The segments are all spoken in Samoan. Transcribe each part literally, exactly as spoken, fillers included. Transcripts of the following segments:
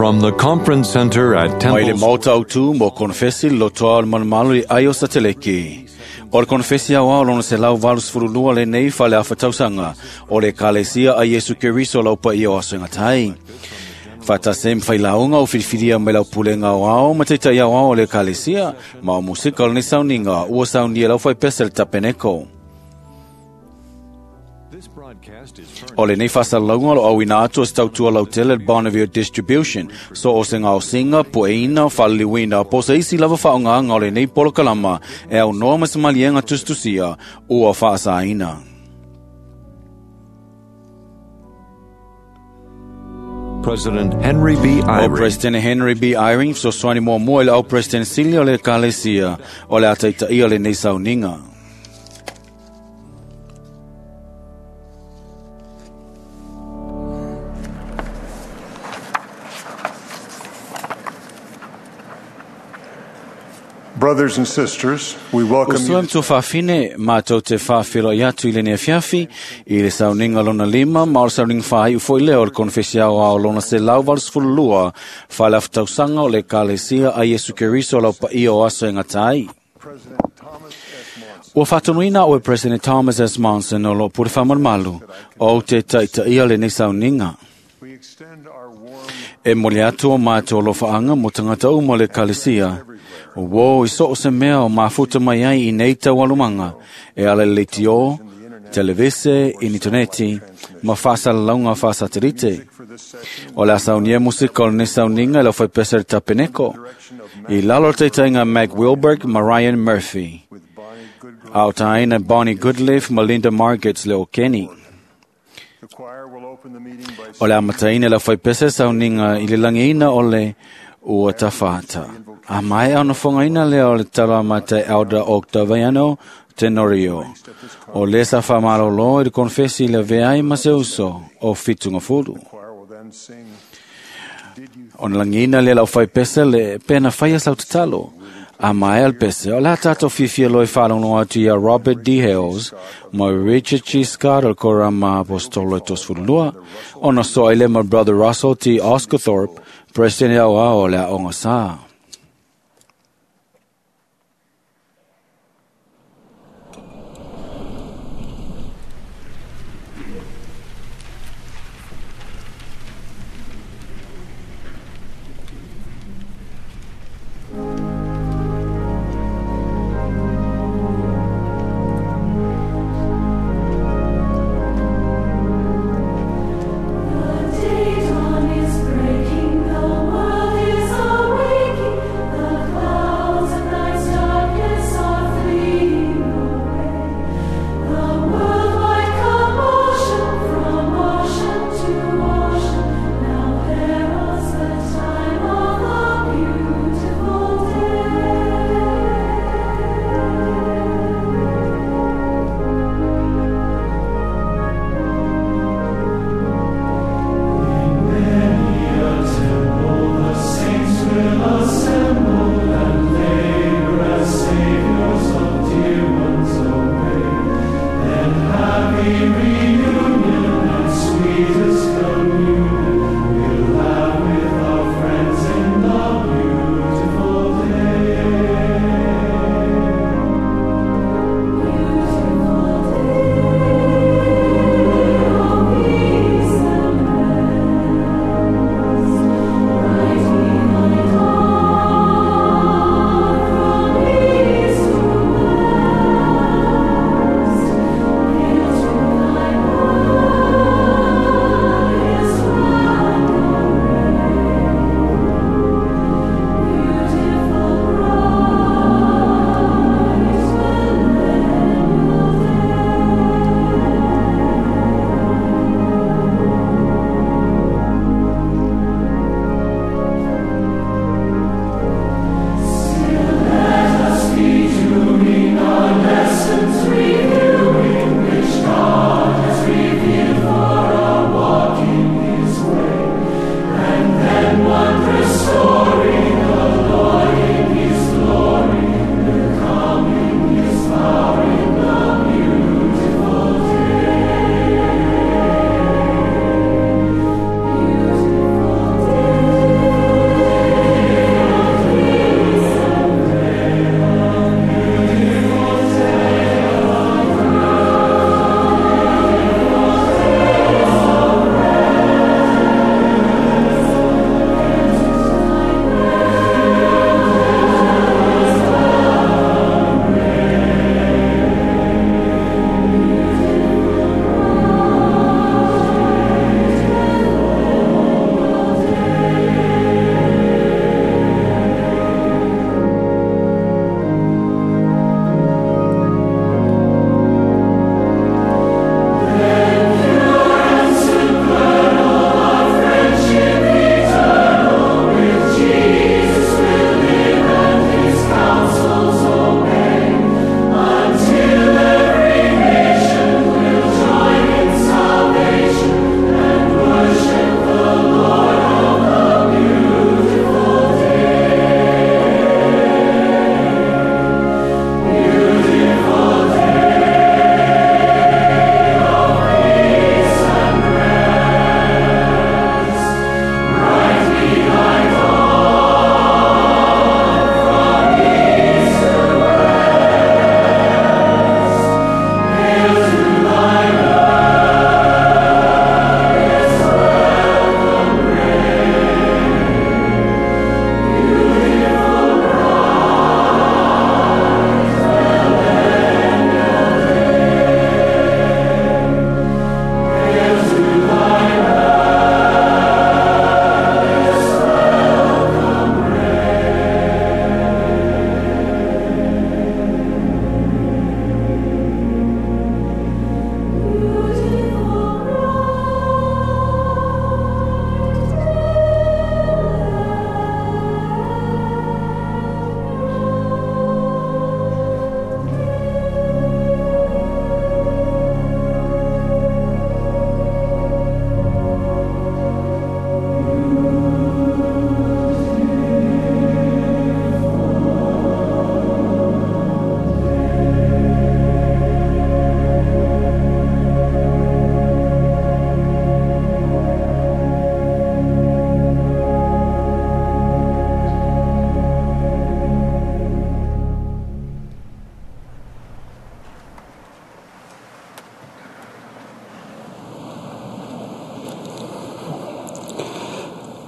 From the Conference Center at Mai le Temple maota autu mo konfesi le lotoa o le malumalu i ai o sateleki. O le konfesi au ao lona se lau valu sefululua lenei fale afa tausaga o le Ekalesia a Iesu Keriso lau paia o aso e gatai. Faatasi ma failauga o filifilia mai lau pulega aoao ma taita'i aoao o le Ekalesia ma o musika o lenei sauniga ua saunia e lau faipese le tapeneko. O lenei faasalalauga o lo auina atu o se tautua lautele le Bonneville Distribution, so o se gaosiga, pueina, faaliliuina, po o se isi lava faaogaga o lenei polokalama e aunoa ma se maliega tusitusia ua faasaina. President Henry B. O Eyring. President Henry B. Eyring fesoasoani muamua i le au President sili o le Ekalesia o le a taitaia lenei sauniga. Brothers and sisters, we welcome Usoa you. matua faafine matou te faafeiloai atu i lenei afiafi i le sauniga lona lima ma o le sauniga faaiu foi lea o le konefesi aoao lona selau valu sefululua fale afa-tausaga o le Ekalesia a Iesu Keriso lau paia o aso e gata ai. President Thomas S. Monson. Ua faatonuina au e President Thomas S. Monson o loo pule faamalumalu o te taitaia lenei sauniga. We extend our warm E moli atu o mātou alofaaga mo tagata uma o le Ekalesia. O uō i so o se mea o mafuta mai ai i nei taualumaga e ala i le leitio, televise, initaneti, ma faasalalauga faasatelite. for this session O le a saunia musika o lenei sauniga e le aufaipese le tapeneko. I lalo o le taitaiga Mac Wilberg ma Ryan Murphy. with Bonnie Goodglass. A o taina Bonnie Goodleaf ma Linda Margets le o Kenny. The choir will open the meeting by O le amataina le aufaipese sauniga i le lagiina o le ua tafata. A mai au na whangaina lea o le tala mate Elder Octaviano Tenorio. O le sa whamarolo i le konfesi le veai ma se uso o fitunga fulu. choir will then sing Did You O na lagina lea lau whaipese le pena whaia sau tatalo. A mai al pese, o la tātou fiafia loe whalongo atu ia Robert D. Hales, ma Richard G. Scott o le korama apostolo e tosefululua, ona soa ile ma Brother Russell T. Oscarthorpe, President au ao o le aonga sa. The day dawn is breaking, the world is awaking.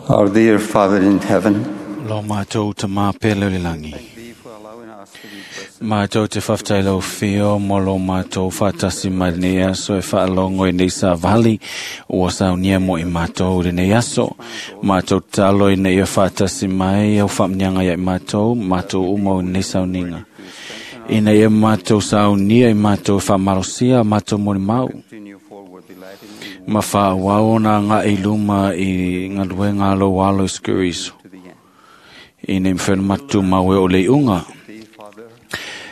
Our dear Father in heaven, Lo mātou ta mā pele o le langi. thank thee for allowing us to be present Mātou te whaftai lau whio mo lo mātou whatasi mai nei aso e whaalongo i nei sa vali ua saunia mo i mātou i nei aso. Mātou talo i nei e whatasi mai au whamnianga ia i mātou, mātou umo i nei sauninga. I nei e mātou saunia i mātou e whamalosia mātou mori mau. continue forward delighting in Ma whaawao nā ngā i luma i ngā luenga alo walo i skuriso. to the end. I nei mwhena matu mawe o le unga. Thee, Father,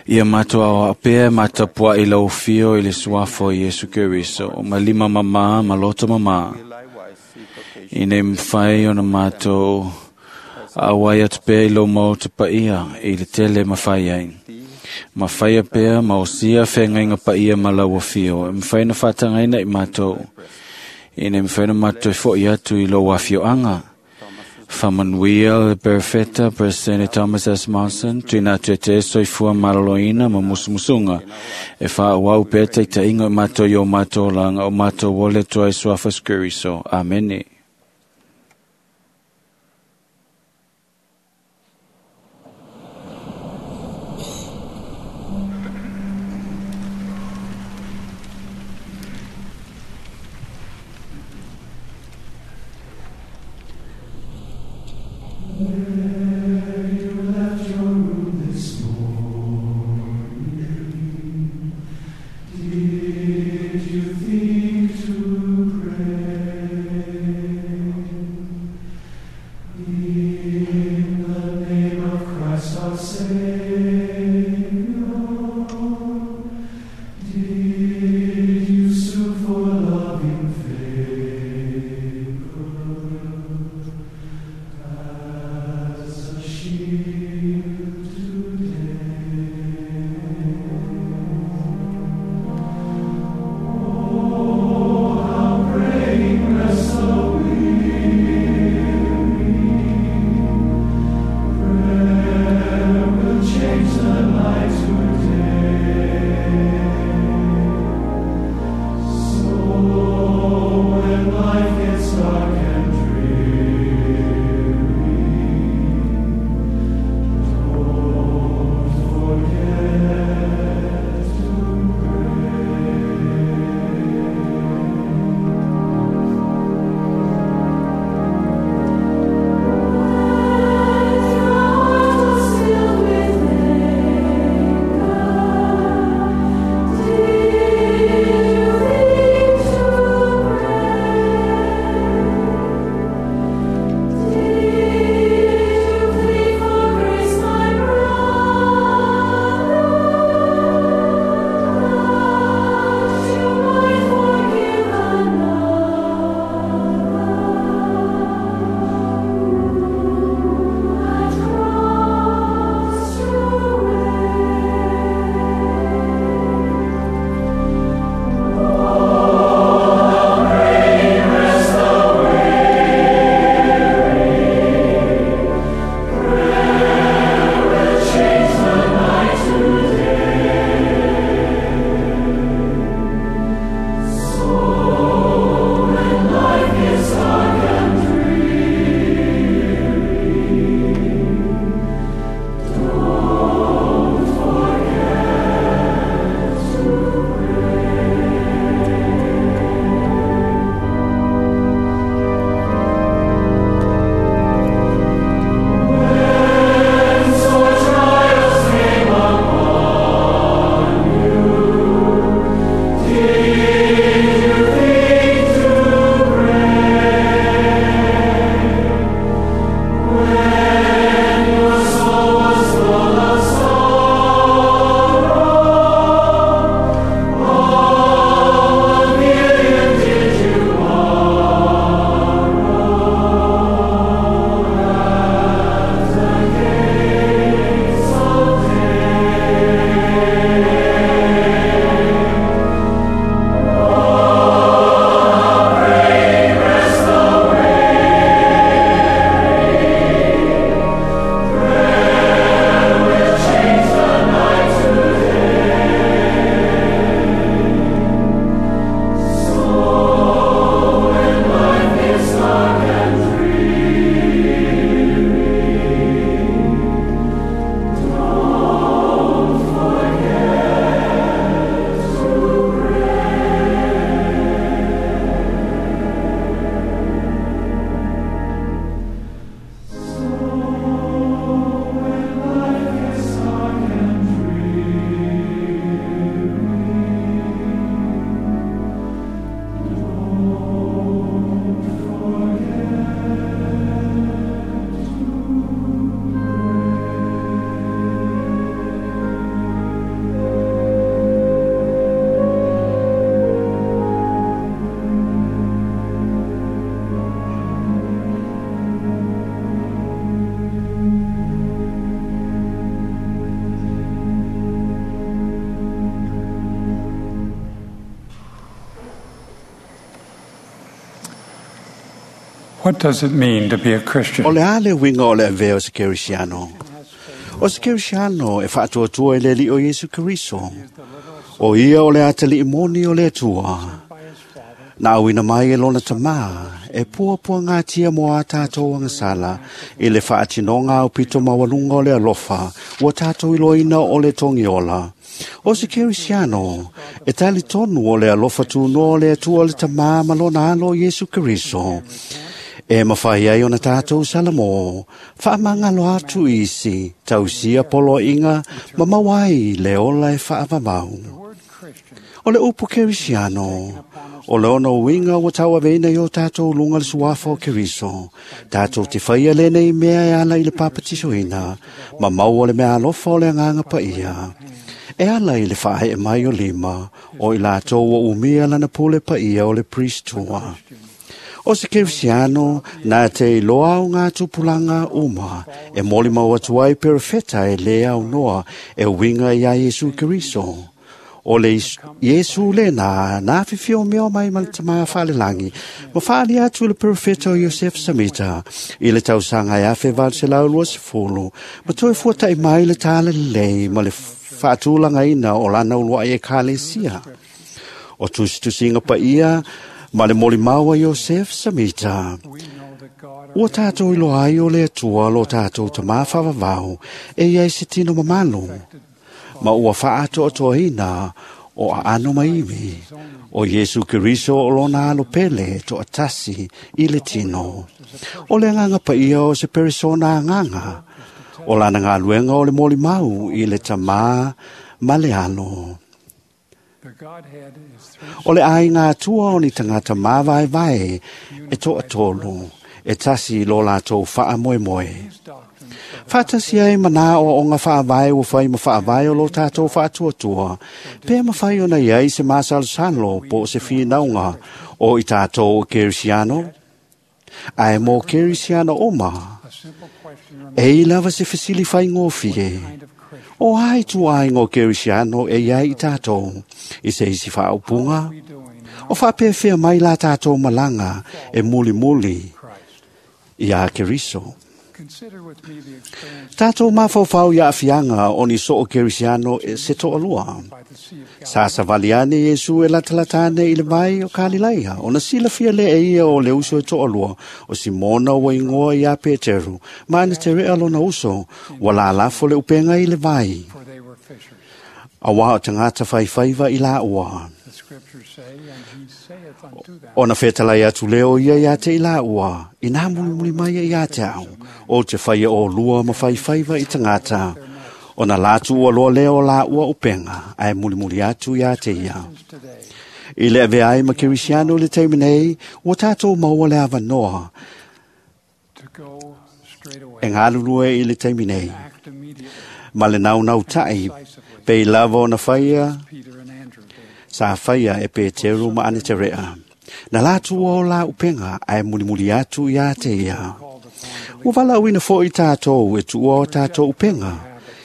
Ia mātou au apea matapua i lau fio i le suafo i Yesu Keriso. O malima mama, maloto mama. we likewise seek occasion I nei mwhai ona mātou awai atu pea i lau mau te paia i le tele mawhai ai. thee Mawhai pea, mausia whengainga paia ma lau fio. E mwhai na whatangaina i mātou. I nei mwhai na mātou e fo i atu i lau afio anga. Whamanuia le perfecta President Thomas S. Monson, tuina atu e te soifua maloloina ma musumusunga. E wha wau pea te te ingo i mātou i o mātou langa o mātou wole toa i suafa skuriso. Amene. Did you What does it mean to be a Christian? O le a le uiga o le avea o se Kerisiano. O se Kerisiano e faatuatua i le Alii o Iesu Keriso. O ia o le atalii moni o le Atua. Na auina mai e lona tamā, e puapuagatia mo a tātou agasala, i le faatinoga aupito maualuga o le alofa, ua tātou iloaina o le togiola. O se Kerisiano, e talitonu o le alofa tunoa o le Atua le Tamā ma lona alo Iesu Keriso. E mawhai ai ona tātou salamo, whaamangalo atu isi, tausia poloaiga, ma mauai le ola e whaavavau. O le upu Kerisiano, o le ona uiga ua tauaveina i o tātou luga le suafa o Keriso, tātou te whaia lenei mea e ala i le papatisoina, ma maua le mea alofa o le agaga paia. E ala i le whae mai o lima, o i lātou o umia lana pule paia o le priestua. O se Kerisiano, nā te iloa o ngā tupulanga uma, e moli mau atu ai perefeta e le au noa, e uiga ia Iesu Keriso. O le Iesu le nā, nā whiwhio meo mai ma le tamā whaalelangi, ma whaali atu le perefeta o Yosef Samita, i le tausaga e afe valu selau lua sefulu, ma toe fuatai mai le tāle lelei ma le whaatūlangaina o lana uluai ekalesia. O tusitusinga paia, ma le molimau a Yosef Samita. Ua tātou iloa ai o le Atua lo tātou tamā whaavavau, e iai se tino mamalu. Ma ua whaatoatoaina o aano maivi, o Iesu Keriso o lona alo pele toatasi i le tino. O le agaga paia o se peresona agaga, o lana galuega o le molimau i le tamā ma le alo. O le aiga atua o ni tagata mavaevae e toatolu, e tasi i lo latou faamoemoe. Faatasi ai mana o onga faavae ua fai ma faavae o lo tātou faatuatua, pe mawhai ona iai se masalosalo po o se whinauga o i tātou o Kerisiano. Ae mō Kerisiano oma, e i lava se fesili whaingōfie. O ai tu ai ngō Kerisiano e iai i tātou, i se isi whaaupunga, o whaapewhea mai la tātou malanga e muli muli i a Keriso. Tātou mawhauwhau ia awhianga o ni so o Kerisiano e se toalua. Sa savaliane Iesu e latalatane i le vai o Kalilaia, o na silafia le e ia o le uso e toalua, o Simona ua ingoa ia Peteru, ma ana te rea lona uso, ua lalafo le upenga i le vai. A wā o tangata whaiwhaiva i la ua. O na whetalai atu leo ia ia te i la ua, i nā mulimuli mai ia te au, o te whaia o lua ma whaiwhaiva i tangata, o na lātu ua loa leo la ua upenga, ae mulimuli atu ia te ia. I le ave ai ma Kerisiano le taimi nei, ua tātou maua le avanoa, e ngālulue i le taimi nei. Ma le naunau tai, pe i lava o na whaia, sa whaia e Peteru ma ane te rea. Na lātu o la upenga, ae mulimuli atu ia te ia. Ua walauina fo i tātou e tua o tātou upenga.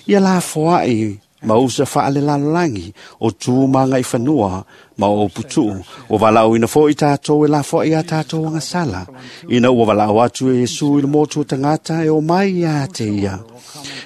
Ia la foai ma usa whaale lalolangi o tū manga i whanua ma o putuu. Ua walauina fo i tātou e la foai a tātou angasala. Ina ua walau atu e Iesu i le motu o tangata e o mai ia te ia.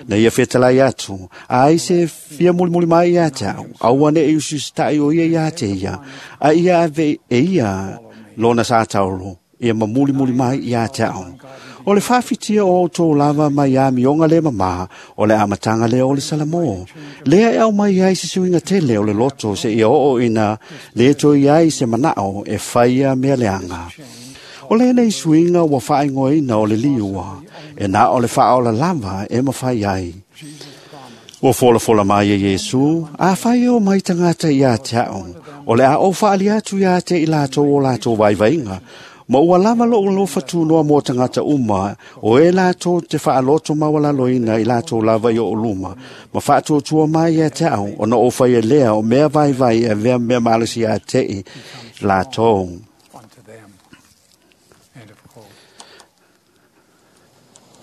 Na ia whetalai atu, a ai se fia mulimuli mai ia te au, aua ne e ususita'i o ia ia te ia, a ia ave e ia lona sa tauro, ia ma mulimuli mai ia te au. O le whawhitia o tō lava mai a mionga le mama, o le amatanga le o le salamo. Lea e au mai ai se suinga tele o le loto se ia oo ina le toi ai se manao e whaia mea leanga. O le nei suinga ua whaingoina o le liua, e nā o le whaola lava e mawhai ai. Ua fola fola mai e Iesu, a whai o mai tangata ia te ao, o le a o whaali atu ia te i lātou o lātou waiwainga, ma ua lava lo lo whatunoa mō tangata uma, o e lātou te whaaloto mawalaloina i lātou lava i o luma, ma whaatuatua mai ia te ao, o na o whai e lea o mea vaivai e vea mea malasi ia te i lātou.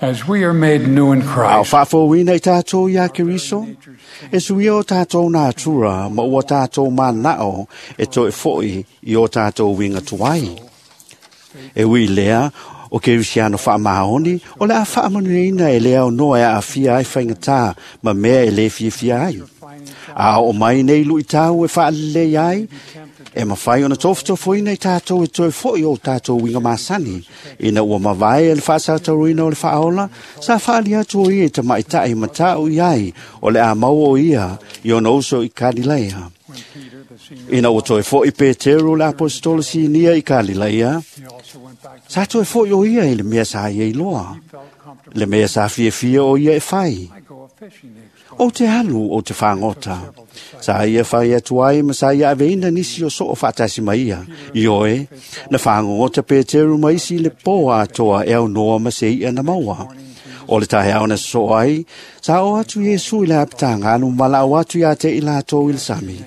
As we are made new in A o Christ, whaafouina i tātou ia Keriso, e suia o tātou nā tura, ma ua tātou mānao e toe foi i o tātou winga tuai. E ui lea, O Kerisiano faamaoni o le a faamanuiaina e le aunoa e aafia ai faigata ma mea e lē fiafia ai. A oo mai nei luitau e faalelei ai, e mafai ona tofotofoina i tatou e toe fo'i o tatou uiga masani. Ina ua mavae le faasautauina o le faaola, sa faali atu o ia i tamaʻitaʻi mata'u i ai o le a maua o ia i ona uso i Kalilaia. Ina ua toe fo'i Peteru le aposetolo sinia i Kalilaia, sa toe fo'i o ia i le mea sa ia iloa, le mea sa fiafia o ia e fai. O te alu o te fagota. Sa ia fai atu ai ma sa ia aveina nisi o soo faatasi ma ia. Ioe, na fagogota Peteru ma isi le pō atoa e aunoa ma se i'a na maua. O le taeao na sosoo ai, sa o atu Iesu i le apitagalu ma valaau atu iā te i latou i le sami.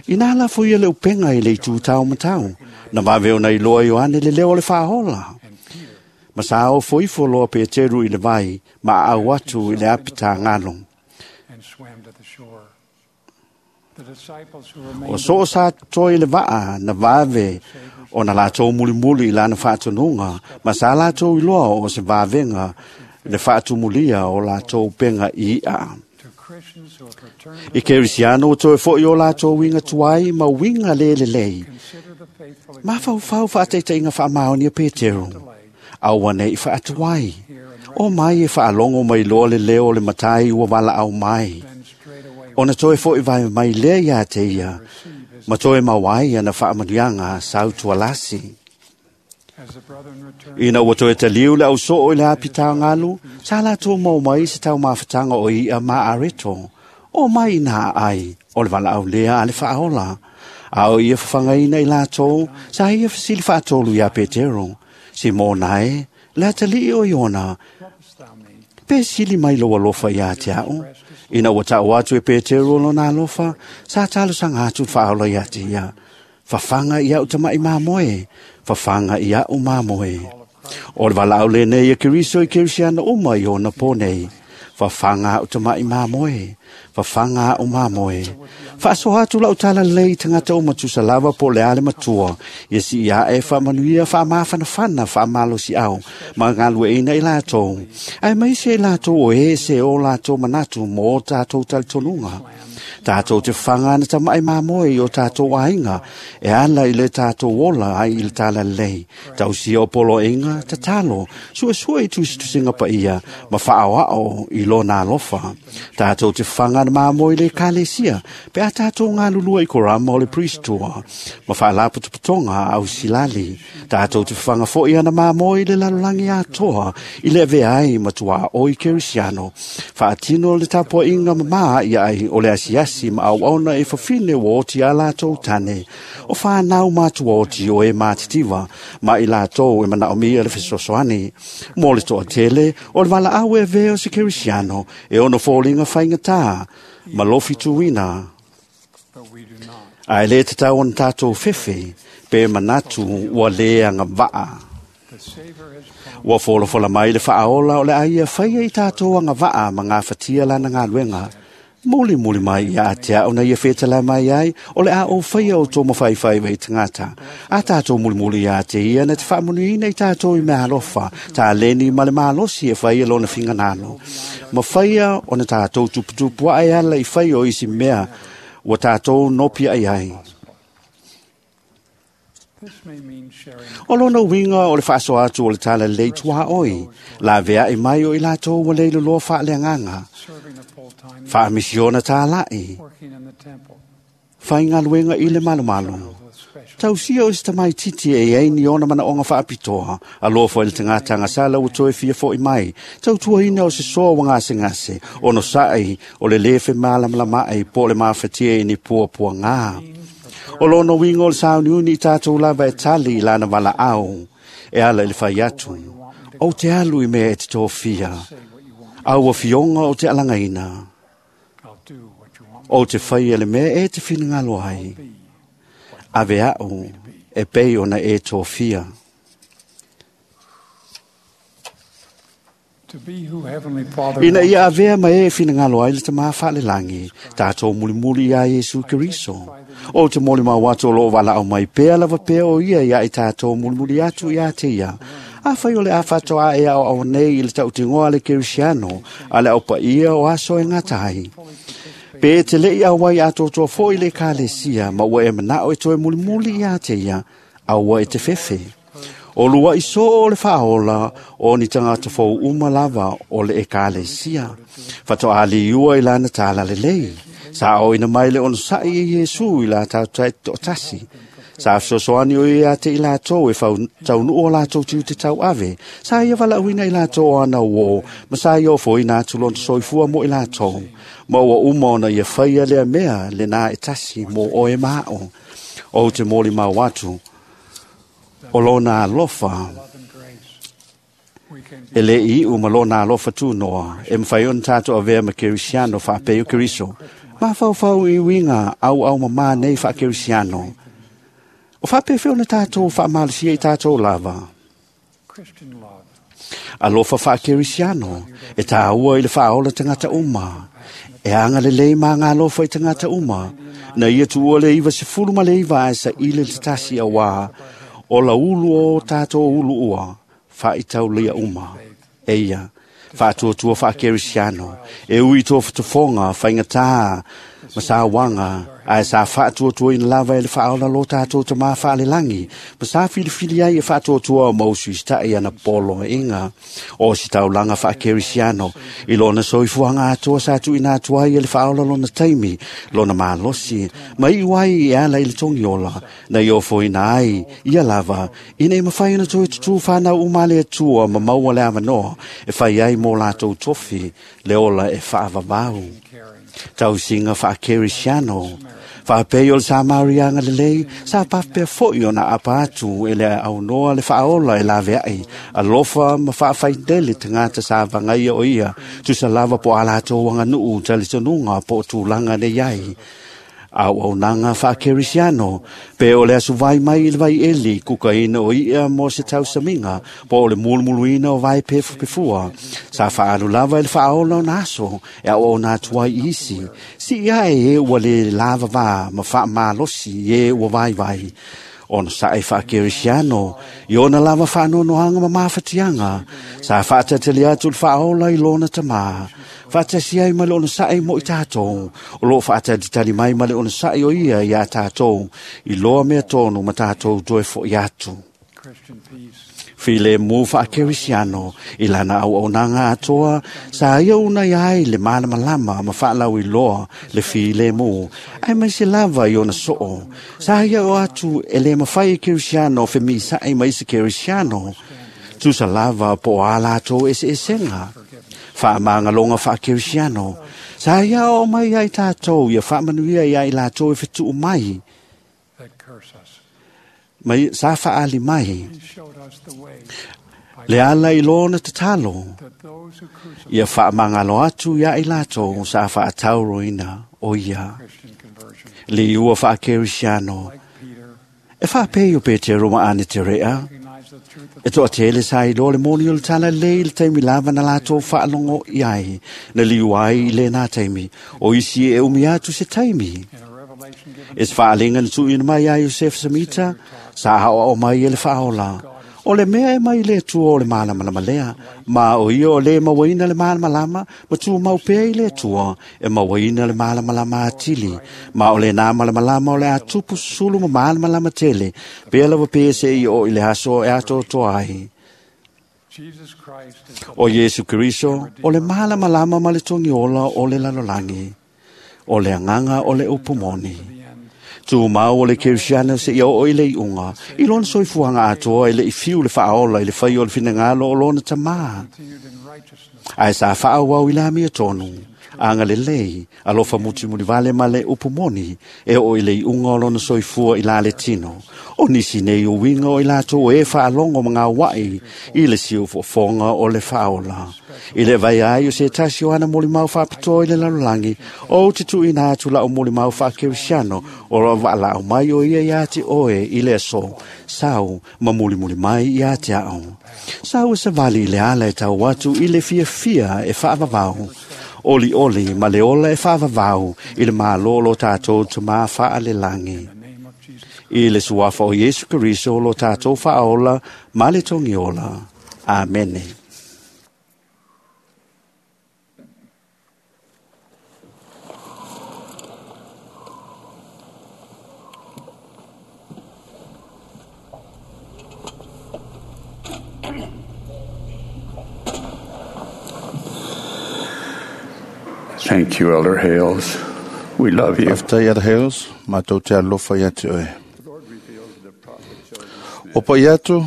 Inā lafo ia le upenga i le itu taumatau, na vave ona iloa Ioane le leo o le faaola. Ma sa ofo ifo loa Peteru i le vai, ma aau atu i le apitagalu. O soo sa totoe i le vaa na vave ona latou mulimuli i lana faatonuga, ma sa latou iloa o se vavega le faatumulia o latou upega i i'a. I Kerisiano ua toe fo'i o latou uiga tuai ma uiga lē lelei. Mafaufau faataitaiga faamaoni a Peteru. Aua nei faatuai. O mai e faalogo mai loa le leo o le matai ua valaau mai. Ona toe fo'i vae mai lea iā te ia, ma toe maua ai ana faamanuiaga sautualasi. Ina ua toe taliu le ausoo i le apitagalu, sa latou maua mai se taumafataga o i'a ma areto. O mai ina aai, o le valaau lea a le faaola. A o ia fafagaina i latou, sa ia fesili faatolu iā Petero. Simona e, le atalii o Iona, pe sili mai lou alofa iā te a'u. Ina ua ta'u atu e Peteru o lona alofa, sa talosaga atu le faaola iā te ia. Fafaga i a'u tama'i mamoe, fafaga i a'u mamoe. O le valaau lenei e Keriso i Kerisiano uma i ona pō nei. Fafaga a'u tama'i mamoe, fafaga a'u mamoe. Faasoa atu la'u talalelei i tagata uma tusa lava po o le a le matua, ia sii a'e faamanuia faamafanafana faamalosi'au ma galueʻina i latou, ae maise i latou o e se o latou manatu mo o tatou talitonuga. Tatou te fafaga ana tama'i mamoe i o tatou aiga, e ala i le tatou ola ai i le talalelei. Tausia o poloaiga, tatalo, suesue i tusitusiga paia, ma faaoao i lona alofa. Tatou te fafaga ana mamoe i le ekalesia, pe a tatou galulua i korama o le priestua, ma faalapotopotoga a ausilali. Tatou te fafaga fo'i ana mamoe i le lalolagi atoa, i le avea ai ma tuaoi Kerisiano. Faatino le tapuaʻiga mamā ia ai o le asiasi ma auauna e fafine ua oti a latou tane. O whanau mātua oti o e mātitiva, ma i latou e manaomia le fesoasoani. Mo le toatele, o le valaau e avea o se Kerisiano, e ono foliga faigata, ma lofi tuina. Ae lē tatau ona tatou fefe, pe manatu ua lē agavaa. Ua folafola mai le faaola o le a ia faia i tatou agavaa ma gafatia lana galuega. Muli muli mai ia te a'u na ia fetala mai ai, o le a o faia o tō mawhaiwhai wei tangata. A tātou mulimuli ia te ia na te faamanuiina i tātou i mea alofa, tā leni ma le malosi e whaia lona finganalo. Ma whaia o na tātou tuputupu ai ala i whai o isi mea, ua tātou nopi ai ai. O lona uiga o le faasoa atu o le talalelei tuaoi, la veaʻi mai o i latou ua leiloloa faaleagaga. Faamisiona tālaʻi, faigaluega i le malomalo. Tausia o se tamaititi e iai ni ona manaʻoga faapitoa, alofa i le tagata agasala ua toe fia foʻi mai, tautuaina o se soa ua gasegase, ono saʻi o le lē femalamalamaʻi po o le mafatia i ni puapuagā. O lona uiga o le sauniuni i tatou lava e tali i lana valaau, e ala i le fai atu, ou te alu i mea e te tofia, au afioga o te alagaina, o te faia le mea e te finagalo ai, ave a'u e pei ona e tofia. Ina ia avea ma e finagalo ai le tamā faalelagi, tatou mulimuli iā Iesu Keriso. O te molimau atu o loo valaau mai pea lava pea o ia ia i tatou mulimuli atu iā te ia. Afai o le a fatoa e ao au nei i le tautigoa le Kerisiano, a le au paia o aso e ngata ai. Pe te lei au ai atoatoa foi le kalesia, ma ua e manao e toe mulimuli ia te ia, aua e te fefe. O lua iso o le whaola o ni tangata fou uma lava o le ekalesia. Whatoa ali ua i lana tāla le lei. Sa o ina mai le ono sai e Iesu i la tau tasi. Sa fesoasoani o ia te i latou e fau taunu o latou tiu te tau ave. Sa ia walauina i latou ana uo, ma sa ia ofo ina atu lona soifua mo i latou. Ma ua uma ona ia whaia lea mea le nā e tasi mo oe mao. O te moli mau atu, o lona alofa, e le i u ma lona alofa tūnoa, e mwhai ona tātou avea ma Kerisiano whaapeo Keriso. Ma whau i winga au au mama nei wha Kerisiano. O whaapewhe ona tātou whaamalisia i tātou lava. Alofa wha Kerisiano, e tāua i le whaola tangata uma. E anga le lei maa ngā alofa i tangata uma. Na ia tuua le iwa se fulu ma le iwa ai sa ile le tasi a wā, o la ulu o tātou ulu ua, wha lia uma. Eia, whaatuatua wha Kerisiano, e ui tō whatafonga, whaingatā, ma wanga, ai sa whaatuatua ina lava e le whaola lo tātou te mā whaalelangi, ma sa filifili ai e whaatuatua o mausu istai ana polo inga, o si taulanga wha Kerisiano, i lona soifuanga atoa sa tu ina atua ai e le whaola lona taimi, lona malosi, ma i wai e ala i le tongiola, na i ofo ina ai, ia lava, ina e mawhai ona toe tutu whanau umale atua ma maua le awanoa, e whai ai mō lātou tofi, le ola e whaavavau. Tausinga wha Kerisiano, whaapei o le Samarianga le lei, sa pawhapea foi o na apa atu e le aunoa le whaola e lawe ai, alofa ma whaawhaitele te ngata sa vangaia o ia, tusa lava po alato wanganuu talitonunga po tūlanga le iai. Au au nanga wha Kerisiano, pe o le asu vai mai i le vai eli, kuka ina o ia mo se tausaminga, po o le mulumuluina o vai pefu pefua. Sa whaalu lava i le whaola o naso, e au au nā tuai isi. Si ia e e ua le lava vā, ma wha malosi e ua vai vai. Ona sa e wha Kerisiano, i ona lava whaanonohanga ma mawhatianga, sa whaatatele atu le whaola i lona tamā. Whaatasi ai ma le ona sae mo i tātou, o lo whaatalitali mai ma le ona sae o ia i a tātou, i loa mea tōnu ma tātou toe fo i atu. File mū wha Kerisiano, i lana au au nanga atoa, sa ia una i ai le malamalama ma whaalau i loa le file mū, ai mai se lava i ona soo, sa ia o atu e le mawhai e Kerisiano whe sae mai se Kerisiano, tusa lava po a lātou e se esenga. Whaamanga wha Kerisiano, sa ia o mai ai tātou, ia whaamanuia ia i lātou e whitu mai. Mai, sa whaali mai. Le ala i lona te talo, ia whaamangalo atu ia i lātou, sa whaatauroina o ia. Le ua wha Kerisiano, e whaapei o Petero ma ane te rea, e toa tele sa i loa le moni o le tala lei le taimi lava na lātou whaalongo i ai, na liu ai i le nā taimi, o isi e umi atu se taimi. E se whaalenga na tuina mai a Yosef Samita, sa hao au mai e le whaola. O le mea e mai le tua o le malamalama lea, ma o ia o le mawaina le malamalama, ma tu mau pea i le tua, e mawaina le malamalama atili, ma o le nā malamalama o le atupu sulu ma malamalama tele, pea lava pea se i o i le aso e ato toa ai. O Yesu Keriso, o le malamalama ma le tongiola o le lalolangi, o le anganga o le upumoni. Tū mau o le Kerisiano se ia o i le iunga, i lona soifuanga atoa i le i fiu le whaola i le whai o le finangalo o lona tamā. Ai sa whaawau i la mea tonu, anga le lei, alofa muti muli vale ma le upumoni, e o i le iunga o lona soifua i la le tino. O nisi nei o winga o i lātou e whaalongo ma ngā wai, i le siu fofonga o le whaola. I le vai ai o se tasi o ana moli mau whaapitoa i le lalolangi, o te tui nā atu la o moli mau wha Kerisiano, o roa wa lau mai o ia ia te oe i le aso, sau ma muli muli mai ia te ao. Sau e sa vali i le ala e tau atu i le fia fia e whaavavau. Oli oli ma le ola e whaavavau i le mālolo tātou te mā whaalelangi. I le suafa o Yesu Keriso lo tātou whaola ma le tongiola. Amene. Thank you, Elder Hales. We love you. Faafetai Elder Hales, matou te alofa ia te oe. O pai atu,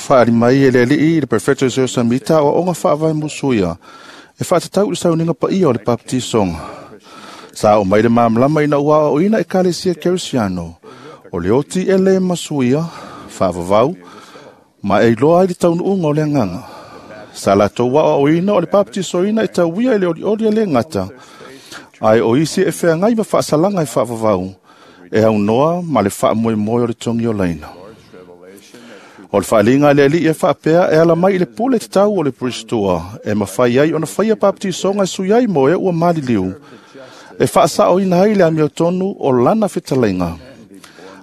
whaari mai e le alii i le Perfecto Joseph Samita o onga whaavai musuia e whaatatau i le sauninga paia o le baptisonga. Sa o mai le mamlama ina ua o ina e kalesia Kerisiano, o le oti e le masuia, whaavavau, ma e iloa ai le taunuunga o le anganga. Sa latou wa o ina o le baptisoina e tauia i le olioli e le ngata, ai o isi e wheangai ma whaasalanga e whaavavau, e au noa ma le whaamoemoe o le tongi o laina. O le whaalinga le ali e whaapea e ala mai i le pule te tau o le Pristoa, e mawhai ai ona whaia baptisonga e sui ai mo e ua maliliu, e whaasao ina ai le amiotonu o lana fetalainga.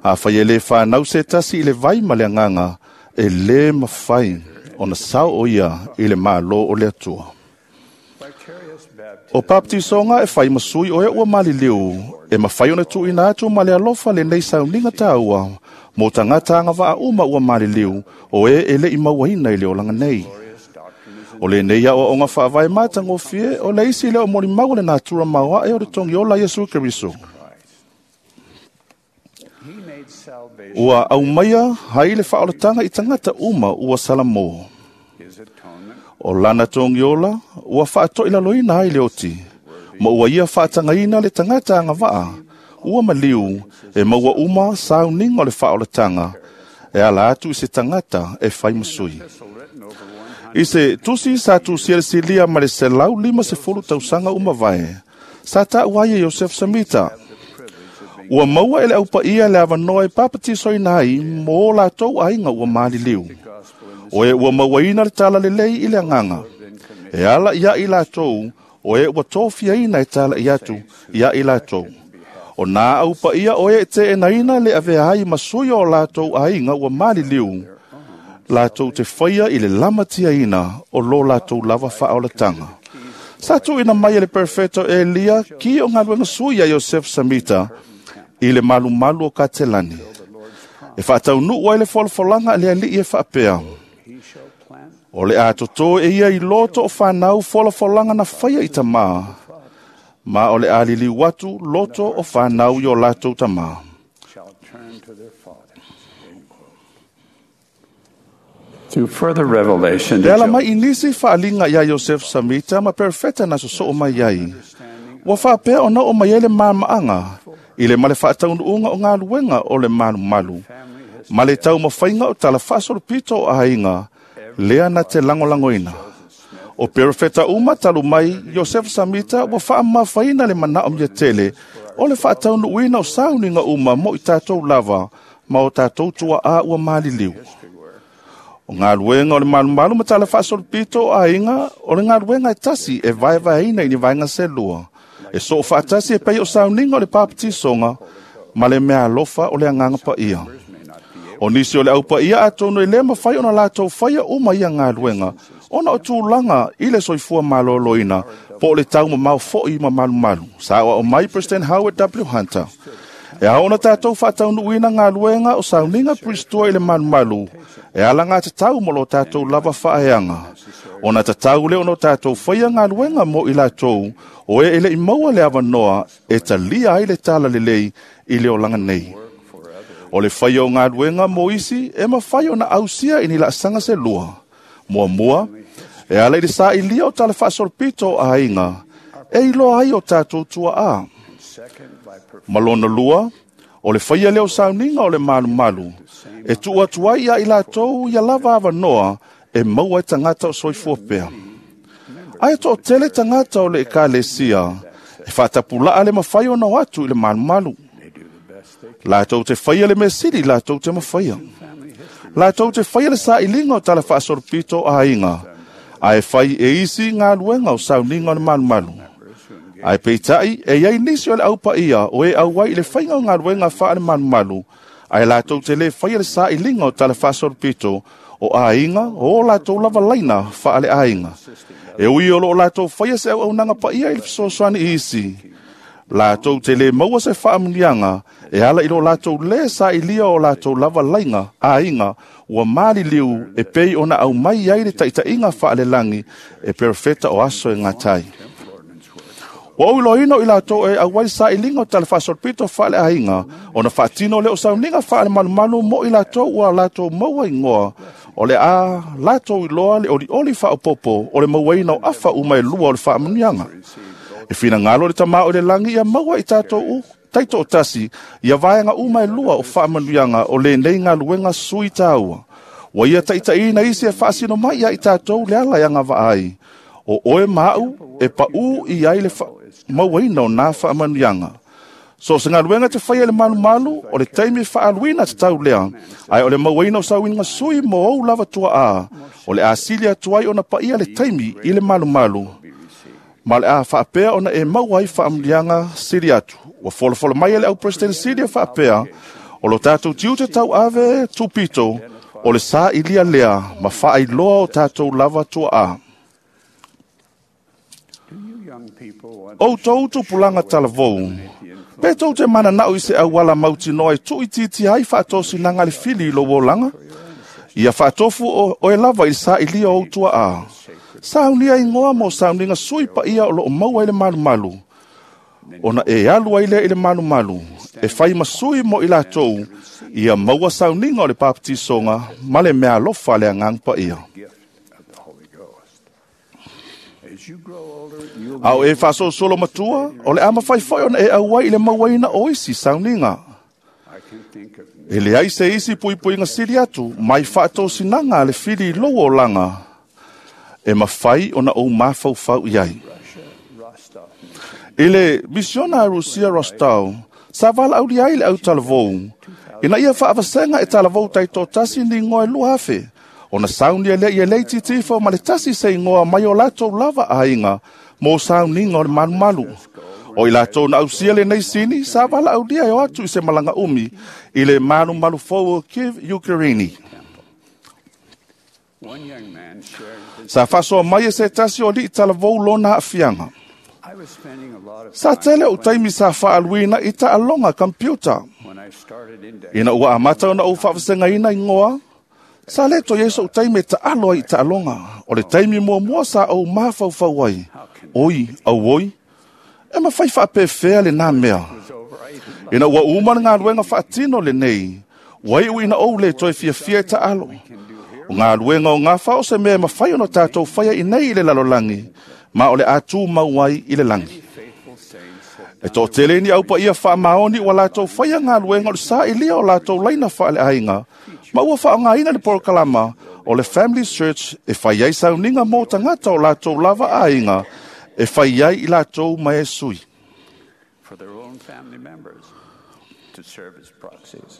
A whai e le whanau se tasi i le vai ma le anganga, e le mawhai ona sao o ia i le malo o le atua. O baptisonga e whai masui o e ua maliliu, e mawhai ona tuina atu ma le alofa le nei sauninga tāua, mō tangata anga waa uma ua maliliu, o e e le i mauaina i le olanga nei. O le nei ao onga whaavai mātangofie, o le isi le o mori mau le natura maua e o le tongi ola Yesu Keriso. Ua au maia hai le whaolatanga i tangata uma ua salamo. O lana tongi ola, ua whaatoi laloina ai le oti. Ma ua ia whaatangaina le tangata anga waa, ua maliu, e maua uma sauninga o le whaolatanga, e ala atu i se tangata e whai masui. I se tusi sa tusia le silia ma le selau lima se fulu tausanga uma vae, sa ta uaia Joseph Samita. Ua maua ele aupa ia le avanoa e papatisoina ai mō lātou aiga ua maliliu. O e ua mauaina le tala lelei i le anganga. E ala ia i lātou, o e ua tōfiaina e tala i atu ia i lātou. O nā aupa ia o e te enaina le avea ai masui o lātou aiga ua maliliu. Lātou te whaia i le lamatiaina o lo lātou lava whaolatanga. Sa tuina mai e le Perfecto Elia ki o ngaluenga sui a Joseph Samita i le malumalu o Katelani. E whaataunu ai le folafolanga le alii e whaapea. O le atoto e ia i loto o whanau folafolanga na whaia i tamā. Ma o le alili watu loto o whanau i o lātou tamā. Through further revelation E ala mai i nisi whaalinga ia Joseph Samita ma perfeta na soso o mai ai. Ua whaapea ona o mai ele maamaanga, i le male whaataunuunga o ngā luenga o le malu malu. Ma le tau mawhainga o tala whaasolopito o ahinga, lea na te langolangoina. O perfeta uma talu mai, Joseph Samita ua whaamawhaina le mana o mia tele, o le whaataunuuina o sauninga uma mo i tātou lava, ma o tātou tua a ua maliliu. O ngā luenga o le malumalu ma tala whaasolopito o ahinga, o le ngā luenga e tasi e vaevaeina i ni vaenga se lua. E so whaatasi e pei o sauninga o le papatisonga, ma le mea alofa o le anganga pa ia. O nisi o le aupa ia atono i le mawhai ona lātou whaia uma ia ngā luenga, ona o tūlanga i le soifua maloloina, po o le tau ma mau foi ma malumalu. Sa o mai President Howard W. Hunter. E aona tātou whaataunuina ngā luenga o sauninga Pristoa i le malumalu, e ala ngā te tau mo lo tātou lava whaeanga. Ona te tau le ono tātou whaia ngā luenga mo i lātou, o e ele i maua le awanoa e talia ai le tala lelei i le olanga nei. O le whaia o ngā luenga mo isi e mawhai ona ausia i ni laasanga se lua. Mua mua, e ala i le sa ilia o tala whaasolopito o ahinga, e iloa ai o tātou tua a. Malona lua, o le whaia leo sauninga o le malumalu, e tua atu ai ia i lātou ia lava awanoa e maua e tangata o soifua pea. Ai tō tele tangata o le ekalesia, e whaatapulaa le mawhai ona o atu i le malumalu. Lātou te whaia le mesiri, lātou te mawhaia. Lātou te whaia le sailinga o tala whaasolopito o ahinga, a e whai e isi ngā luenga o sauninga o le malumalu. Ai peitai, e iai nisi o le aupa ia, o e auai i le whainga o ngā luenga wha le malumalu, ai lātou te le whaia le sailinga o tala whaasolopito O aiga, o latou lava laina whaale aiga. E ui o lo latou whaia se au au nanga pa ia i le fesoasoani isi. Latou te le maua se whaamunianga, e ala i lo latou le sa ilia o latou lava lainga, aiga, ua mali liu e pei ona au mai ai le taitaiga whaalelangi e perfeta o aso e ngatai. Ua uiloina o i latou e auai sa ilinga o tale faasolopito whaale aiga, ona whaatino le o sauniga whaale malumalu mo i latou ua latou maua ingoa, o le a latou iloa le oli oli whaopopo o le mauaina o afa uma e lua o le whaamunianga. E whina ngalo le tamao i le langi ia maua i tātou u, taito o tasi, ia vaenga uma e lua o whaamanuianga o le nei ngā luenga sui tāua. Wa ia taitaina isi e whaasino mai ia i tātou le ala ia ngā vaai. O oe mau e pau i ai le mauaina o nā whaamanuianga. So se ngā luenga te whaia le malu malu o le taimi whaaluina te tau lea, ai o le mauaina o sauinga sui mo au lava tua a, o le asilia tuai o na paia le taimi i le malu malu. Ma le a whaapea ona e mau ai whaamulianga siri atu. Ua folofolo mai e le au President Silia whaapea, o lo tātou tiute tau ave tupito, o le sa ilia lea, ma whaailoa o tātou lava tua a. O tau tupulanga talavou, pe tau te mana nau i se awala mautinoa e tui titi ai whaatosi nanga le fili i lo wolanga, ia whaatofu o, o e lava i sa ilia o tua a. Saunia ingoa mo sauninga sui pa ia o lo o maua i le malu malu. Ona e alu ai lea i le malu malu, e whai masui mo i latou, ia maua sauninga o le papatisonga, ma le mea alofa le angang pa ia. Au e whaasosolo matua, o le ama whai whai ona e auai i le mauaina o isi sauninga. E le ai se isi puipuinga siri atu, mai whaatosinanga le whiri i lou o langa, e mawhai ona o mawhau i ai. I le misiona a Rusia Rostov, sa wala auli ai le au talavou. Ina ia whaavasenga e talavou taito tasi ni ngoe lua afe. Ona saunia lea ia lei titifo ma le tasi se ingoa mai o latou lava aiga mo sauninga o le malumalu. O i latou na ausia le nei sini, sa wala aulia e o atu i se malanga umi i le malumalu fou o Kiev, Ukraine. Sa whasoa mai e se tasi o li talavou lona afianga. Sa tele o taimi sa whaaluina i ta alonga computer. Ina ua amata ona o whaavasenga ina ingoa, sa leto yeso o taimi ta aloa i ta alonga, o le taimi mua mua sa au mawhauwhau ai. Oi, au oi, e mawhai whaapewhea le nā mea. Ina ua umana ngā luenga whaatino le nei, wai ui ina ou le toi fiafia i ta alo. O ngā luenga o ngā whao se mea mawhai ono tātou whaia i nei i le lalolangi, ma o le atu mauai i le langi. E tō tele ni au pa ia wha maoni wa lātou whaia ngā luenga o le sa ilia o lātou laina wha le ainga, ma ua wha ngā ina le porokalama o le Family Search e whai ai sauninga mō tangata o lātou lava ainga e whai ai i lātou mai e sui. For their own family members to serve as proxies.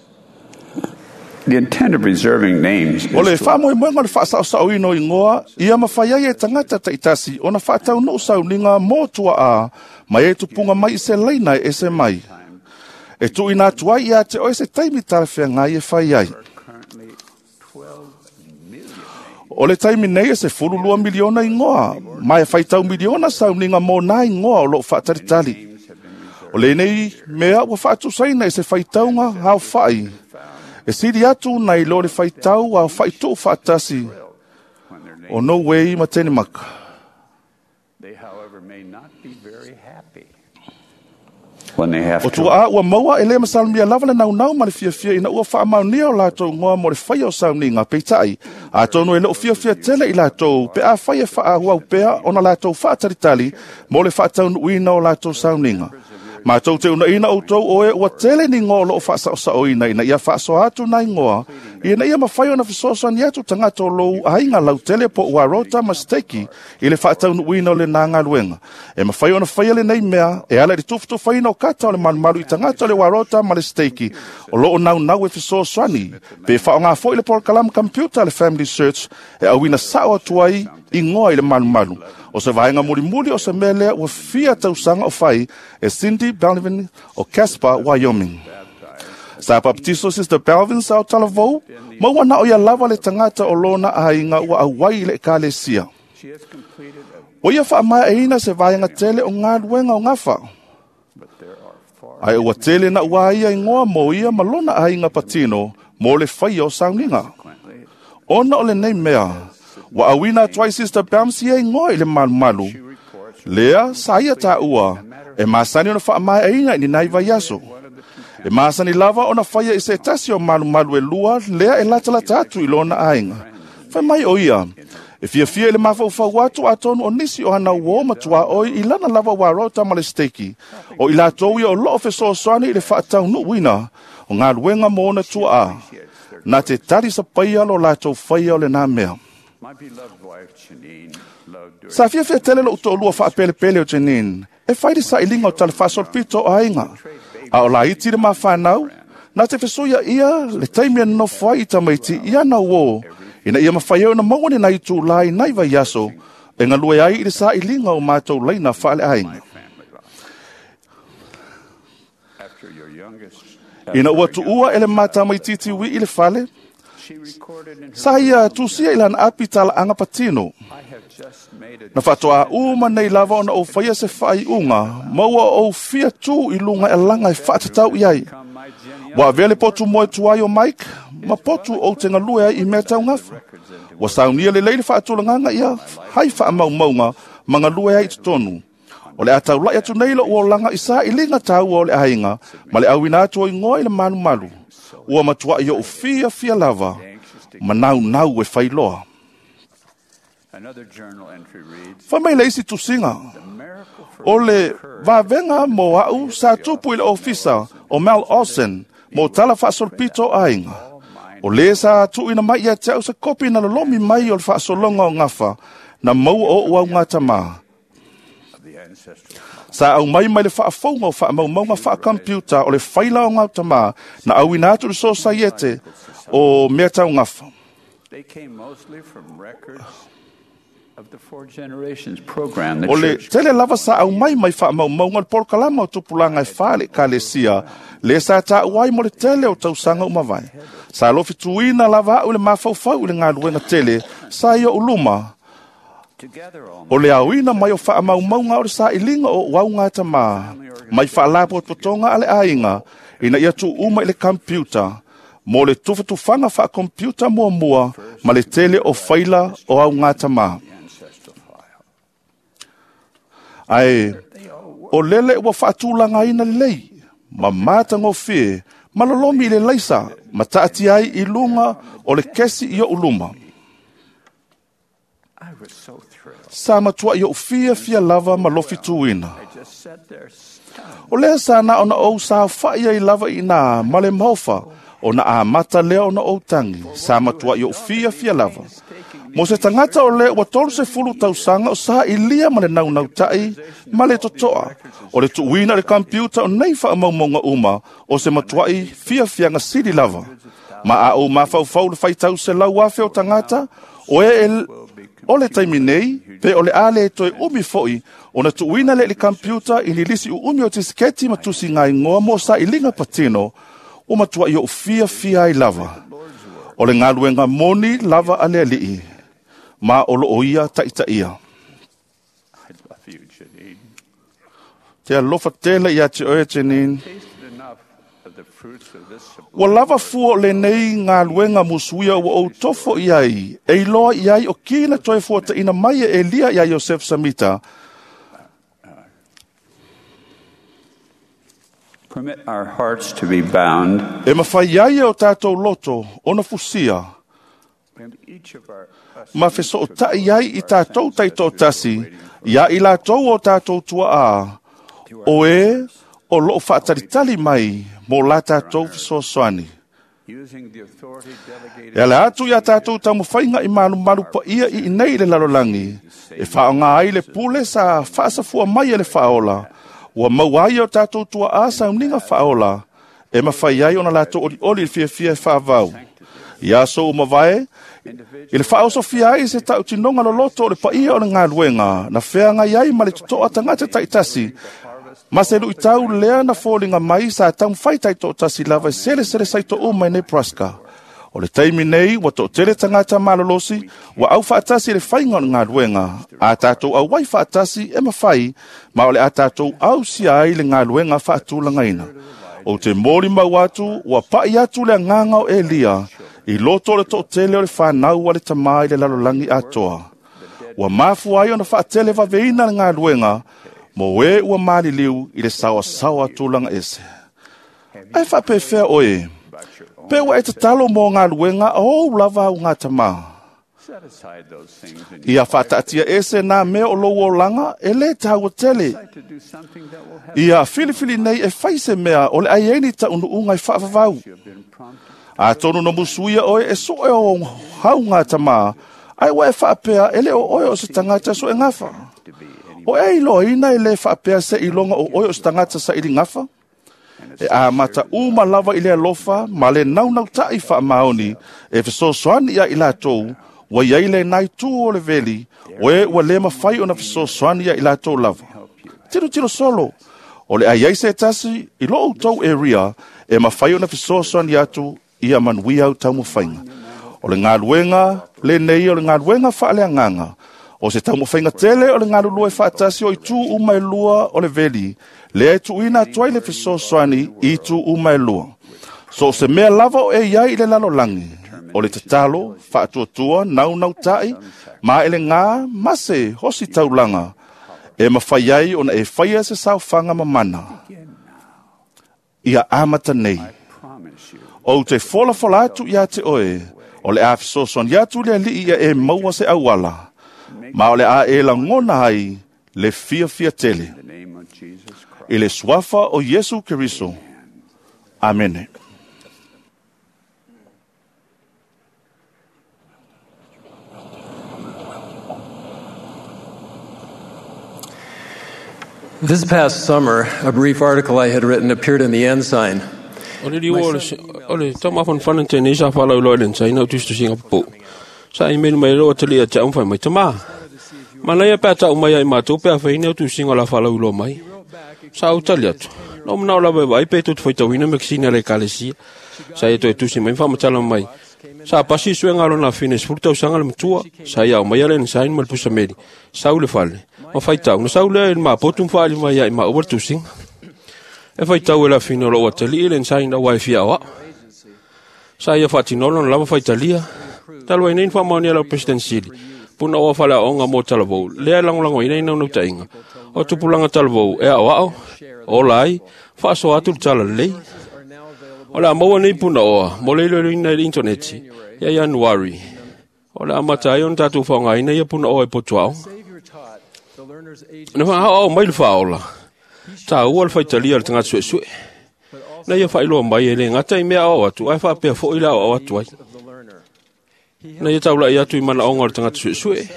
The intent of reserving names is O le whaamoemoenga o le whaasao ino ingoa, ia mawhai ai e tangata taitasi o na whaatau no sauninga mō tua a, mai e tupunga mai i se leina e se mai. E tui nā tuai ia te oe se taimi tarewhea ngai e whai ai. O le taimi nei e se fulu lua miliona ingoa, mai e whaitau miliona sauninga mō nā ingoa o lo whaataritali. O le nei mea ua whaatusaina e se whaitaunga hao whai. E siri atu nei lo le whaitau a whaitu whaatasi o no wei ma Tenemaka. They, however, may not be very happy when they have O to tua a ua maua e le masalmia lava le naunau ma le fiafia ina ua whaamaunia o lātou ngoa mo le whaia o sauninga peitai. A tonu e leo fiafia tele i lātou pe a whaia whaahuau pea ona lātou whaataritali mo le whaataunuina o lātou sauninga. Mātou te una ina o tau oe ua tele ni ngoa lo o whaasao ina ina ia whaasoa atu nai ngoa. Ina ia mawhai ona whisoasani atu tangata o lou ainga lau tele po ua rota ma steki i le whaataunuina o le nā ngā. E mawhai ona whaia le nei mea e ala i tufutuwhaina o kata o le malumalu i tangata o le warota ma le steki o loo nau nau e whisoasani pe whao ngā foi le porokalama computer le Family Search e awina sao atu ai i ngoa i le malumalu. O se vaenga mulimuli o se mea lea ua fia tausanga o whai e Cindy Belvin o Casper, Wyoming. Sa papatiso Sister Belvin sa o talavou, ma ua na o ia lava le tagata o lona aiga ua auai i le ekalesia. Ua ia faamaeaina se vaega tele o galuega o gafa. Ae ua tele na ua ia igoa mo ia ma lona aiga patino mo le faia o sauniga. Ona o lenei mea, ua auina atu ai Sister Belms ia igoa i le malumalu. Lea sa ia taua, e masani ona faamaeaina i ni nai vaiaso. E masani lava ona faia i se tasi o malumalu e lua, lea e latalata atu i lona aiga. Fai mai o ia, e fiafia i le mafaufau atu atonu o nisi o hana uo matua oi i lana lava warota ma le steki. O i latou ia o loo fesoasoani i le faataunuuina o galuega mo ona tuaa. Na te tali sapaia lo latou faia o le nā mea. Sa fiafia tele lou toalua faapelepele o Janine, e fai le sailiga o tala faasolopito o aiga. A o laiti le mafanau, na te fesuia ia le taimi e nonofo ai i tamaiti i ana uō, ina ia mafai ai ona maua ni nai itulā i nai vaiaso, e galue ai i le sailiga o matou laina faaleaiga. Ina ua tuua e le matamaititi ui'i i le fale, sa ia tusia i lana api talaaga patino. Na faatoa uma nei lava ona ou faia se faaiuga, ma ua ou fia tu i luga e alaga e faatatau i ai. Ua avea le potu moe tuai o Mike, ma potu ou te galue ai i mea taugafa. Ua saunia lelei le faatulagaga ia hai faamaumauga ma galue ai i totonu. O le a taulai atu nei lou olaga i sailiga taua o le aiga, ma le auina atu o igoa i le malumalu. Ua matuai ou fiafia lava, ma naunau e failoa. Fai mai le isi tusiga, o le vavega mo au sa tupu i le ofisa o Mel Olsen mo tala faasolopito o aiga. O le sa tuuina mai ia te au se kopi na lolomi mai o le faasologa o gafa na maua o ou augatama. Sa au mai mai le faafouga o faamaumauga faakampiuta o le faila o gautama na auina atu le sosaiete o mea taugafa. O le tele lava sa au mai mai faamaumauga o le polokalama o tupulaga e fa le ekalesia, le sa taua ai mo le tele o tausaga uma vae. Sa lofituina lava au i le mafaufau i le galuega tele sa i ou luma, o le aoina mai o faamaumauga o le sailiga o ou augatama, mai faalapotopotoga a le aiga, ina ia tuuma i le kampiuta, mo le tufatufaga faakompiuta muamua ma le tele o faila o augatama. Ae, o lele ua faatulagaina lelei, ma matagofie, ma lolomi i le laisa, ma taatia ai i luga o le kesi i ou luma. Sa matuai ou fiafia lava ma lofituina. O lea sa na ona ou saofai ai lava i ina ma le maofa, ona amata lea ona ou tagi, sa matuai ou fiafia lava. Mo se tagata o le ua tolu sefulu tausaga o sailia ma le naunautai ma le totoa, o le tuuina i le kampiuta o nei faamaumauga uma o se matuai fiafiaga sili lava. Ma a ou mafaufau le faitau selau afe o tagata, o e o le taimi nei, pe o le a le toe umi foi, ona tuuina le i le kampiuta i ni lisi uumi o tisiketi ma tusiga igoa mo sailiga patino, ua matuai ou fiafia ai lava. O le galuega moni lava a le alii, ma o loo ia taitaia. Te alofa tele ia te oe, Janine. Ua lava fua o lenei galuega musuia ua ou tofo i ai, e iloa i ai o kina toe fuataina mai e Elia ia Iosef Samita. Permit our hearts to be bound. E mawhai ai e o tātou loto, ona fusia, ma feso'ota'i ai i tātou taito'atasi, ia i latou o tātou tua'a, o e o loo faatalitali mai mo la tātou fesoasoani. E ala atu ia tātou taumafaiga i malumalu paia i inei i le lalolagi, e faaaoga ai le pule sa faasafua mai e le faaola, ua maua ai o tātou tua'a sauniga faaola, e mafai ai ona latou olioli i le fiafia e faavau. Ia aso uma vae, i le faaosofia ai se tautinoga loloto o le paia o le galuega, na feagai ai ma le toto'a tagata taitasi, Ma se luʻitau lea na foliga mai sa taumafai taitoʻatasi lava e selesele saitoʻu mai Nebraska. O le taimi nei ua toʻatele tagata malolosi ua au faatasi le faiga o le galuega a tatou auai faatasi e mafai ma o le a tatou ausia ai le galuega faatulagaina. Ou te molimau atu ua paʻi atu le agaga o Elia i loto o le toʻatele o le fanau a le tamā i le lalolagi atoa. Ua mafua ai ona faatele vaveina le galuega mo e ua maliliu i le saoasaoa tulaga ese. Ae faapefea oe, pe ua e tatalo mo galuega o ou lava au gatamā. Ia faataatia ese nā mea o lou olaga e lē taua tele. Ia filifili nei e fai se mea o le ai ai ni taunuuga e faavavau. Atonu no musuia oe e soe o hau gatamā, ae ua e faapea e lē o oe o se tagata soegafa. O e iloaina e lē faapea se iloga o oe o se tagata sailigafa? E amata uma lava i le alofa ma le naunautaʻi faamaoni e fesoasoani ia i latou ua iai lenā itu o le veli o e ua lē mafai ona fesoasoani ia i latou lava. Tilotilo solo, o le ai ai se tasi i loo outou area e mafai ona fesoasoani atu ia manuia au taumafaiga. O le galuega lenei o le galuega faaleagaga o se taumafaiga tele o le galulue faatasi o itu uma e lua o le veli, lea e tuuina atu ai le fesoasoani i itu uma e lua. So o se mea lava o e iai i le lalolagi, o le tatalo, faatuatua, naunautaʻi, ma e le gā ma se hosi taulaga, e mafai ai ona e faia se saofaga mamana. Ia amata nei. Ou te folafola atu iā te oe, o le a fesoasoani atu le alii ia e maua se auala, ma o le a e lagona ai le fiafia tele. I le suafa o Iesu Keriso. Amene. This past summer, a brief article I had written appeared in the Ensign. O le liu o le taumafanafana tenei sa faalauiloa i le Ensign au tusitusiga popou. Sa email mai loa talia te au mai tamā. Manaia pe a mai ai mātou pe a whaine au tusinga la whalauiloa mai. Sa au tali atu. No manao lava e vai pe tō te whaitauhina me kisina le kalesia. Sa ia toe tusi mai whamatala mai. Sa pasi sue ngā lona whine sefulu tausaga le matua. Sa ia au mai ale Ensign ma le pusameli. Sa au le fale. Ma whaitau. Na sa au lea i le māpotu mwhaali mai ai ma ua le tusinga. E whaitau e la whine o lo atali i le Ensign au ai fia oa. Sa ia whatinolo na lava whaitalia. Talu ai nei whaamaonia lau President Sili. Puna oa whalea onga mō talavou. Lea langolango ina ina unau tainga. O tupulanga talavou e ao ao. O lai. Whaasoa atu le tala lei. O le a maua nei puna oa. Mo leilo ina i le interneti. Ia Januari. O le a mata ai ona tātou whaongaina ia puna oa e potu aonga. Na wha ao mai le whaola. Tā ua le whaitalia le tangata sue sue. Na ia whailoa mai e le ngata i mea ao atu. Ai whaapea fo i la ao atu ai. Na ia taula i atu i mana onga o le tangata sue sue.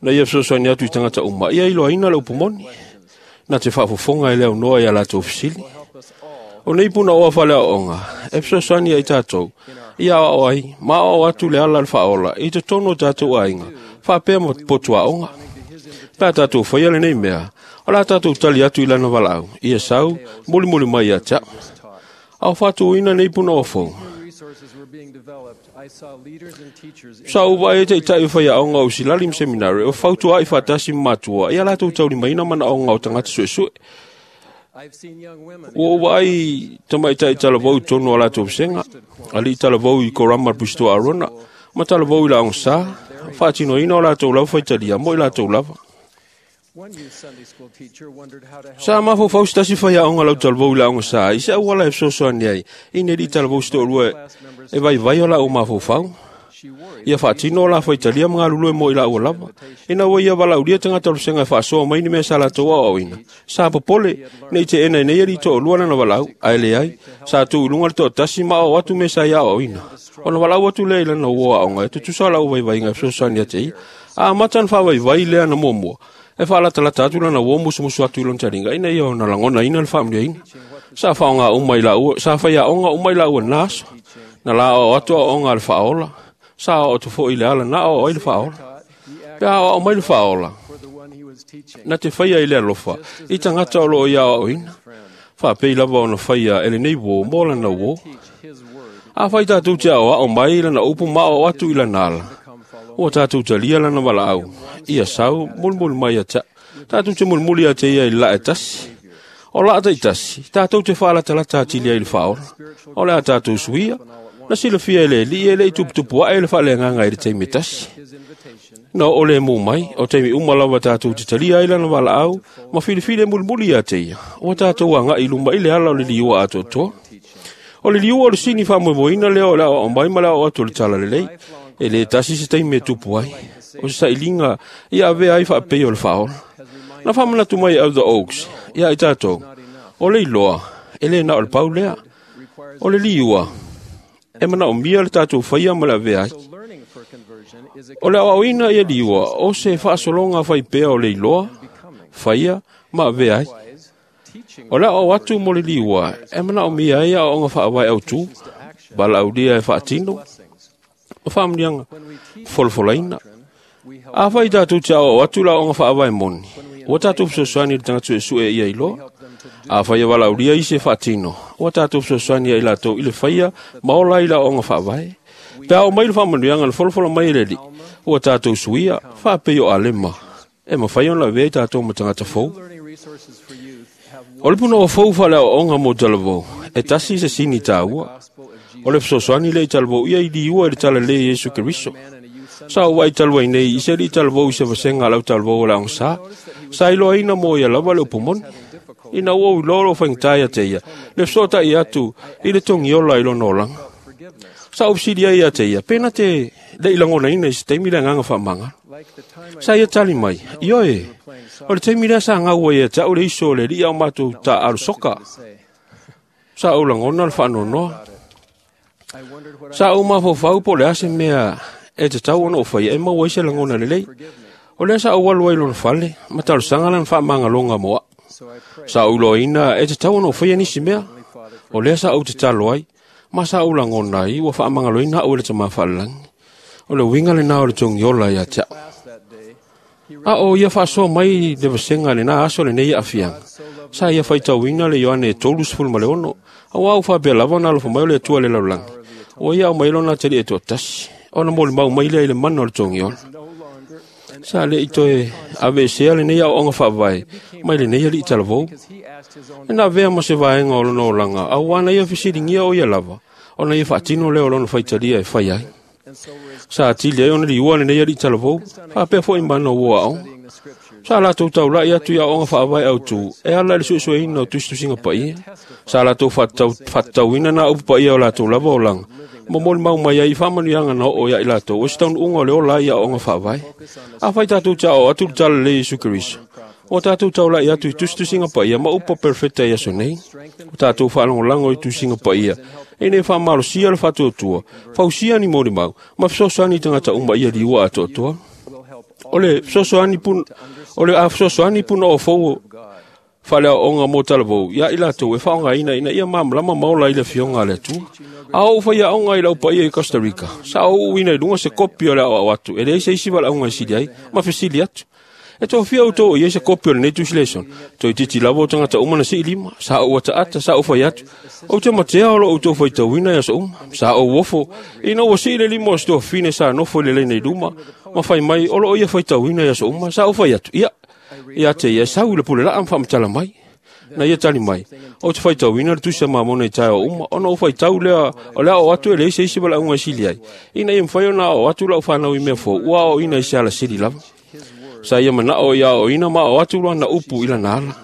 Na ia fesoasoani atu i tangata uma. Ia iloaina le upumoni. Na te faafofoga e le aunoa ia latou fesili. O nei puna oa faleaoga, e fesoasoani ai tatou. Ia aoao ai, ma aoao atu le ala le faaola, i totonu o tatou aiga, faapea ma potuaoga. Pe a tatou faia lenei mea, o la tatou tali atu i lana valaau, ia sau, mulimuli mai ia te au. Ao faatuina nei puna oa fou. Sa uva e taitai o whaiaonga o Silali Seminary o fautua i whatasi matua ia latou taulimaina manaonga o tagata suesue. Ua uva ai tamaitai talavou tonu o latou vasenga, alii talavou i Korama le Pusitoa Arona, ma talavou i laoga sa, faatinoina o latou lava faitalia mo i latou lava. Sa mafaufau se tasi faiaoga lau talavou i laoga sa i se auala e fesoasoani ai ina alii talavou se toalua e vaivai o laʻu mafaufau. Ia faatino o la faitalia ma galulue mo i laua lava. Ina ua ia valaulia tagata o le vasega e faasoa mai ni mea sa latou aoaoina. Sa popole, nei te ena nei alii toalua lana valaau, ae leai, sa tuu i luga le toatasi ma aoao atu mea sa ia aoaoina. Ona valaau atu lea i lana uo aoga e tutusa lau vaivaiga e fesoasoani ate ia. A amata na faavaivai lea na muamua. E faalatalata atu lana uo musumusu atu i lona taliga ina ia ona lagonaina le faamanuiaina. Sa faaaoga uma i laua, sa faiaoga uma i laua na aso. Na la aoao atu aoaoga a le faaola. Sa aoao atu foi i le ala na aoao ai le faaola. Pe a aoao mai le faaola. Na te whaia i le alofa, i tangata o loo ia o ina. Whaapei lava ona whaia ele nei wō, mō lana wō. A whai tātou te ao ao mai lana upu ma o atu i lana ala. Ua tātou talia lana wala au. Ia sau, mulmul mai a ta. Tātou te mulmuli a te ia i la e tasi. O la ata i tasi, tātou te whaalatalata atilia i le whaora. O le a tātou suia, na silafia e le li e le i tuputupu a e le whaale nganga i le teime tasi. Na o le mō mai, o teimi umalawa tātou te talia i lana wala au, ma filifile mulmuli a te ia. O tātou anga i luma i le ala o le liua a totoa. O le liua o le sini whamoemoina lea o le ao mai ma le ao atu o le tala lelei, e le tasi se teime tupu ai. O se sailinga i a vea ai whaapei o le whaola. Na whamanatu mai au the Oaks, ia i tātou. O le iloa, e le na o le pau lea. O le liua, e mana o mia le tātou whaia ma le avea ai. O le awawina ia liua, o se whaasolonga whai pea o le iloa, whaia, ma avea ai. O le au atu mo le liua, e mana o mia ia o onga whaawai au tū, bala au lia e whaatino, o whaamnianga, folofolaina. A whai tātou te au atu la onga whaawai moni. O tātou fesoasoani le tagata suesue ia iloa. A whai wala uria i se whaatino. O tātou fesoasoani ia i latou i le whaia, maola i la onga whaavae. Pea o mai le whaamanuianga le folofolo mai le li. O tātou suia, whaapei o alema. E mawhai on la vea i tātou ma tagata fou. O le puna o fou whalea o onga mo talavou. E tasi se sini tāua. O le fesoasoani le i talavou ia i liua i le tala le Yesu Keriso. Sa o wai talwai nei, i se li talavou i se vasenga lau talavou o la sa. Sa iloa ina mo ia lava le upumoni. Ina ua uilolo whaingtai te ia. Le sota i atu, i le tongi ola i lono olanga. Sa upsidia ia te ia, pena te le ilangona ina i se teimi le nganga whaamanga. Sa ia tali mai, ioe, o le teimi lea sa ngaua ia tau le iso le lia o mātou ta alusoka. Sa o langona le whaanonoa. Sa o mawhawhau po le ase mea e te tau ona o whai e maua ise langona le lei. O lea sa o walu ai lona fale, ma talusanga lan whaamanga moa. Sa o uloina e te tau ona o whai anisi mea. O lea sa o te talo ai, ma sa o langona i ua whaamangaloina au e le tama whaalalangi. O le winga le nā o le tongi ola ia te A o ia whaasoa mai le vasenga le nā aso le nei afianga. Sa ia whaitauina le Ioane e tolu sefulu ma le ono. A wau whapea lava na alofa mai o le atua le lalulangi. O ia o mai lona tali e toa tasi. Ona mo le mau mai lea i le mana o le tongi ola. Sa le i toe ave sea le nei au onga whaavae, mai le nei ali i talavou. E nā vea ma se vaenga o lona olanga, au wana ia fisilingia o ia lava, ona ia whaatino leo lona whaitalia e whai ai. Sa atili ai ona liua le nei ali i talavou, whaapea fo i mana ua au. Sa latou taulai atu ia onga whaavae au tū, e ala le suesueina o tusitusinga paia. Sa latou whaatauina nā upu paia o latou lava o langa. Mo moli mau mai ai whaamanuianga na o ia i latou, o se taunu unga o le ola ia onga whaavae. A whai tātou te ao atu le tala le Yesu Keriso. O tātou taulai atu i tusitusinga paia ma upa perfecta i aso nei. O tātou whaalangolango i tusinga paia. E nei whaamalosia le whaatuatua, whausia ni moli mau, ma fesoasoani tangata uma ia liua atoatoa. O le fesoasoani pun, o le a fesoasoani puna o fou whalea onga mō talavou, ia i latou e whaonga ina ina ia mamlama maola i le fionga le atua. A o whaia onga i lau paia i Costa Rica. Sa o uina i lunga se kopi o le au atu, e le eisa isi wala onga i sili ai, ma fesili atu. E tō fia o tō i eisa kopi o le nei tusileson. Toi titi lava o tangata uma na si lima, sa o ata ata, sa o whai atu. O te matea o lo o tō whai tauina ia sa uma, sa o wofo, ina ua si le lima o se tō fine sa nofo i le leinei luma, ma whai mai o lo o ia whai tauina ia sa uma, sa o whai atu. Ia, ia te ia sau i le pule laa mwhamatala mai. Na ia tali mai. O te whaitauina le tusa mamona i tae o uma, ona o whaitau lea, o lea o atu e le ise ise wala unga sili ai. Ina ia mwhai ona o atu lau whanau i mea fo, ua o ina i se ala sili lava. Sa ia mana o ia o ina ma o atu lua na upu i lana ala.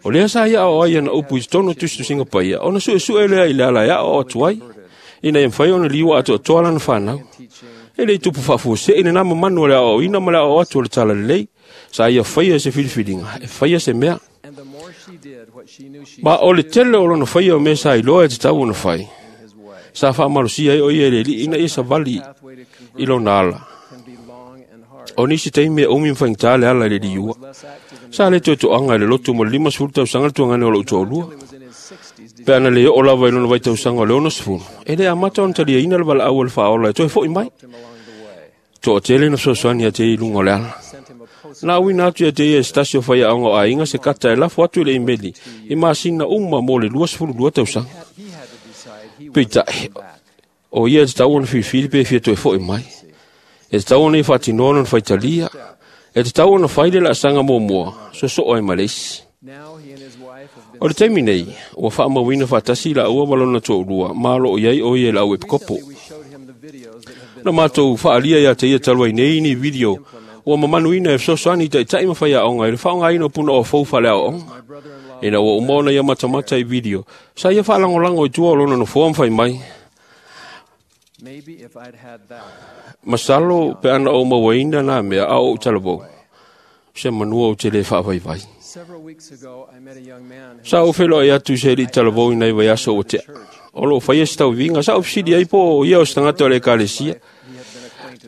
O lea sa ia o ai na upu i tono tusitusinga paia, ona sue sue lea i le ala ia o atu ai. Ina ia mwhai ona liwa atu atoa lana whanau. E le tupu whaafuase ina nā mamanu o lea o ina ma lea o atu o le tala lelei. Sa ia whaia se filifilinga, e whaia se mea. Ma o le tele o lona whaia o mea sa iloa e te tau ona whai. Sa whaamalosia ai o ia le li ina ia sa vali i lona ala. O nisi teimi e umi mwhaingtā le ala i le liua. Sa le toetoanga i le lotu mo le lima sefulu tausaga le tuangane o lou toalua. Pe ana le oo lava i lona vaitausaga o le ono sefulu. E le amata ona taliaina le valaau o le whaola e toe foi mai. Toa tele na fesoasoani a te i lunga o le ala. Na auina atu ia te ia e se tasi o faiaoga o aiga se kata e lafo atu i le imeli i masina uma mo le luasefulu lua tausaga. Peitai, o ia e tatau ona filifili pe fia toe fo'i mai. E tatau ona ia faatinoa lona faitalia. E tatau ona fai le laasaga muamua, sosoo ai ma le isi. O le taimi nei, ua faamauina faatasi laua ma lona toalua, ma o loo i ai o ia i le au epikopo. Na matou faaalia ia te ia talu ai nei ni video ua mamanuina e fesoasoani i ta'ita'i ma faiaoga i le faaaogaina o punaoa fou faaleaoaoga. Ina ua uma ona ia matamata i video, sa ia faalagolago i tua o lona nofoa ma fai mai, masalo pe ana ou mauaina nā mea a o ou talavou, se manua ou te lē faavaivai. Sa ou feloai atu i se alii talavou i nai vaiaso ua tea. O loo faia se tauiviga, sa ou fesili ai po o ia o se tagata o le ekalesia.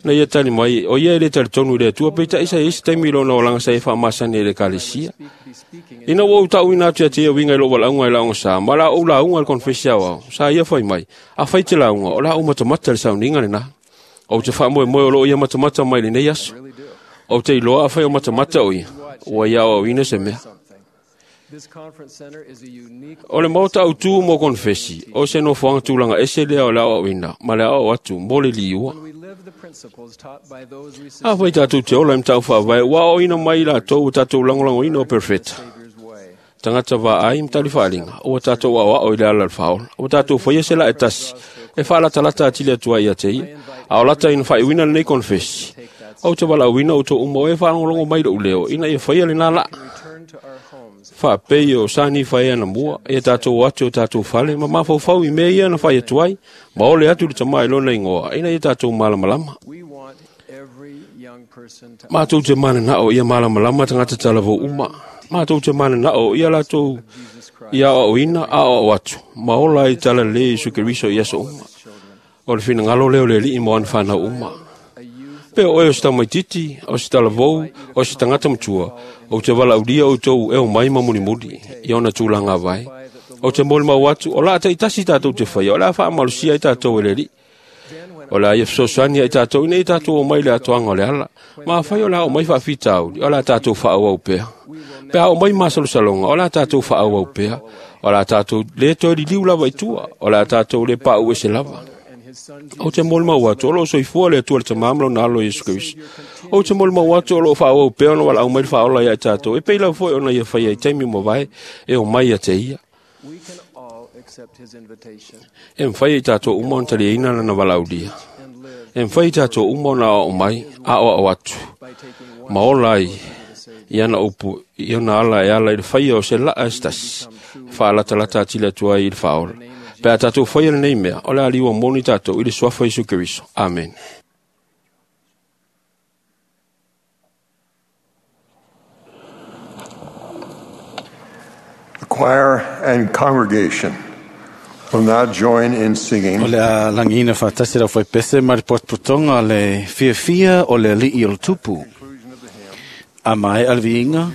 Na ia tali mai, o ia e lē talitonu i le Atua, peitai sa iai se taimi i lona olaga sa ia faamasani ai i le ekalesia. Ina ua ou taʻuina atu ia te ia uiga i lou valaauga i le aoga ma o le a ou lauga i le konefesi aoao, sa ia fai mai, afai te lauga, o le a ou matamata i le sauniga lenā. Ou te faamoemoe o loo ia matamata mai lenei aso. Ou te iloa afai o matamata o ia, ua ia aoaoina se mea. O le maota autū mo konefesi, o se nofoaga tulaga ese lea o le aoaoina ma le aoao atu mo le liua. Afai tatou te ola i mataupu faavae, ua aoaoina mai i latou ua tatou lagolagoina o perofeta. Tagata vaai ma talifaaliga, ua tatou aoao i le ala o le faaola. Ua tatou faia se laa e tasi, e faalatalata atili atu ai ia te ia. A o lata ina faaiuina lenei konefesi, ou te valaauina outou uma o e faalogologo mai lo'u leo, ina ia faia lenā laa. Faapei o sa nifa ai anamua, ia tatou o atu i o tatou fale, ma mafaufau i mea ia na fai atu ai, ma ole atu i le Tamā i lona igoa, ina ia tatou malamalama. Matou te mananao ia malamalama tagata talavou uma. Matou te mananao ia latou ia aoaoina aoao atu, ma ola ai talalelei Iesu Keriso i aso uma. O le finagalo lea o le Alii mo ana fanau uma. Pe o oe o se tamaititi, o se talavou, o se tagata matua, ou te valaaulia outou e omai ma mulimuli i ona tulaga avae. Ou te molimau atu, o laa taitasi tatou te faia, o le a faamalosia ai tatou e le Alii. O le a ia fesoasoani ai tatou ina ia tatou omai i le atoaga o le ala. Ma afai o le a omai faafitauli, o le a tatou faaauau pea. Pe a omai masalosaloga, o le a tatou faaauau pea. O le a tatou lē toe liliu lava i tua, o le a tatou lē paʻu ese lava. Ou te molimau atu, o loo soifua le Atua le Tamā ma lona Alo Iesu Keriso. Ou te molimau atu o loo faaauau pea ona valaau mai le faaola ia i tatou, e pei lava foi ona ia faia i taimi ua mavae e omai ia te ia. E mafai e i tatou uma ona taliaina lana valaaulia. E mafai e i tatou uma ona aoao mai, aoao atu, ma ola ai i ana upu, i ona ala e ala i le faia o se laa e se tasi, e faalatalata atili atu ai i le faaola. Pe a tatou faia lenei mea, o le a liua moni tatou i le suafa o Iesu Keriso. Amene. The choir and congregation will now join in singing. O le a lagiina faatasi le aufaipese ma le potopotoga le fiafia o le alii o le tupu. A mae'a le viiga,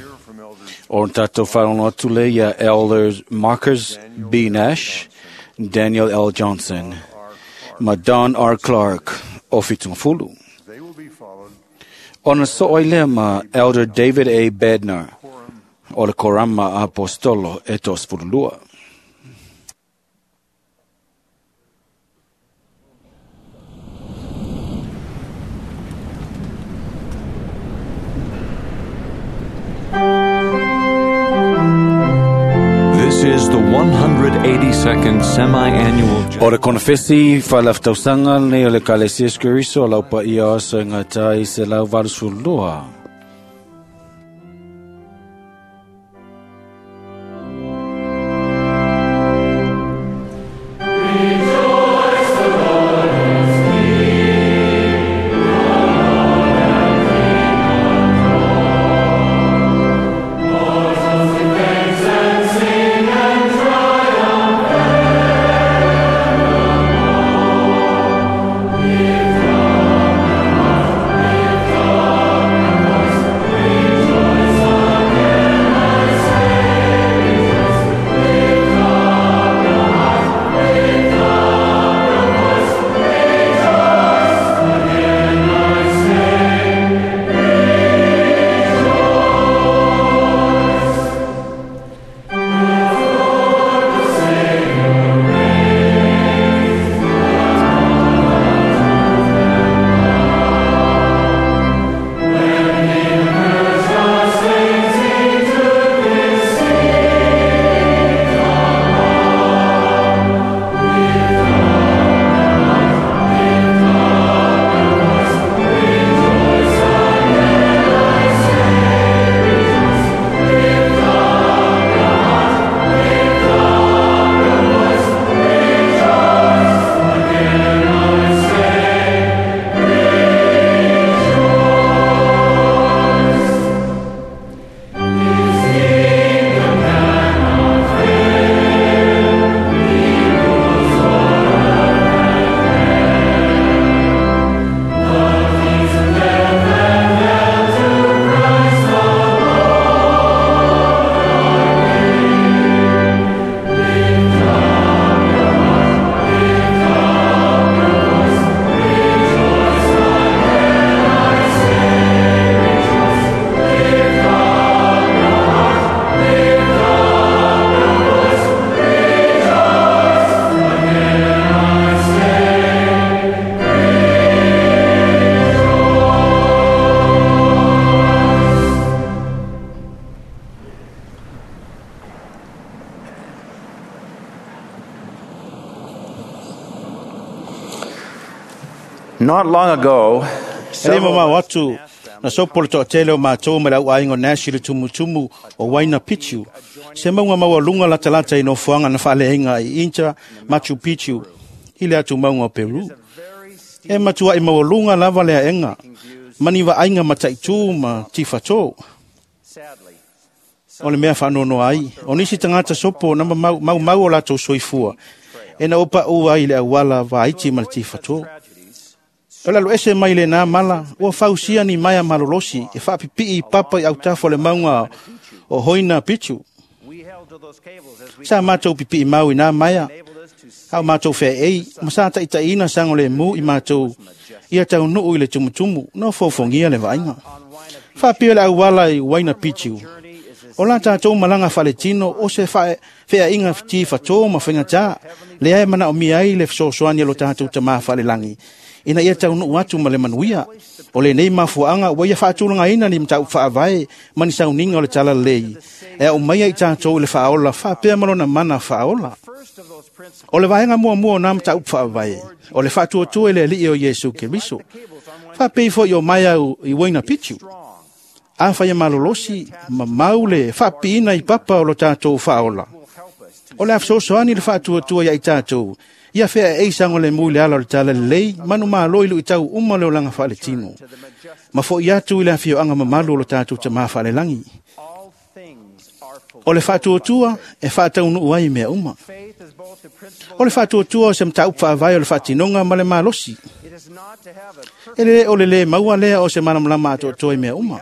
o tatou faalogo atu lea ia Elders Marcus B. Nash, Daniel L. Johnson, ma Don R. Clark o Fitungafulu. Ona soo ai lea ma Elder David A. Bednar o le Korama Apostolo e toasefululua. This is the one hundred eighty-second semi-annual O le konefesi faalaftausaga lenei o le Ekalesia Iesu Keriso o lau paia o aso e gatai i se lau valusefululua. Lift Not long ago, E le mamao atu na sopo le toatele o mātou ma le au aiga o Nash i le tumutumu o Waina Picchu. Se maunga maualuga latalata i nofoaga na faaleaiga i Inca Machu Picchu i le atu mauga o Peru. E matuai maualuga lava le aega, ma ni vaaiga mataitū ma tifatō. O le mea faanoanoa ai, o nisi tagata sopo na maumau mau o latou soifua, e na opaʻu ai le auala vaiti ma le tifatō. O le aloese mai lenā mala, ua fausia ni maea malolosi e faapipii i papa i autafa o le mauga o Hoina Picchu. Sa matou pipii mau i nā maea, a o matou feaei, ma sa taitaiina sagolemū i matou ia taunuu i le tumutumu, na fofogia le vaaiga. Faapea le auala i Waina Picchu. O la tātou malaga faaletino o se feaiga tifatō ma faigatā, lea e manaomia ai le fesoasoani a lo tatou tamā faalelagi, ina ia taunuu atu ma le manuia. O lenei mafuaaga ua ia faatulagaina ni mataupu faavae ma ni sauniga o le talalelei, e aumaia i tatou i le faaola faapea ma lona mana faaola. O le vaega muamua o nā mataupu faavae, o le faatuatua i le Alii o Iesu Keriso. Faapei foi o maea i Waina Picchu. Afai e malolosi, ma mau le faapipiina i papa o lo tatou faaola. O le a fesoasoani le faatuatua ia i tatou, ia feaei sagolemū i le ala o le talalelei, manumalo i luitau uma le olaga faaletino. Ma fo'i atu i le afioaga mamalu o lo tatou tamā faalelagi. O le faatuatua e faataunuu ai mea uma. O le faatuatua o se mataupu faavae o le faatinoga ma le malosi. E le o le lē maua lea o se malamalama atoatoa i mea uma.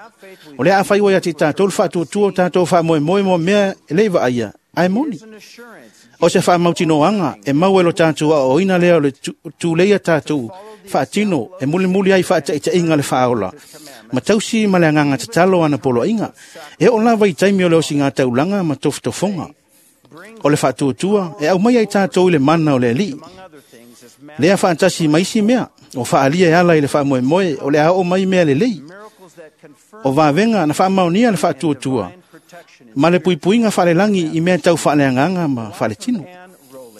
O lea afai ua ia te tatou le faatuatua o tatou faamoemoe mo mea e le i vaaia, ae moni. O se faamautinoaga e maua e lo tatou aoaoina lea o le tuleia tatou faatino e mulimuli ai faataitaiga le faaola, ma tausi ma le agaga tatalo ana poloaiga, e oo lava i taimi o le osiga taulaga ma tofotofoga. O le faatuatua e aumaia i tatou i le mana o le Alii. Lea faatasi ma isi mea, o faaalia e ala i le faamoemoe o le a oo mai mea lelei. O vavega na faamaonia le faatuatua, ma le puipuiga faalelagi i mea tau faaleagaga ma faaletino.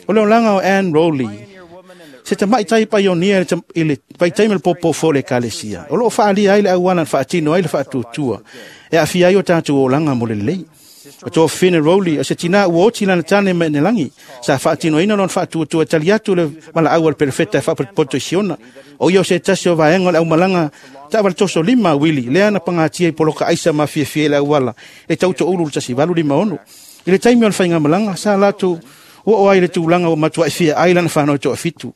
O le olaga o Anne Rowley, se tamaitai paionia i le vaitaimi o le popofo o le ekalesia, o loo faaalia ai le auala na faatino ai le faatuatua, e aafia ai o tatou olaga mo le lelei. O toa Finn Rowley, o se tinā ua oti lana tane mai lagi, sa faatinoina lona faatuatua e tali atu le valaau a le perofeta e faapotopoto i Siona. O ia o se tasi o vaega o le aumalaga taavale toso lima uili, lea na pagatia i poloka aisa ma fiafia i le auala, e tautoulu le tasi valu lima ono. I le taimi o le faigamalaga, sa latou ua oo ai le tulaga ua matuai fia ai lana fanau toafitu.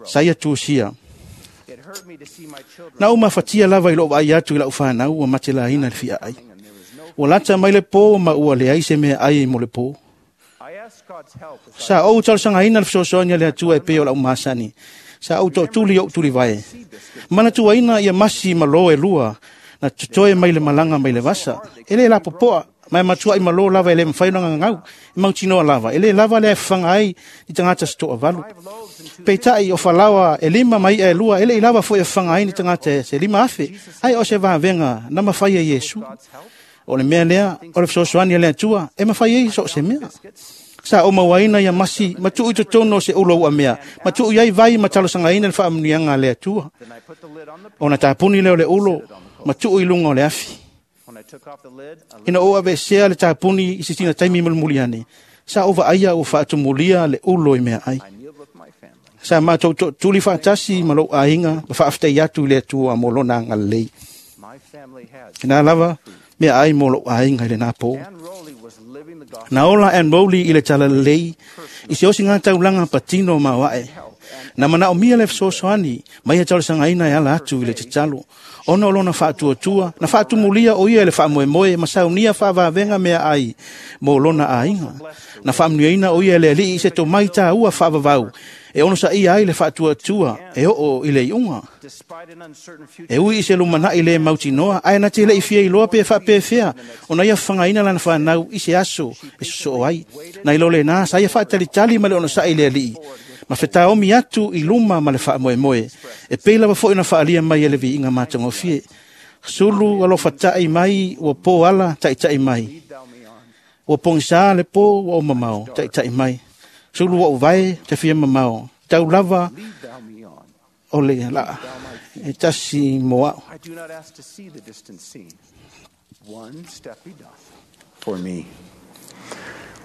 Sa ia tusia. Na ou mafatia lava i lou vaai atu i lau fanau ua matelaina le fiaai. Ua lata mai le pō ma ua leai se mea ai mo le pō. Sa ou talosagaina le fesoasoani a le Atua e pei o lau masani. Sa ou toatuli ou tulivae. Manatuaina ia masi ma lō e lua, na totoe mai le malaga mai le vasa. E le lapopoa, ma e matuai malo lava e le mafai ona gagau, e mautinoa lava. E le lava lea e fafaga ai ni tagata se toavalu. Peitai o falaoa e lima ma i'a e lua, e le i lava foi e fafaga ai ni tagata se lima afe, ai o se vavega na mafai e Iesu. O le mea lea, o le fesoasoani a le Atua, e mafai ai so o se mea. Sa ou mauaina ia masi, ma tuu i totonu o se ulo uamea, ma tuu i ai vai ma talosagaina le faamanuiaga a le Atua. Ona tapuni lea o le ulo, ma tuu i luga o le afi. Ina ou aveesea le tapuni i se sina taimi mulimuli ane, sa ou vaaia ua faatumulia le ulo i meaai. Sa matou tootuli faatasi ma lou aiga ma faafetai atu i le Atua mo lona agalelei. Ina lava meaai mo lou aiga i lenā pō. Na ola Anne Rowley i le talalelei i se osiga taulaga patino maoae. Na manaomia le fesoasoani ma ia talosagaina e ala atu i le tatalo. Ona o lona faatuatua, na faatumulia o ia i le faamoemoe ma saunia faavavega meaai mo lona aiga. Na faamanuiaina o ia e le Alii i se tomai tāua faavavau e onosaia ai le faatuatua e oo i le iuga. E ui i se lumanai le mautinoa, ae na te lei fia iloa pe faapefea ona ia fagaina lana fanau i se aso e sosoo ai. Na ilo lenā sa ia faatalitali ma le onosai i le Alii, ma fetaomi atu i luma ma le faamoemoe, e pei lava foi na faalia mai e le viiga matagofie. Sulu alofatai mai ua pō ala taitai mai. Ua pogisā le pō ua ou mamao taitai mai. Sulu ua ou vae te fia mamao. Tau lava o le la E tasi mo a'u. I do not ask to see the distant scene. One step he doth for me.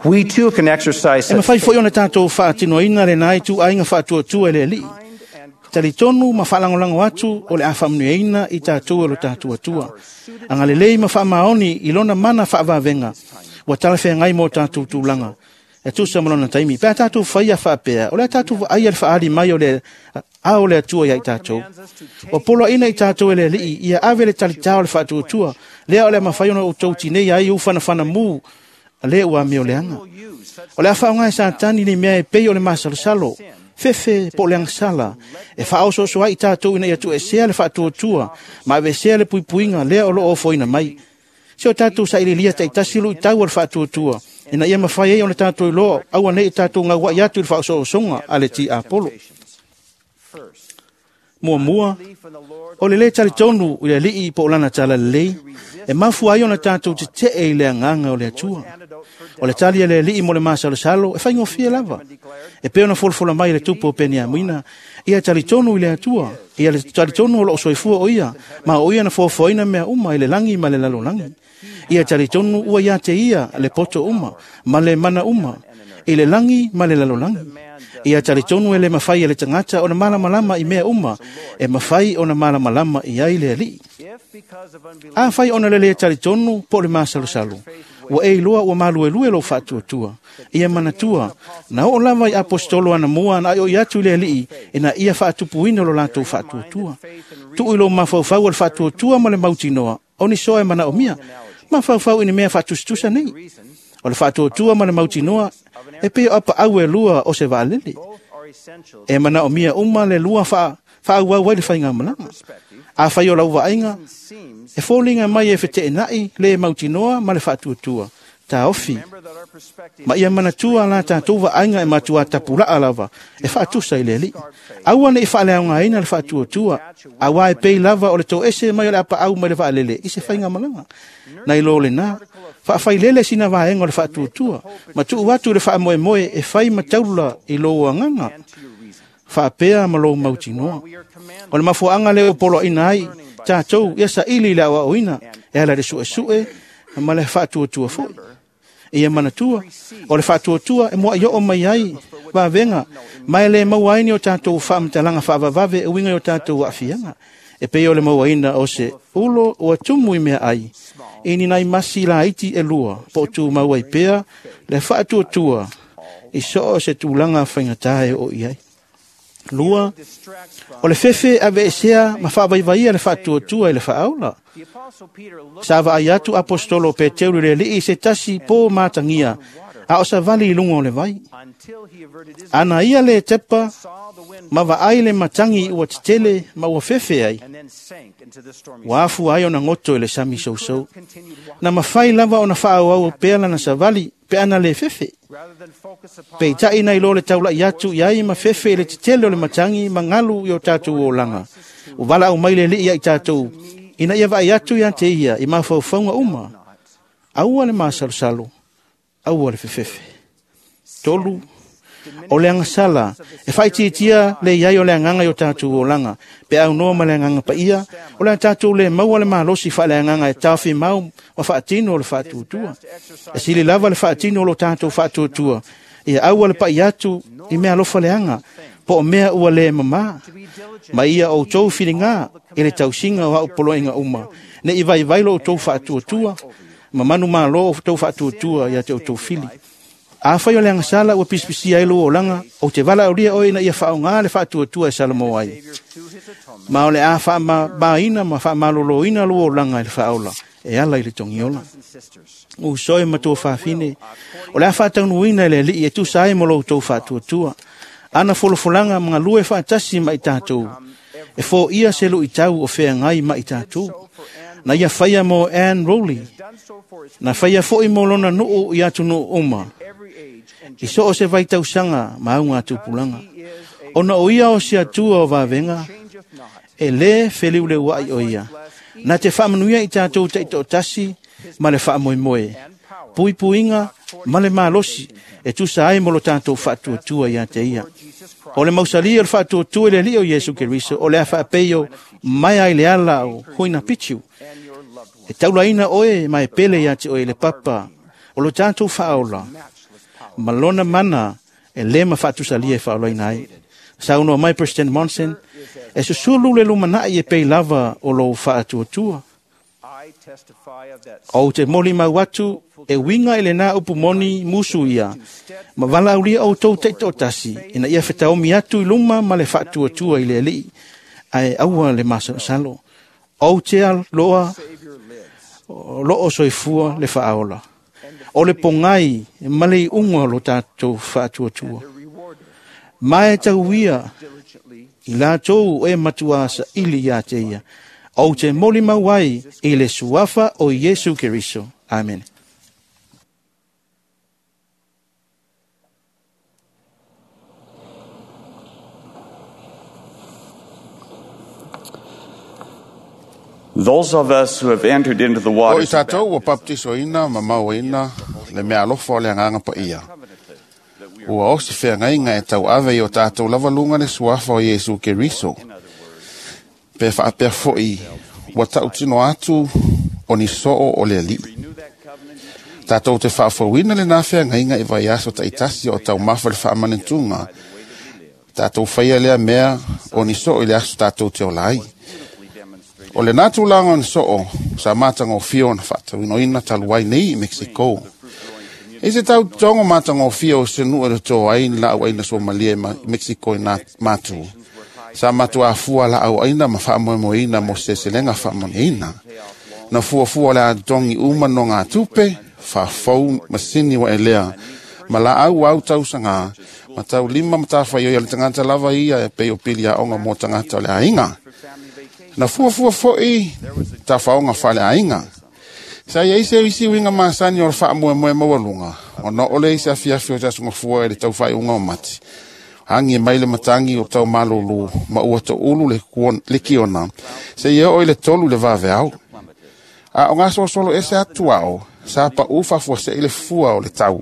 We too can exercise E such mawhai foi ona tātou whaatinoina le nai tu ainga whaatuatua e le alii. Talitonu ma whaalangolango atu o le awhamunueina i tātou e lo tātou atua. Anga lelei ma whaamaoni i lona mana whaavavenga. Ua talawhea ngai mō tātou tūlanga. E tusa ma lona taimi. Pea tātou whaia whaapea. O le tātou ai le whaali mai o le a o le atua ia i tātou. O polo ina i tātou e le alii. Ia ave le talitao le whaatuatua. Lea o le mawhai ona o tau tinei ai u whanawhana mū. Le ua meo leanga. O le awhaonga e sātani ni mea e pei o le masalosalo. Fefe po le angsala. E whaososo ai i tātou ina ia tu e sea le whaatuatua. Ma ave sea le puipuinga lea o lo ofoina mai. Se o tātou sa ililia taitasi lu i tau o le whaatuatua. Ina ia mawhai ei o le tātou i loa. Aua nei i tātou ngā wai atu i le whaosoosonga a le ti Apollo. Mua mua, o le le talitonu i le alii po o lana tala lelei, e mafu ai ona tātou te te e i le anganga o le atua. O le tali a le alii mo le masalosalo, e whaingofia lava. E pe ona folafola mai le tupu o Peniamina, ia talitonu i le atua, ia le talitonu o lo o soifua o ia, ma o ia na foafoaina mea uma i le langi ma le lalolangi. Ia talitonu ua ia te ia le poto uma, ma le mana uma, i le langi ma le lalolangi. Ia talitonu e le mawhai e le tangata o na malamalama i mea uma, e mawhai o na malamalama i ai le alii. A whai ona le le talitonu po le masalosalo. Ua e iloa ua maluelue lo whaatuatua. Ia manatua, na o lava i apostolo ana mua na ai o i atu i le alii, e na ia whaatupuina lo latou whaatuatua. Tuu i lo mafaufau o le whaatuatua ma le mautinoa, o ni soa e mana o mia, mafaufau i ni mea whaatustusa nei. O le whaatuatua ma le mautinoa, e peo apa au e lua o se vaalele. E mana o mia uma le lua wha, wha au le whainga malanga. A whai o lau vaaiga, e fōlinga mai e wheteenai le mautinoa ma le whaatuatua. Tā ofi. Ma ia manatua la tātou vaaiga e matua tapulaa lava, e whaatusa i le alii. Aua ne i whaaleaunga le whaatuatua, aua e pei lava o le tō ese mai o le apa au mai le vaalele, i se whainga malanga. Nai lo le nā, whaawhailele sina vaenga o le whaatuatua, ma tuu atu le whaamoemoe e whai mataula i lo anganga. Whaapea ma lo mautinoa. O le mafuanga le o polo ina ai, tātou ia sa ili le awa oina, e ala le sue sue, ma le whaatuatua foi. Ia manatua, o le whaatuatua e mua i o mai ai, vavenga, mai le mauaini o tātou whaamatalanga whaavavave e winga o tātou waafianga. E pei o le mauaina o se ulo o atumu i mea ai, i ni nai masi la iti e lua, po tu mauai pea, le whaatuatua, i so o se tūlanga whaingatae o iai. Lua, o le fefe ave esea ma whaavaivaia le whaatuatua i le whaaula. Sa vaai atu apostolo Peteru le alii se tasi pō mātangia, a o sa vali i lunga o le vai. Ana ia le tepa, ma vaai le matangi ua tetele ma ua fefe ai. Ua afu ai ona ngoto i le sami sousou. Na mawhai lava ona whaauau pea lana sa vali, pe ana le fefe. Peitai nei lo le taula i atu i ai ma fefe i le tetele o le matangi ma ngalu i o tātou o langa. O wala au mai le lii ai tātou, ina ia vai atu ia te ia i mawhaufaunga uma. Aua le masalosalo, aua le fefefe. Tolu, o le angasala, e whaitiitia le iai o le anganga i o tātou o langa, pe au noa ma le anganga pa ia, o le tātou le maua le malosi wha le anganga e tāwhi mau ma whaatino o le whaatuatua. E sili lava le whaatino o lo tātou whaatuatua, ia aua le pai atu i mea alofa le anga, po o mea ua le mama, ma ia o tau whiringa i le tausinga o au poloinga uma, ne i vai vai lo o tau whaatuatua, ma manu malo o tau whaatuatua ia te o tau whili. A whai o le angasala ua pisipisi ai lo o langa, o te wala o ria oi na ia whaonga le whaatuatua e Salamo ai. Ma o le a whaamaina ma whaamaloloina lo o langa i le whaola, e ala i le tongiola. U soe matua whaafine, o le a whaataunuina i le alii e tusa ai mo lo tau whaatuatua. Ana folofolanga mga lue whaatasi ma i tātou, e fō ia se lu i tau o whea ngai ma i tātou. Na ia whaia mo Anne Rowley, na whaia foi mo lona nuu i atu nuu uma. I so o se vai tausanga maunga tupulanga. Ona o ia o se atua o vavenga, e le wheliu le wai o ia. Na te whaamanuia i tātou teito tasi, ma le whaamoemoe. Puipuinga, ma le malosi, e tusa ai mo lo tātou whaatuatua ia te ia. O le mausalia o le faatuatua i le Alii o Iesu Keriso, o le a faapei o mai ai le ala o Huina Picchu. E taulaina oe ma e pele ia te oe le papa o lo tatou faaola ma lona mana e le mafatusalia e faaolaina ai. Saunoa mai President Monson, e susulu le lumanai e pei lava o lou faatuatua. Ou te moli mau atu e winga i lena upu moni musu ia, ma valaulia outou taitoatasi ina ia fetaomi atu i luma ma le faatuatua i le Alii, ae aua le masalosalo. Ou te aloa loo soifua le faaola. O le pogai ma le iuga o lo tatou faatuatua. Ma e tauia i latou e matua saili ia te ia. Ou te moli mau ai i le suafa o Iesu Keriso. Amen. Those of us who have entered into the O i waters of tātou ua paptisoina ma mauaina le mea alofa o le agaga paia. Ua osi feagaiga e tauave i o tātou lavalunga le suafa o Iesu Keriso. Pe faapea fo'i ua tautino atu o ni soo o le Alii. Tātou te faafouina lenā feagaiga i vaiaso taitasi o taumafa le faamanatuga. Tātou faia lea mea o ni soo i le aso tātou te ola ai. O le nā tulaga o ni soo sa matagofia ona faatauinoina talu ai nei i Mexico. E se tau tongo matagofia o se nuu e toto ai ni laau aina suamalia i Mexico i nā matu. Sa matu afua laau aina ma faamoemoeina mo seleselega faamanuiaina. Na fuafua le atogi uma no ngā tupe, faafou masini wa elea, ma laau au tausagā, ma taulima ma tafaioi a le tagata lava ia e pei o pili aoga mo tagata o le aiga. Na fuafua fo'i tafaoga faaleaiga. Sa iai se isi uiga masani o le faamoemoe maualuga, ona o le isi afiafi o se asogafua i le taufaaiuga o mati. Agi e mai le matagi o taumalūlū ma ua toulu le, le kiona, seia oo i le tolu le vaveao. A o gasolosolo ese atu ao, sa paʻu faafuaseʻi le fua o le tau.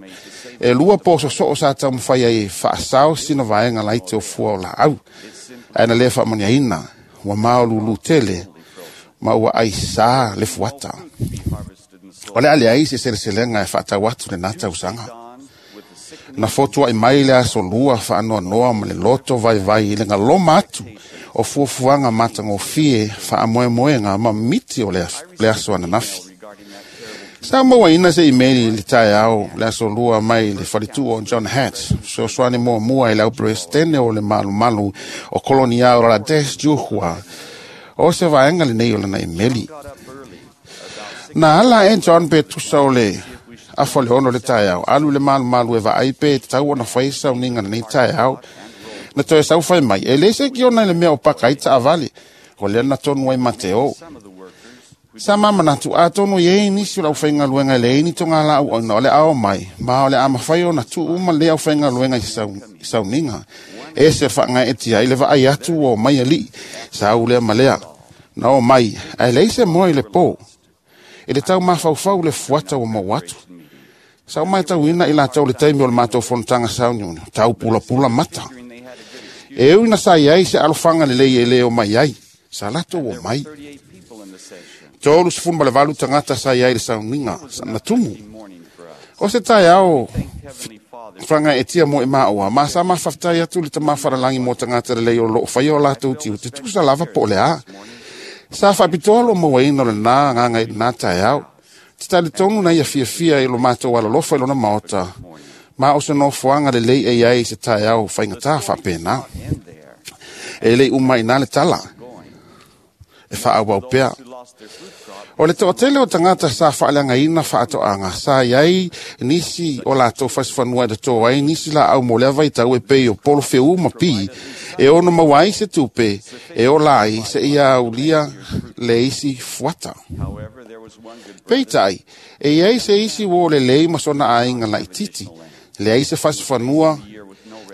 E lua pososoo sa taumafai ai e faasao sina vaega laiti o fua o laau. Ae na lē faamaniaina, ua maolūlū tele, ma ua aisā le fuata. O le a leai se seleselega e faatau atu lenā tausaga. Na fotuaʻi mai le aso lua faanoanoa ma le loto vaivai i le galoma atu o fuafuaga matagofie faamoemoega ma miti o le aso, le aso ananafi. Sa mauaina se imeli i le taeao le aso lua mai le faletuʻu o John Hart, fesoasoani muamua i le auperesetene o le malumalu o kolonia o Rades Juhua. O se vaega lenei o lana imeli. Na ala e John pe tusa o le afa le ono le taeao, alu le malumalu e vaai pe tatau ona fai sauniga lenei taeao. Na toe saufai mai, e le se kiona i le mea o paka ai taavale, o lea na tonu ai Mateo. Sa mamanatu atonu i ei nisi o le aufaigaluega e leai ni togalaau aina o le ao mai, ma o le a mafai ona tuu uma lea aufaigaluega i sauniga. E se faagaeetia ai le vaai atu ua omai alii, sa au lea ma lea. Na o mai, ae leai se moe i le pō. E le tau mafaufau le fuata ua maua atu. Sa o matauina i latou le taimi o le matou fonotaga sauniuni, tau pulapula mata. E ui na sa iai se alofaga lelei e lē o mai ai, sa latou o mai. Tolu sefulu ma le valu tagata sa iai le sauniga na tumu. O se taeao fagaeetia mo e maʻua, ma sa mafafetai atu le tamā falalagi mo tagata lelei o loo faia o latou tiu te tusa lava po o le a. Sa faapitoa lo mauaina o lenā agaga i lenā taeao. Te talitonu na ia fiafia i lo matou alolofa i lona maota, ma o se nofoaga lelei e iai se taeao faigatā faapenā. E lei uma i nā le tala, e faaauau pea. O le toatele o tagata sa faaleagaina faatoaga, sa iai nisi o latou fasifanua e totō ai nisi laau mo lea vaitau e pei o polo feū ma pi, e ono maua ai se tupe, e ola ai seia aulia le isi fuata. Peitai, e iai se isi uo lelei ma sona aiga laititi, leai se fasifanua,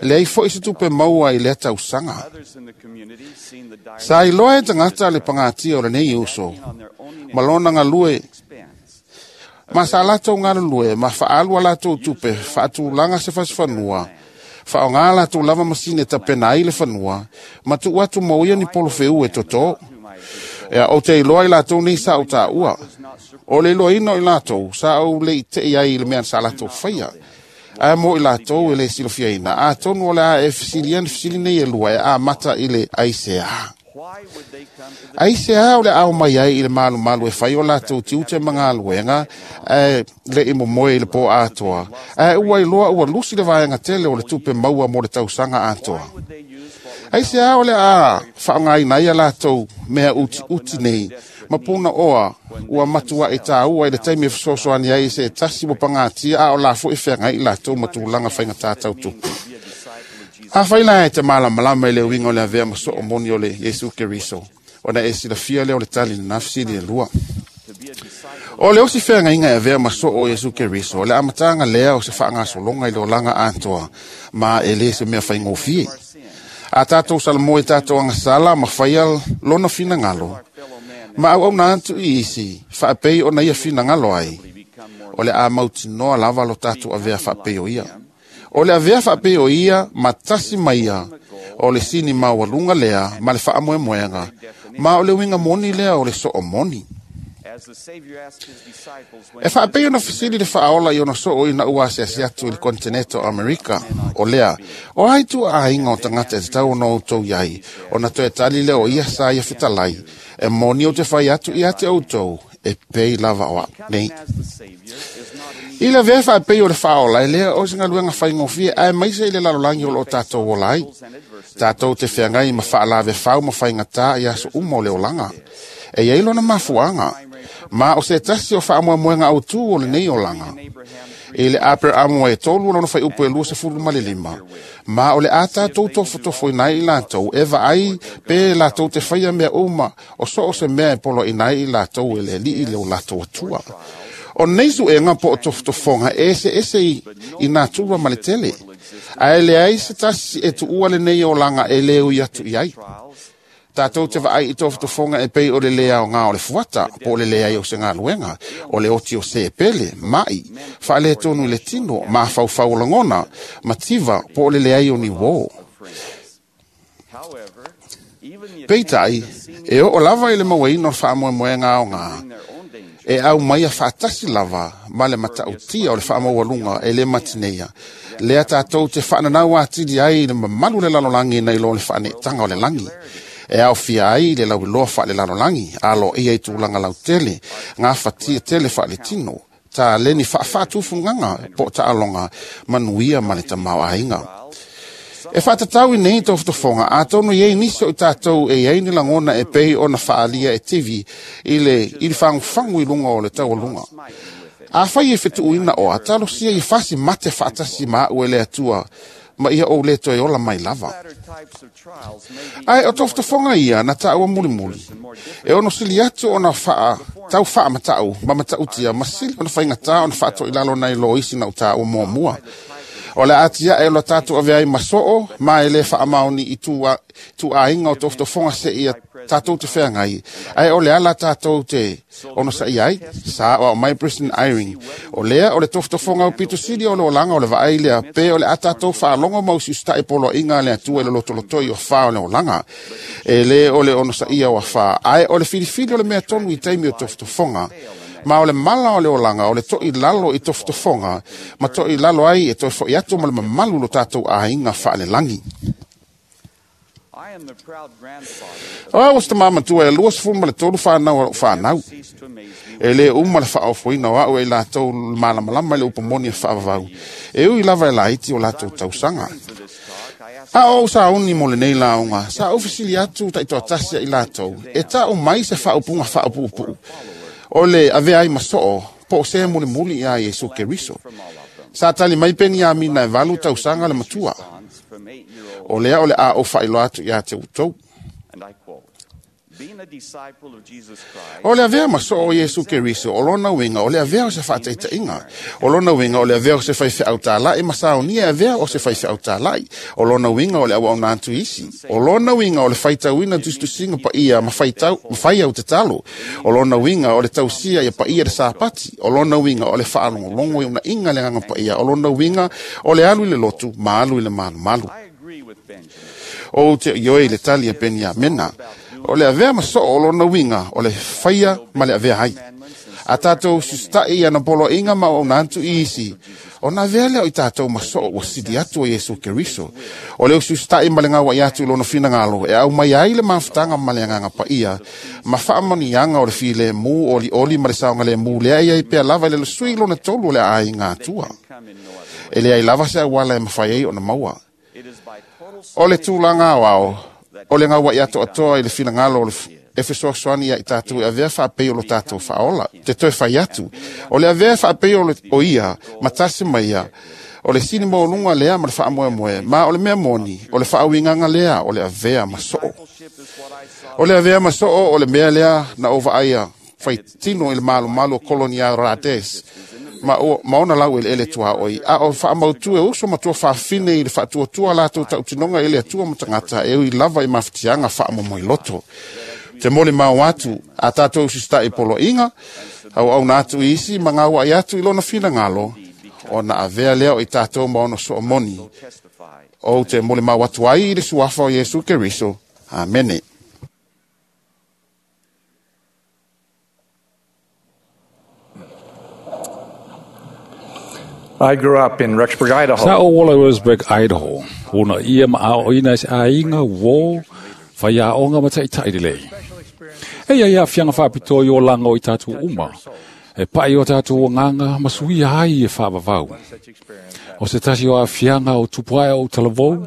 leai fo'i se tupe maua i lea tausaga. Sa iloa e tagata le pagatia o lenei uso, ma lona galue, ma sa latou galulue, ma faaalu a latou tupe, faatulaga se fasifanua, Whaonga latou lava masine tapena ai le fanua, ma tuu atu mo ia ni polofeu e toto. Ia o te iloa i latou nei sa o tāua. O le iloaina o i latou, sa ou le i tei ai i le mea sa latou faia. Ae mo i latou e le silafiaina, atonu o le a e fesilia ni fesili nei e lua e amata i le aisea. Aisea o le ao mai ai i le malumalu e fai o latou tiute ma galuega, ae le i momoe i le pō atoa, ae ua iloa ua lusi le vaega tele o le tupe maua mo le tausaga atoa. Aisea o le a faaaogaina ai a latou mea utiuti nei, ma puna oa ua matuai tāua i le taimi e fesoasoani ai i se tasi ua pagatia a o la foi feagai i latou ma tulaga faigata tau tupe. Afai la e te malamalama i le uiga o le avea ma soo moni o le Iesu Keriso, ona e silafia lea o le tali lena fesili e lua. O le osi feagaiga e avea ma soo o Iesu Keriso, o le amataga lea o se faagasologa i le olaga atoa, ma e le se mea faigofie. A tātou salamo e tātou agasala ma faia lona finagalo, ma auauna atu i isi, faapei ona ia finagalo ai, o le a mautinoa lava lo tātou avea faapei o ia. O le avea faapei o ia ma tasi mai ia, o le sini maualuga lea ma le faamoemoega, ma o le uiga moni lea o le soo moni. E faapei ona fesili le faaola i ona soo ina ua asiasi atu i le kontinete o Amerika, o lea, o ai tuaaiga o tagata e tatau ona outou iai, ona toe tali lea o ia sa ia fetalai, e moni o te fai atu ia te outou, e pei lava o au nei. I le avea faapei o le faaola, e lea o se galuega faigofie, ae maise i le lalolagi o loo tātou ola ai. Tātou te feagai ma faalavefau ma faigata i aso uma o le olaga. E iai lona mafuaaga, ma o se tasi o faamoemoega autū o lenei olaga. I le Aperamo e tolu lona faiupu e luasefulu ma le lima, ma o le a tātou tofotofoina ai i latou, e vaai pe latou te faia mea uma o so o se mea e poloaina ai i latou e le alii le o latou atua. O nei suega po o tofotofoga e eseese i, i natura ma le tele, ae leai se tasi e tuua lenei olaga e le ui atu i ai. Tātou te vaai i tofotofoga e pei o le lea o ngā o le fuata, po o le leai o se galuega, o le oti o se pele, mai, faale tonu i le tino, mafaufau o lagona, mativa, po o le leai o ni uō. Peitai, e oo lava i le mauaina o le faamoemoega aogā, e au mai a faatasi lava ma le matautia o le faamaualuga e le matineia. Lea tātou te faananau atili ai i le mamalu le lalolagi nai lo le faaneetaga o le lagi. E aofia ai le lauiloa faalelalolagi, aloaia i tulaga lautele, gafatia tele faaletino, taleni faafaatufugaga po o taaloga, manuia ma le tamaoaiga. E faatatau i nei tofotofoga, atonu i ai nisi o i tātou e iai ni lagona e pei ona faaalia e TV i le, i le fagufagu i luga o le taualuga. Afai e fetuuina oa, talosia i fasi mate faatasi ma au e le Atua, ma ia ou le toe ola mai lava. Ae o tofotofoga ia na tāua mulimuli. E ono sili atu ona faa, tau faamatau, ma matautia, ma sili ona faigata ona faatoilalo nai lo isi na o tāua muamua. O le atia e lo tātou avea ai ma soo, ma e le faamaoni i tuaaiga o tofotofoga se ia tātou te feagai. Ae o le ala tātou te ono sa i ai, sa o mai Brisbane Eyring. O lea o le tofotofoga o pito sili o le olaga o le vaai lea, pe o le a tātou faalogo mau si usitae poloaiga a le Atua i le lotolotoi o whā o le olaga. E le o le ono sa ia o whā, ae o le filifili o le mea tonu i taimi o tofotofoga. Ma o le mala o le olaga, o le toi lalo i tofotofoga, ma toi lalo ai e toi foi atu ma le mamalu lo tātou aiga faalelagi. O au o se tamā matua e luasefulu ma le tolu whanau o lou whanau. E le uma le faaofoina o au e i latou le malamalama i le upomoni e faavavau. E ui lava e laiti o latou tausaga. A o ou sauni mo lenei laoga, sa ou fesili atu taitoatasi ai latou, e taʻu mai se faaupuga faaopuupuu. O le avea ai ma soo, po o se mulimuli ia Iesu Keriso. Sa tali mai peni amina e valu tausaga le matua. O lea o le a ou faailoa atu ia te outou. O le avea ma soo o Iesu Keriso, o lona uiga o le avea o se faataitaiga. O lona uiga o le avea o se faifeau tāla'i ma saonia e avea o se faifeau tāla'i. O lona uiga o le auauna atu isi. O lona uiga o le faitauina tusitusiga paia ma faitau, ma fai au tatalo. O lona uiga o le tausia ia paia le sapati. O lona uiga o le faalogologo i unaiga le agaga paia. O lona uiga o le alu i le lotu ma alu i le malumalu. O te ioe i le tali a Peniamena. O le avea ma soo o lona uiga o le faia ma le avea ai. A tātou susita'i ana poloaiga ma auauna atu i isi, ona avea lea o i tātou ma soo ua sili atu o Iesu Keriso. O le ususita'i ma le gaua'i atu i lona finagalo e au mai ai le mafutaga ma le agaga paia, ma faamanuiaga o le filemu olioli ma le saogalemu lea e i ai pea lava i le sui lona tolu o le aiga Atua. E leai lava se auala e mafai ai ona maua. O le tulaga aoao, o le gaua'i atoatoa i le finagalo o le e fesoasoani ia i tātou e avea faapei o lo tātou faaola. Te toe fai atu. O le avea faapei o, le, o ia, ma tasi mai ia, o le sini maualuga lea ma le faamoemoe, ma o le mea moni, o le faauigaga lea, o le avea ma soo. O le avea ma soo o le mea lea na ou vaaia faitino i le malumalu o Kolonia Rades, ma, o, ma ona lau eleele tuaoi, a o faamautu e uso matua faafine i le faatuatua latou tautinoga i le Atua ma tagata e ui lava i mafatiaga faamomoiloto. Te mole mau atu a tātou usita'i poloaiga, auauna atu i isi ma gaua'i atu i lona finagalo, ona avea lea o i tātou ma ona soo moni. O te mole mau atu ai i le suafa o Iesu Keriso. Amene. I grew up in Rexburg, Idaho. Sa o wala Rexburg, Idaho. Una ia ma ao ina se aiga wo whai a onga ma taitai le lei. E ia ia whianga whapito i o langa o i tātou uma. E pai o tātou o nganga ma suia ai e whaavavau. O se tasi o a whianga o tupuae o talavou.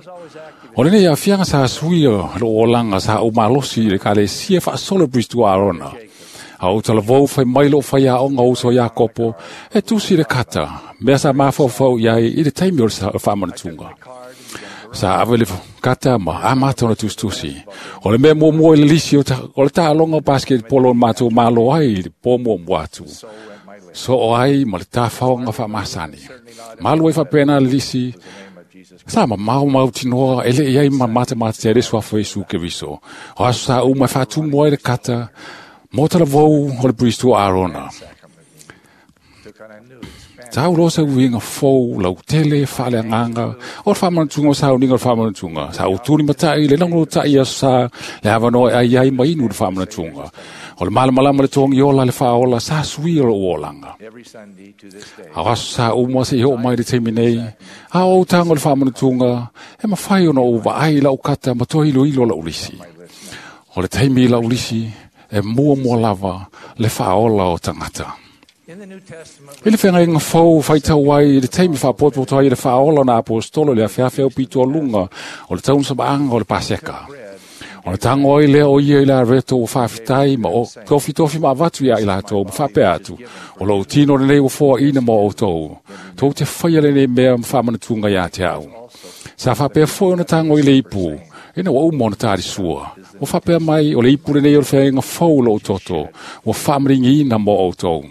O lene ia whianga sa suia lo o langa sa o malosi le kale sia whaasolo Bristo Arona. A o talavou whai mai lo whai a onga o so Iakopo e tusi le kata. Mea sa mawhawhau iai i le taimi o le whamanatunga. Sa ave le kata ma a mātou na tustusi. O le mea mua mua i le lisi o, ta, o le tālonga o basketball o mātou malo ai i le pō mua mua atu. So o ai ma le tāwhaonga whaamasani. Malu ai whapena le lisi. Sa ma mau mau tinoa ele i ai ma mata mata te reso afo Iesu Keriso. O aso sa uma whātumu ai le kata. Mō talavou o le Bristo Arona. Tau rosa uinga fou, lau tele, whaale anganga, o le whamanatunga o sauninga o le whamanatunga. Sa uturi matai, le lango tai aso sa, le awanoa ai ai mainu le whamanatunga. O le malamalama le tongi ola le whaola, sa sui o le uolanga. A aso sa umua se i ho mai le teimi nei, a o tango le whamanatunga, e mawhai ona o vaai lau kata ma toi ilo ilo lau lisi. O le teimi lau lisi, e mua mua lava le whaola o tangata. I le whengainga fau whaitau ai i le teimi whapotopoto ai i le whaola na apostolo le awheawhea o pito lunga o le taun sabaanga o le paseka. O le tango ai lea o ia i la reto o whawhitai ma o tofi tofi ma avatu ia i latou ma whapea atu. O lau tino le nei o foa ina mo o tau. Tau te whaia le nei mea ma whamanatunga ia te au. Sa whapea foi ona tango i le ipu. Ina wa uma ona tāri sua. O whapea mai o le ipu le nei o le whainga fau lo o toto. O whamringi ina mo o tau.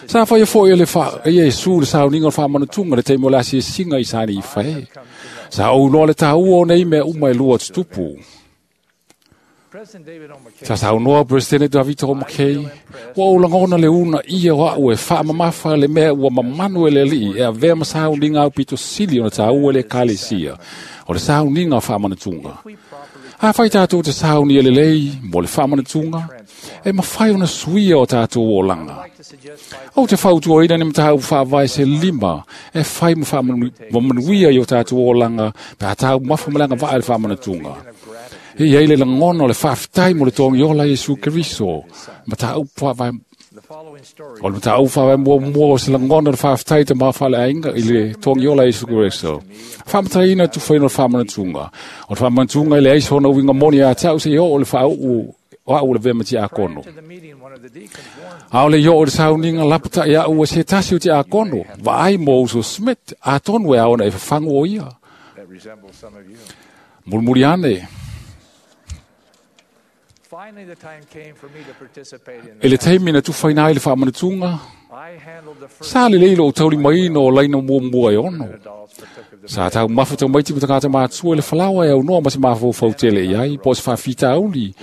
Sa whai foi le wha e Iesu le sauninga o le whamanatunga le teimo le asi e singa i sani i whae. Sa au noa le tāua o nei mea uma e lua tutupu. Sa saunoa President David O. McKay, ua o langona le una ia o au e whaamamafa le mea ua mamanu e le alii e avea ma sauninga au pito sili o na tāua le ekalesia o le sauninga o whamanatunga. A whai tātou te sauni e le lei mo le whamanatunga, e mawhai ona suia o tātou o langa. O te whautua ina ni matau whaavai se lima e whai ma manuia i o tātou o langa pe a tāu mafa malanga vaa le whamanatunga. E iei le langono le whaaftai mo le tongi ola Iesu Keriso. Matau whaavai O le matau whaavai mua mua o se langono le whaaftai te mawhale ainga i le tongi ola Iesu Keriso. Whamataina tu whaino le whamanatunga. O le whamanatunga i le aiso na uinga moni a tau se i o le whaau o au le vema ti akono. A o le io o le sauninga lapata i au se tasi o ti akono. Vaai mo uso Smith a tonu e aona e whangu o ia. Mulmuri ane. E le taimi na tufaina ai le faamanatuga, sa lelei lou taulimaina o laina muamua e ono. Sa taumafa tamaiti ma tagata matua i le falaoa e aunoa ma se mafaufau tele i ai, po o se faafitauli.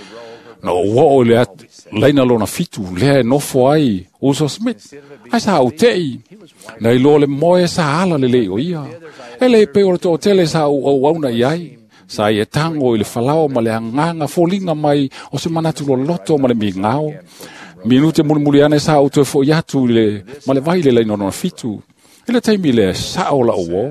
Na ou oo i le laina lona fitu, lea e nofo ai Uso Smith. Ai sa ou tei, na iloa le moe sa ala lelei o ia. E le pei o le toatele sa ou auauna i ai. Sa ia tango i le falaoa ma le agaga foliga mai o se manatu loloto ma le migao. Minute mulimuli ane sa ou toe fo'i atu i le ma le vai le laina lona fitu. I le taimi lea sa'o la'u uō.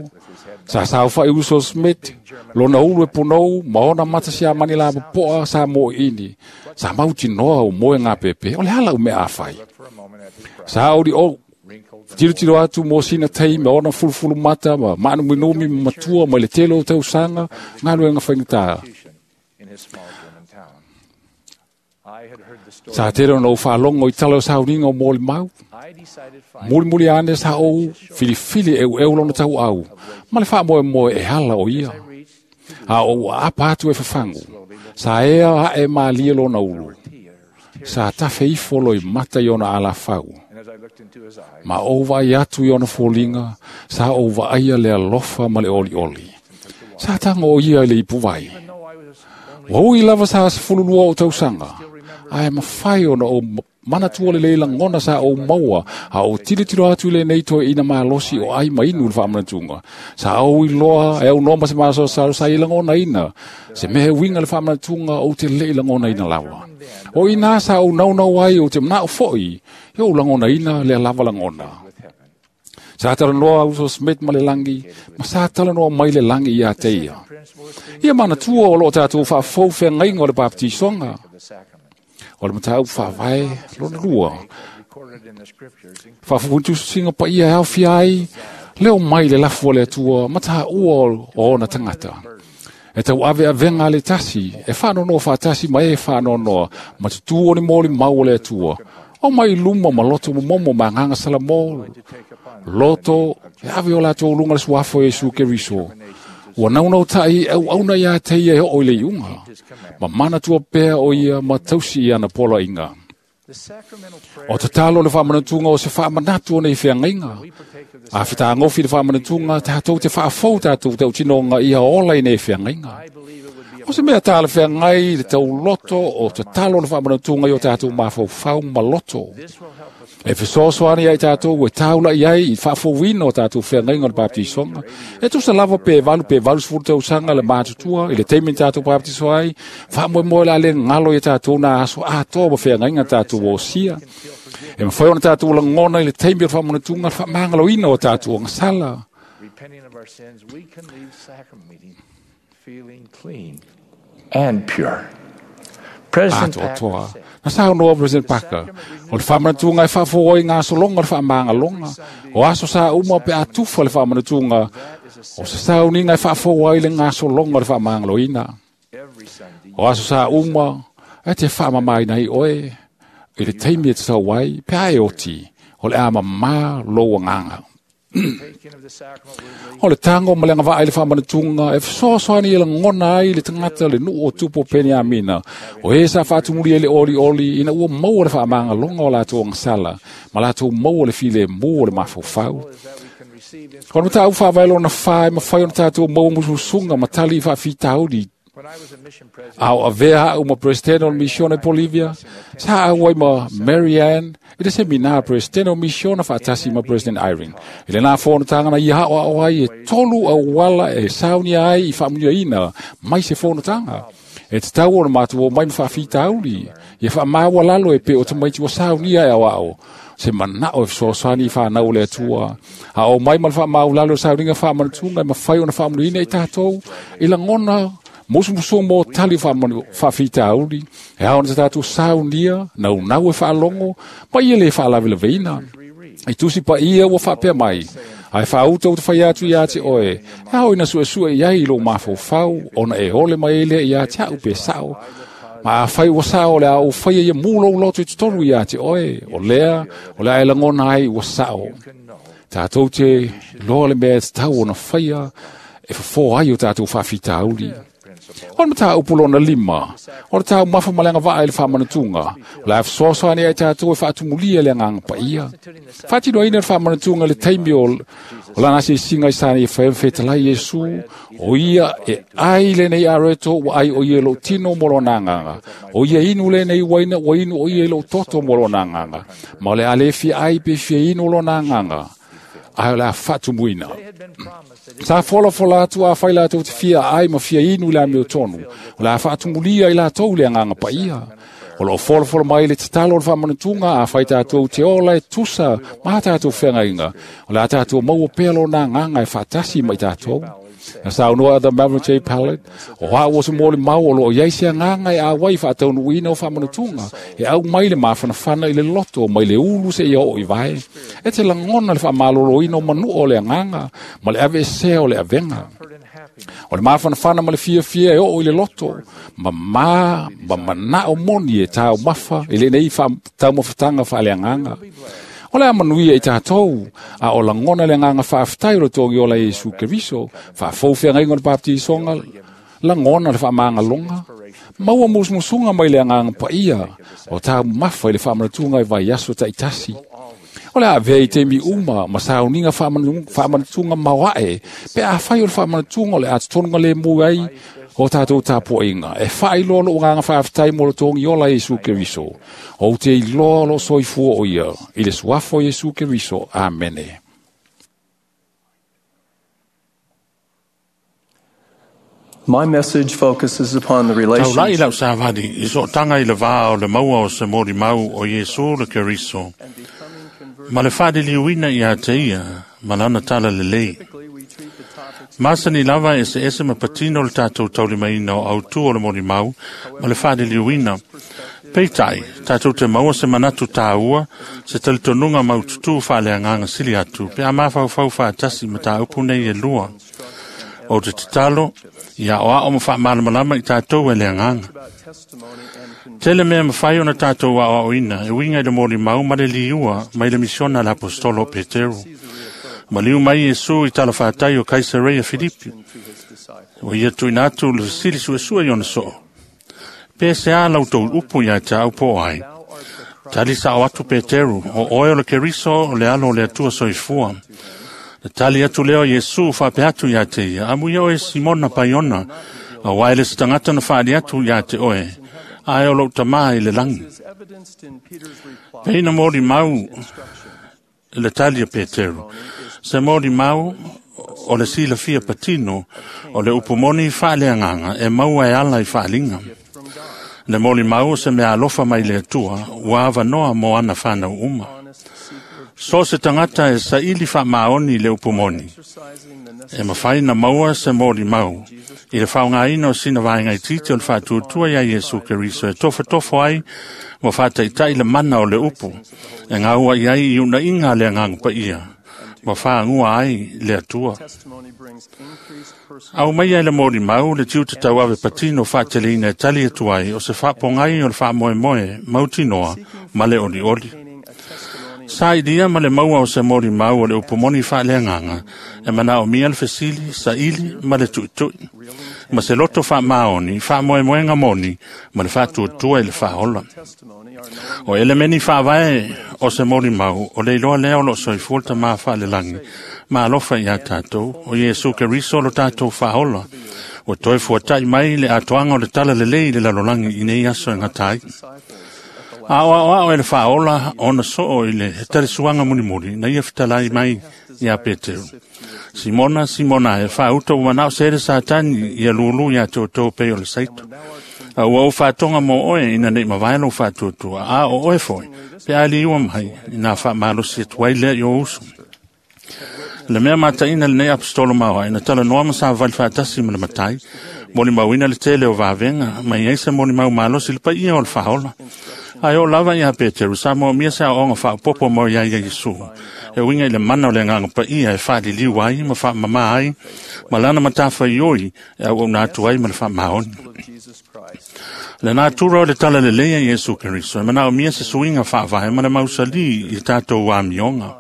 Sa saofa'i Uso Smith, lona ulu e punou ma ona mata siamani lapopo'a sa mo'i'ini. Sa mautinoa u moe gapepe, o le a la'u mea afai. Sa ouli ou tilotilo atu mo sina taimi ma ona fulufulu mata ma maanuminumi ma matua mai le tele o tausaga galuega faigata. Sa tele ona ou faalogo i tala o sauniga o molimau. Mulimuli ane sa ou filifili eueu lona tauau, ma le faamoemoe e ala o ia. A ou aapa atu e fafagu, sa ea ae malie lona ulu. Sa tafe ifo loi mata i ona alafau. Ma ou vaai atu i ona foliga, sa ou vaaia le alofa ma le olioli. Sa tago o ia i le ipuvai. Ua ui lava sa sefululua o tausaga, ae mafai ona ou manatua lelei lagona sa ou maua, a ou tilotilo atu i lenei toeaina malosi o ai ma inu i le faamanatuga. Sa ou iloa e aunoa ma se masalosalo sa ia lagonaina, se mea e uiga le faamanatuga ou te le'i lagonaina lava. O ina sa ou naunau ai ou te mana'o fo'i, ia ou lagonaina lea lava lagona. Sa talanoa Uso Smith ma le lagi, ma sa talanoa mai le lagi ia te ia. Ia manatua o loo tatou faafou feagaiga o le bapetisoga. O le mataupu faavae lona lua. Faafufutusiga paia e aofia ai, leo mai le lafu o le Atua ma taua o ona tagata. E tau aveavega a le tasi, e faanonoa faatasi ma e faanoanoa, ma tutū o ni molimau o le Atua. O mai luma ma loto momomo ma agaga Salamo, loto e ave o latou luga le suafa o Iesu Keriso. Ua naunautai auauna ia te ia e oo i le iuga, ma manatua pea o ia ma tausi i ana poloaiga. O tatalo le faamanatuga o se faamanatu o nei feagaiga. A fetagofi le faamanatuga, tatou te faafou tatou tautinoga ia ola i nei feagaiga. O se mea talafeagai le tauloto o tatalo le faamanatuga i o tatou mafaufau ma loto. E fesoasoani ai tatou e taula'i ai i faafouina o tatou feagaiga o le bapetisoga. E tusa lava pe valu pe valusefulu tausaga le matutua i le taimi na tatou bapetiso ai, faamoemoe le a le galo ia tatou na aso atoa ma feagaiga tatou osia. E mafai ona tatou lagona i le taimi o le faamanatuga le faamagaloina o tatou agasala. And pure. President Atoatoa. Na saunoa President Parker, o le faamanatuga e faafou ai gasologa o le faamagaloga. O aso sa uma pe a tufa le faamanatuga, o se sauniga e faafou ai le gasologa o le faamagaloina. O aso sa uma, e te faamamaina ai oe, i le taimi e tatau ai, pe a e oti, o le a mamā lou agaga. O le tago ma le agavaa i le faamanatuga e fesoasoani e lagona ai le tagata le nuu o tupu o Peniamina. O e sa faatumuli ai le olioli ina ua maua le faamagaloga o latou agasala ma latou maua le filemu o le mafaufau. O le mataupu faavae lona fa e mafai ona tatou maua musumusuga ma tali i faafitauli. A o avea a'u ma Presidente o le Misiona i Bolivia, sa auai ma Mary Ann i le semina Presidente o Misiona faatasi ma President Eyring. I lenā fonotaga na ia a'oa'o ai e tolu auala e saunia ai i faamuniaina mai se fonotaga. E tatau ona matou omai ma faafitauli, ia faamaualalo e pei o tamaiti ua saunia e aoa'o. Se mana'o e fesoasoani i fanau o le Atua. A o mai ma le faamaulalo o sauniga faamanatuga e mafai ona faamuliina i tatou i lagona musumusuga mo tali faafitauli, e ao ona tatou saunia, naunau e faalogo, ma ia lē faalavelaveina. I tusi paia ua faapea mai, ae faauta uta fai atu ia te oe, e ao ina suesue i ai i lou mafaufau, ona e ole mai ai lea ia te a'u pe sa'o. Ma afai ua sa'o le a ou faia ia mu lou loto i totonu ia te oe, o lea, o le a e lagona ai ua sa'o. Tatou te loa le mea e tatau ona faia, e fofō ai o tatou faafitauli. O le mataupu lona lima, o le taumafa ma le agavaa i le faamanatuga, o le a fesoasoani ai tatou e faatumulia le agaga paia. Faatinoina le faamanatuga i le taimi o o lana asiasiga i sa nei e fetalai Iesu, o ia e ai lenei areto ua ai o ia i lou tino mo lona agaga, o ia inu lenei uaina ua inu o ia i lou toto mo lona agaga, ma o le a le fia ai pe fia inu lona agaga, ae o le a faatumuina. Sa folafola atu afai latou te fia ai ma fia inu i le amiotonu, o le a faatumulia i latou le agaga paia. O loo folafola mai le tatalo o le faamanatuga afai tatou te ola e tusa ma tatou feagaiga, o le a tatou maua pea lona agaga e faatasi ma i tatou. Na saunoa the Melvin J. Pallet, o au o se molimau o loo iai se agaga e auai faataunuuina o faamanatuga, e au mai le mafanafana i le loto mai le ulu seia oo i vae. E te lagona le faamaloloina o manua o le agaga ma le aveesea o le avega. O le mafanafana ma le fiafia e oo i le loto, ma ma ma manao moni e taumafa i lenei taumafataga faaleagaga. O le a manuia i tatou, a o lagona le agaga faafetai o le togi ola Iesu Keriso, faafou feagaiga o le baptisoga, lagona le faamagaloga, maua musumusuga mai le agaga paia, o taumafa i le faamanatuga i vaiaso taitasi. O le a avea i taimi uma ma sauniga faamanatuga maoae, pe afai o le faamanatuga o le a totonuga lemu ai o tatou tapuaiga, e faailoa lou agaga faafetai mo le togi ola Iesu Keriso. Ou te iloa o loo soifua o ia, i le suafa o Iesu Keriso. Amene. My message focuses upon the Taulai relationship lau savali, i sootaga i le vā o le maua o se molimau o Iesu le Keriso. Ma le faaliliuina ia te ia, ma lana tala lelei. Masani lava e se ese ma patino le tatou taulimaina o autū o le molimau ma le faaliliuina. Peitai, tatou te maua se manatu tāua, se talitonuga maututū faaleagaga sili atu, pe a mafaufau faatasi ma tāupu nei e lua. O te tatalo, ia oao ma faamalamalama i tatou e le agaga. Tele mea mafai ona tatou aoaoina, e uiga i le molimau ma le liua mai le misiona a le apostolo o Peteru. Maliu mai Iesu i talafatai o Kaisareia Filipi. O ia tuuina atu le fesili suesue i ona soo. Pe se a lau tou upu ia te au po ai. Tali sao atu Peteru, o oe o le Keriso o le alo o le Atua soifua. Le tali atu lea o Iesu faapea atu ia te ia, amuia oe Simona Paiona, auā e le se tagata na faali atu ia te oe, ae o lou tamā i le lagi. Pei na molimau le tali a Peteru, se molimau o le silafia patino o le upu moni faaleagaga e maua e ala i faaliga. Le molimau o se mea alofa mai le Atua, ua avanoa mo ana fanau uma. So se tagata e saili faamaoni i le upu moni, e mafai na maua se molimau i le faaaogaina o sina vaega itiiti o le faatuatua ia Iesu Keriso e tofotofo ai ma faataitai le mana o le upu, e gaua i ai i unaiga a le agaga paia, ma faagua ai le Atua. Au mai ai le molimau le tiute tauave patino faateleina e tali atu ai o se faapogai o le faamoemoe mautinoa ma le olioli. Sa ilia ma le maua o se molimau o le upu moni faaleagaga e manaomia le fesili, saili ma le tuitui, ma se loto faamaoni, faamoemoega moni ma le faatuatua i le faaola. O elemeni faavae o se molimau o le iloa lea o loo soifua le tamā faalelagi ma alofa iā tatou, o Iesu Keriso lo tatou faaola, ua toe fuata'i mai le atoaga o le tala lelei i le lalolagi i nei aso e gata ai. A o aoao e le faaola ona soo i le talisuaga mulimuli na ia fetalai mai iā Peteru. Simona, Simona e faauta ua manao se le Satani ia lulu iā te outou pei o le saito. A ua ou faatoga mo oe ina nei mavae lou faatuatua, a o oe foi, pe a liua mai, ina faamalosi atu ai lea i o uso. Le mea mataina lenei apostolo maoae na talanoa ma savavali faatasi ma le matai, molimauina le tele o vavega, ma i ai se molimau malosi le paia o le faaola. Ae o lava ia Peteru, sa moomia se aoaoga faaopopo mo ia ia Iesu, e uiga i le mana o le agaga paia e faaliliu ai ma faamamā ai, ma lana matafaioi e auauna atu ai ma le faamaoni. Le natura o le tala lelei a Iesu Keriso, e manaomia se suiga faavae ma le mausalī i tatou amioga,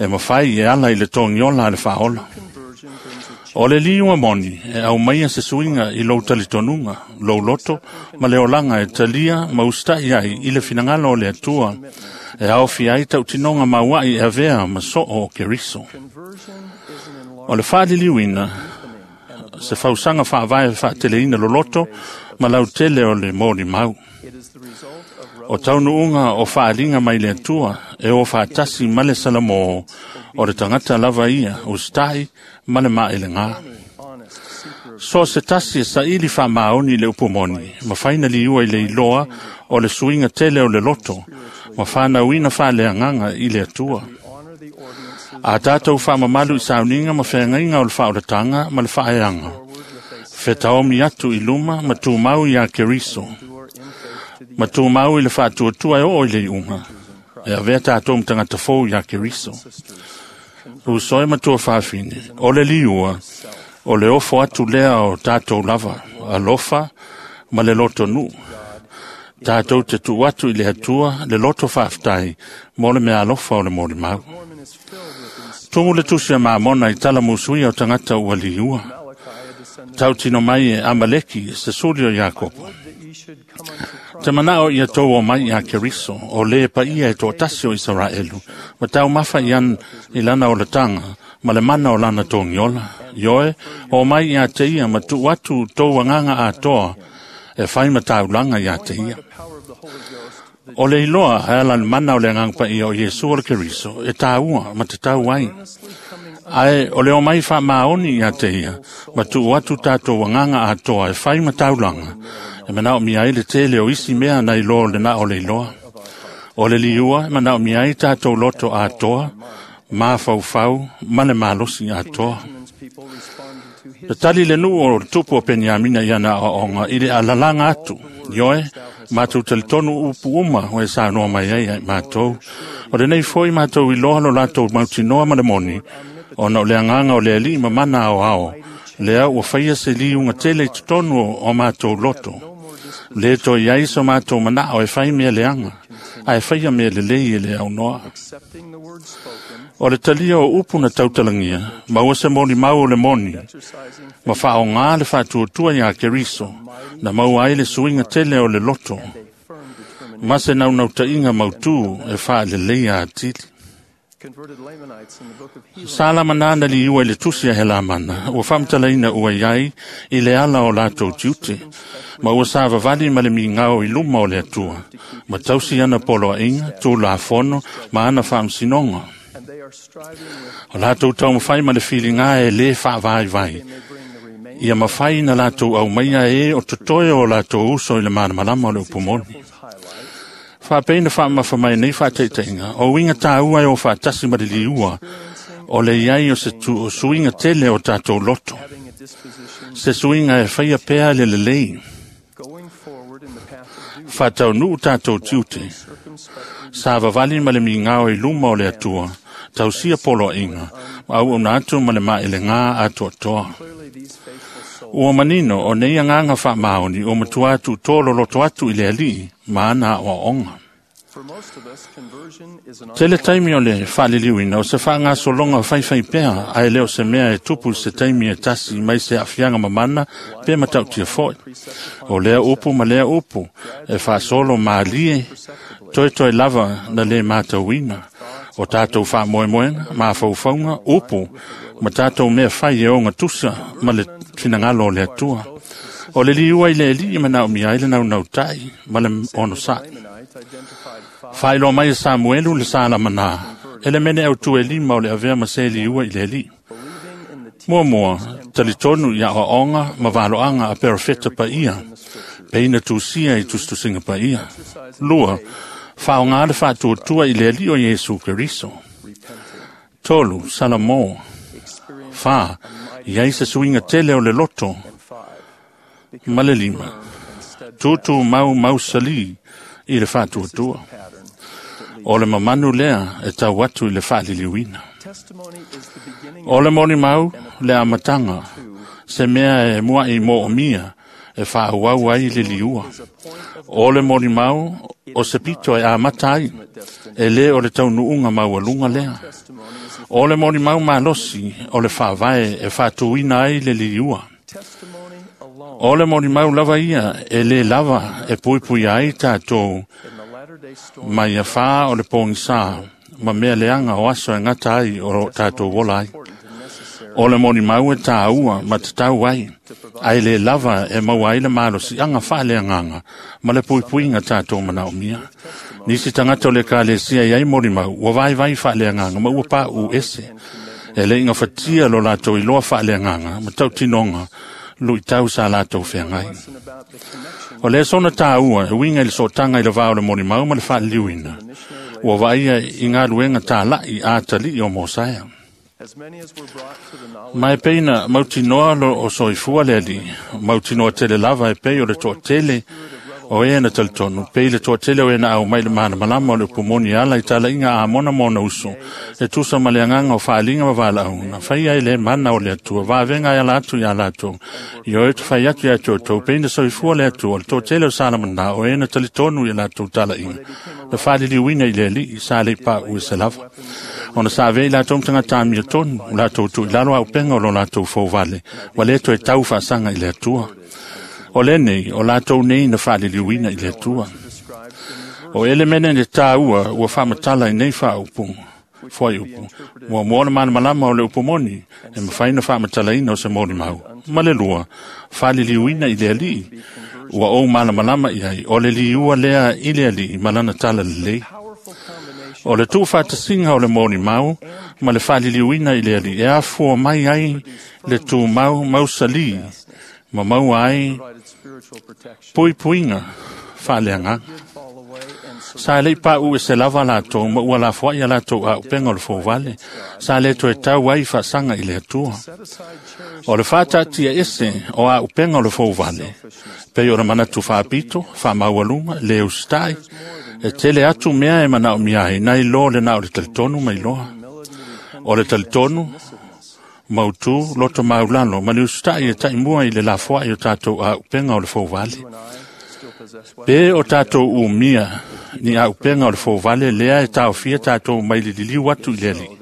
e mafai e ala i le togiola a le faaola. O le liua moni e au maia se suiga i lou talitonuga, lou loto ma le olaga e talia ma usita'i ai i le finagalo o le Atua, e aofia ai tautinoga maua'i e avea ma so'o o Keriso. O le faaliliuina se fausaga faavae faateleina loloto ma lautele o le molimau. O taunuuga o faaliga mai le Atua e o faatasi ma le Salamō o le tagata lava ia usita'i ma le maelegā. So se tasi e saili faamaoni i le upu moni, ma faina liua i le iloa o le suiga tele o le loto, ma whanauina whaaleagaga i le Atua. A tātou whaamamalu i sauniga ma wheangaiga o le whaolatanga ma le whaeanga. Whetaomi atu i luma ma tūmau i a Keriso. Ma tūmau i le whaatuatua e oo i le iunga. E avea tātou mtangata fou i a Keriso. Usoe matua whaafine, o le liua, o le ofo atu lea o tātou lava, alofa ma le loto nuu. Tātou te tu atu i le Atua, le loto whaaftai, mo le mea alofa o le molimau. Tumu le tusi a maamona i tala musuia o tangata ua liua. Tau tino mai e Amaleki, se suli o Iakopo. Te manao ia tau o mai ia Keriso, o le pa ia e tō tasi o Israelu, ma tau mafa i an i lana o le tanga, ma le mana o lana tōngiola. Ioe, o mai ia te ia, ma tu atu tō anganga atoa, e whai ma taulanga ia te ia. O le iloa e ala le mana o le anganga pa ia o Iesu o le Keriso, e tāua ma te tau ai. Ae o le o mai wha maoni ia te ia, ma tu atu tātou anganga atoa e whai ma taulanga, e manao mi ai le tele o isi mea nei loa le na o le iloa. O le liua e manao mi ai tātou loto atoa, mafaufau, ma le malosi atoa. Le tali le nuu o le tupu o Peniamina i ana aoaoga i le alalanga atu, ioe, matou talitonu upu uma o e saunoa mai ai ai matou. O lenei foi matou iloa lo latou mautinoa ma le moni, ona o le agaga o le Alii ma mana aoao, lea ua faia se liuga tele i totonu o matou loto. Le toe ai so matou manao e fai mea leaga, ae faia mea lelei e le aunoa. O le talia o upu na tautalagia, maua se molimau o le moni, ma whaonga le whaatuatua ia Keriso, na maua ai le suiga tele o le loto, ma se naunautaiga mautū e whaaleleia atili. Sa lamana na liua i le tusi a Helamana, ua whamtalaina ua iai i le ala o lātou tiute, ma ua sa vavali ma le migao i luma o le Atua, ma tausi ana poloaiga, tūlafono, ma ana whaamsinoga. O lātou taumawhai ma le whilinga e le whaavaivai. Ia mawhai na lātou au maia e o totoe o lātou uso i le manamalama o le upumoni. Whaapeina whaamafa mai nei whaateiteinga, o winga tāua e o whaatasi ma le liua, o le iai o se tu, o suinga tele o tātou loto. Se suinga e whaia pea le lelei. Whaatau nuu tātou tiute. Sa vavali ma le mingao i luma o le Atua, tausia poloaiga, ma au ona atu ma le maelegā atoatoa. Ua manino o nei anganga whaamaoni o matua atu tō loloto atu i le Alii ma ana aoaoga. Tele taimi o le whaaliliuina o se whaangasolonga whaiwhai pea ae leo se mea e tupu se taimi e tasi mai se afianga mamana pe matautia foi. O lea upu ma lea upu e whaasolo maalie toi toi lava na le mātauina. O tātou whaamoemoenga, mafaufauga, upu, ma tātou mea whai e onga tusa ma le finangalo o le Atua. O le liua i le Alii manao mi ai le naunautai ma le onosai. Whailo mai e Samuelu le salamana, e le mene au tu e lima o le avea ma se liua i le Alii. Mua mua, talitonu i aoaoga ma valoaga a perofeta paia, peina tusia i tusitusiga paia. Lua, whaonga le whaatuatua i le Alii o Iesu Keriso. Tolu, Salamo. Wha, iai se suinga tele o le loto. Ma le lima, tūtū mau mausali i le whaatuatua. O le mamanu lea e tau atu i le whaaliliuina. O le moni mau le amatanga, se mea e mua i mo o mia, e faaauau ai le liua. O le molimau o se pito e amata ai, e lē o le taunuuga maualuga lea. O le molimau malosi o le faavae e faatuina ai le liua. O le molimau lava ia e lē lava e puipuia ai tatou mai afā o le pogisā ma mea leaga o aso e gata ai o loo tatou ola ai. O le molimau e tāua ma tatau ai, ae lē lava e maua ai le malosiaga faaleagaga ma le puipuiga tatou manaomia. Nisi tagata o le ekalesia i ai molimau ua vaivai faaleagaga ma ua paʻu ese. E le igafatia lo latou iloa faaleagaga ma tautinoga luitau sa latou feagai. O lea sona tāua e uiga i le sootaga i le va o le molimau ma le faaliliuina, ua vaaia i galuega tālaʻi a atalii o Mosaea. Ma e pei na mautinoa lo o soifua le alii, mautinoa tele lava e pei o le toatele o e na talitonu, pei le toatele o e na au mai le malamalama o le upumoni ala i talaiga a mona mona uso, e tusa ma le agaga o faaliga ma valaau, na faia e le mana o le Atua, vavega e ala atu iā latou, i o e tufai atu ia te outou, pei na soifua le Atua, o le toatele o Salamana, o e na talitonu i latou talaiga, na faaliliuina i le alii, sa le paʻu e se lava. Ona sa avea i latou ma tagata amiotonu, o latou tuuilalo auupega o lo latou fouvale, ua lē toe tau faasaga i le Atua. O lenei, o latou nei na faaliliuina i le Atua. O elemene le tāua ua faamatala i nei faaupu, fuaiupu. Muamua le malamalama o le upu moni, e mafai na faamatalaina o se molimau. Ma le lua, faaliliuina i le alii, ua ou malamalama i ai, o le liua lea i le alii ma lana tala lelei. O le tuufaatasiga o le molimau ma le faaliliuina i le alii, e afua mai ai le tumau mausalī, ma maua ai puipuiga faaleagaga. Sa lei paʻu e se lava latou ma ua lafoai a latou auupega o le fouvale, sa lē toe tau ai faasaga i le Atua. O le faataatia ese o auupega o le fouvale, pei o le manatu faapito, faamaualuga, le usitai, e tele atu mea e manaomia ai, nai lo le na o le talitonu ma iloa. O le talitonu, mautū, loto maulalo, ma le usitai e taimua i le lafoai o tatou auupega o le fouvale. Pe o tatou umia ni auupega o le fouvale lea e taofia tatou mai le liliu atu i le alii.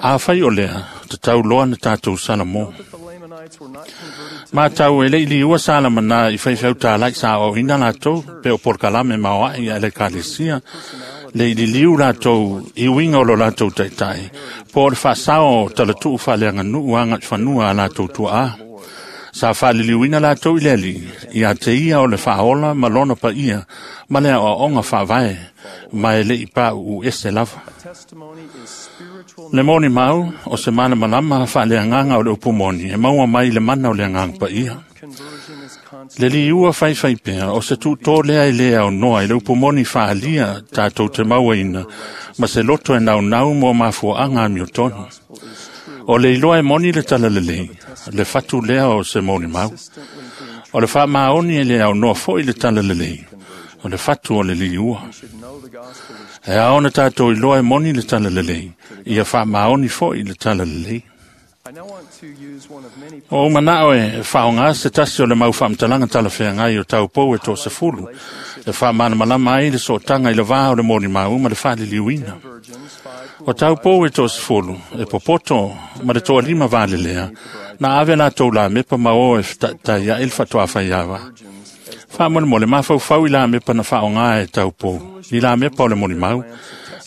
Afai o lea, tatau loa na tatou Salamo. Matau e le i liua Salamana i faifeau tālaʻi sa aoaoina latou, pe o polokalame maoaʻi a le ekalesia, le i liliu latou i uiga o lo latou taʻitaʻi, po o le faasao o talatuu faaleaganuu agaʻi fanua a latou tuaā. Sa faaliliuina latou i le alii, ia te ia o le faaola ma lona paia, ma le aoaoga faavae, ma e le i paʻuʻu ese lava. Le molimau o se malamalama faaleagaga o le upu moni, e maua mai le mana o le agaga paia. Le liua faifai pea o se tuutō lea e lē aonoa i le upu moni faalia tatou te mauaina, ma se loto e naunau mo mafuaaga amiotonu. O le iloa e moni le talalelei, le fatu lea o se molimau. O le faamaoni e le aonoa foi le talalelei, o le fatu o le liua. E ao na tatou iloa e moni le talalelei, ia faamaoni foi le talalelei. O ou manao e faaaogā se tasi o le mau faamatalaga talafeagai o taupou e toasefulu, e faamalamalama ai le sootaga i le vā o le molimau ma le faaliliuina. O taupou e toasefulu, e popoto ma le toalima valelea, na ave latou lamepa ma o e fetaʻitaʻi aʻe le faatoafaiava. Faamolemole mafaufau i lamepa na faaaogā e taupou, ni lamepa o le molimau.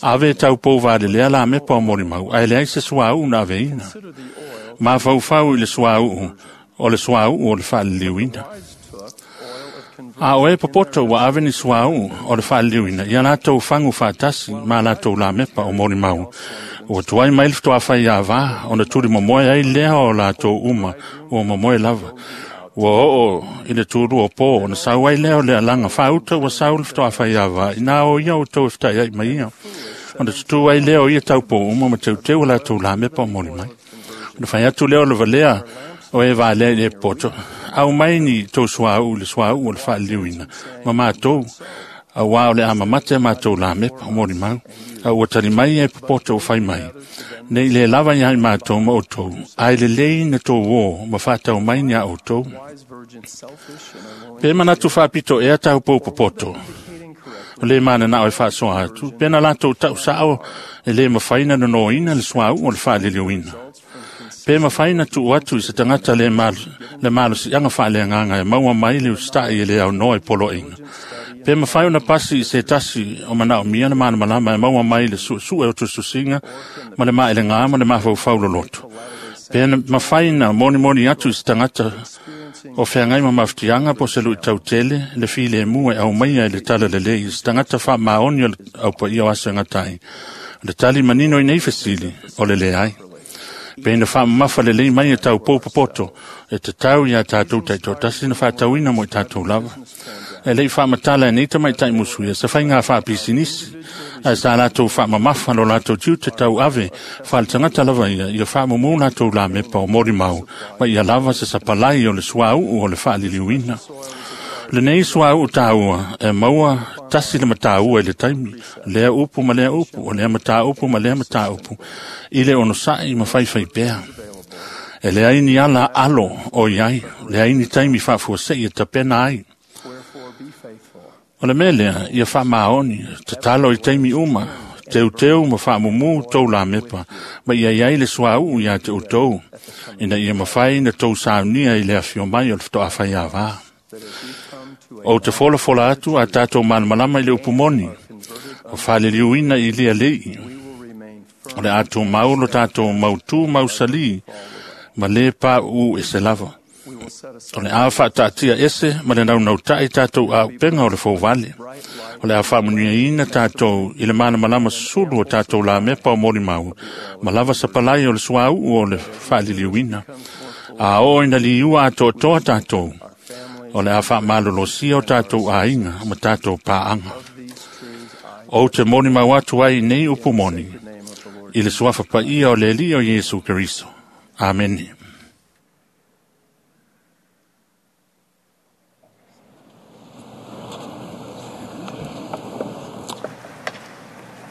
Ave e taupou valelea lamepa o molimau, ae leai se suauu na aveina. Mafaufau i le suauu, o le suauu o le faaliliuina. A o e popoto ua ave ni suauu o le faaliliuina, ia latou fagu faatasi ma latou lamepa o molimau. Ua tuai mai le fetoafaiavā, ona tulimomoe ai lea o latou uma, ua momoe lava. Ua oo i le tulua o pō, ona sau ai lea o le alaga faauta ua sau le fetoafaiavā, ina o ia outou e fetaʻiaʻi mai ia. Ona tutū ai lea o ia taupou uma ma teuteu a latou lamepa o molimai. Ona fai atu lea o le valea o e valea i le popoto, au mai ni tou suauu i le suauu o le faaliliuina, ma matou, Auā o le a mamate matou lamepa o molimau, a ua tali mai e popoto o fai mai. Nei le lava ia i matou ma outou, ae lelei na tou ō ma faatau mai ni a outou. Pe manatu faapito ea taupou popoto, o le mananao e faasoa atu, pe na latou tausao e lē mafai na nonoina le suauu o le faaliliuina. Pe mafai na tuu atu i se tagata le le malosiaga faaleagaga e maua mai le usita'i e le aunoa i poloaiga. Pe mafai ona pasi i se tasi o manaomia le malamalama e maua mai le suesue o tusitusiga ma le maelegā ma le mafaufau loloto. Pe mafai na monimoni atu i se tagata o feagai ma mafutiaga po o se luʻitautele le filemu e aumaia i le talalelei i se tagata faamaoni o le aupaia o aso e gata ai. O le tali manino i nei fesili o le leai. Pe na faamamafa lelei mai e taupou popoto e tatau iā tatou taitoatasi na faatauina mo i tatou lava. E leʻi faamatala e nei tamaitaʻi musuia se faiga faapisinisi ae sa latou faamamafa lo latou tiute tauave faaletagata lava ia ia faamumū latou lamepa o molimau ma ia lava se sapalai o le suauu o le faaliliuina. Lenei suauu tāua e maua tasi le mataua i le taimi, lea upu ma lea upu, o lea mataupu ma lea mataupu, i le onosaʻi ma faifai pea. E leai ni ala alo o iai, leai ni taimi faafuaseʻi e tapena ai. O le mea lea, ia faamaoni, tatalo i taimi uma, teuteu ma faamumū tou lamepa, ma ia iai le suauu iā te outou, ina ia mafai na tou saunia i le afio mai o le fetoafai avā. Ou te folafola atu a tatou malamalama i le upu moni, o faaliliuina i lia leʻi. O le a tumau lo tatou mautū mausalī ma lē paʻuʻu ese lava. O le a faataatia ese ma le naunautaʻi tatou auupega o le fouvale. O le a faamanuiaina tatou i le malamalama susulu o tatou lamepa o molimau ma lava sapalai o le suauu o le faaliliuina. A oo ina liua atoatoa tatou, o le a faamalolosia o tatou aiga ma tatou paaga. Ou te molimau atu ai nei upu moni i le suafa paia o le Alii o Iesu Keriso. Amene.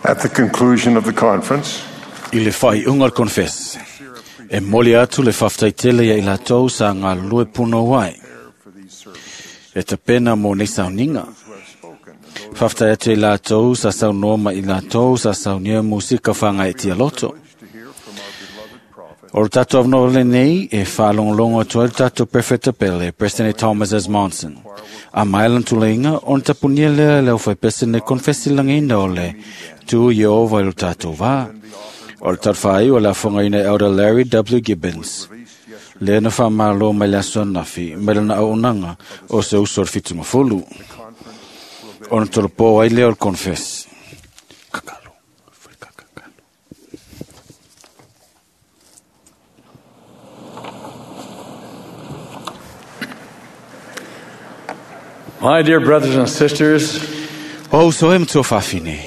At the conclusion of the conference, I le faaiuga o le konfesi, e moli atu le faafetaitele ia i latou sa galulue punou ai. E tapena mo nei sauniga. Faafetai atu i latou sa saunoa ma i latou sa saunia musika faagaetia loto. O le tatou avanoa lenei e faalogologo atu ai le tatou Prefeta Pele, President Thomas S. Monson. A mai lana tuleiga ona tapunia lea le aufaipese nei konfesi lagiina o le tu Ieova i lo tatou vā. O le talafāiu o le afogaina e Elder Larry W. Gibbons. Lea na faamālō mai le aso anafi mai lana auaunaga o se uso o le fitumafulu. Ona tolopō ai lea o le konfesi. My dear brothers and sisters, O uso e matua faafine.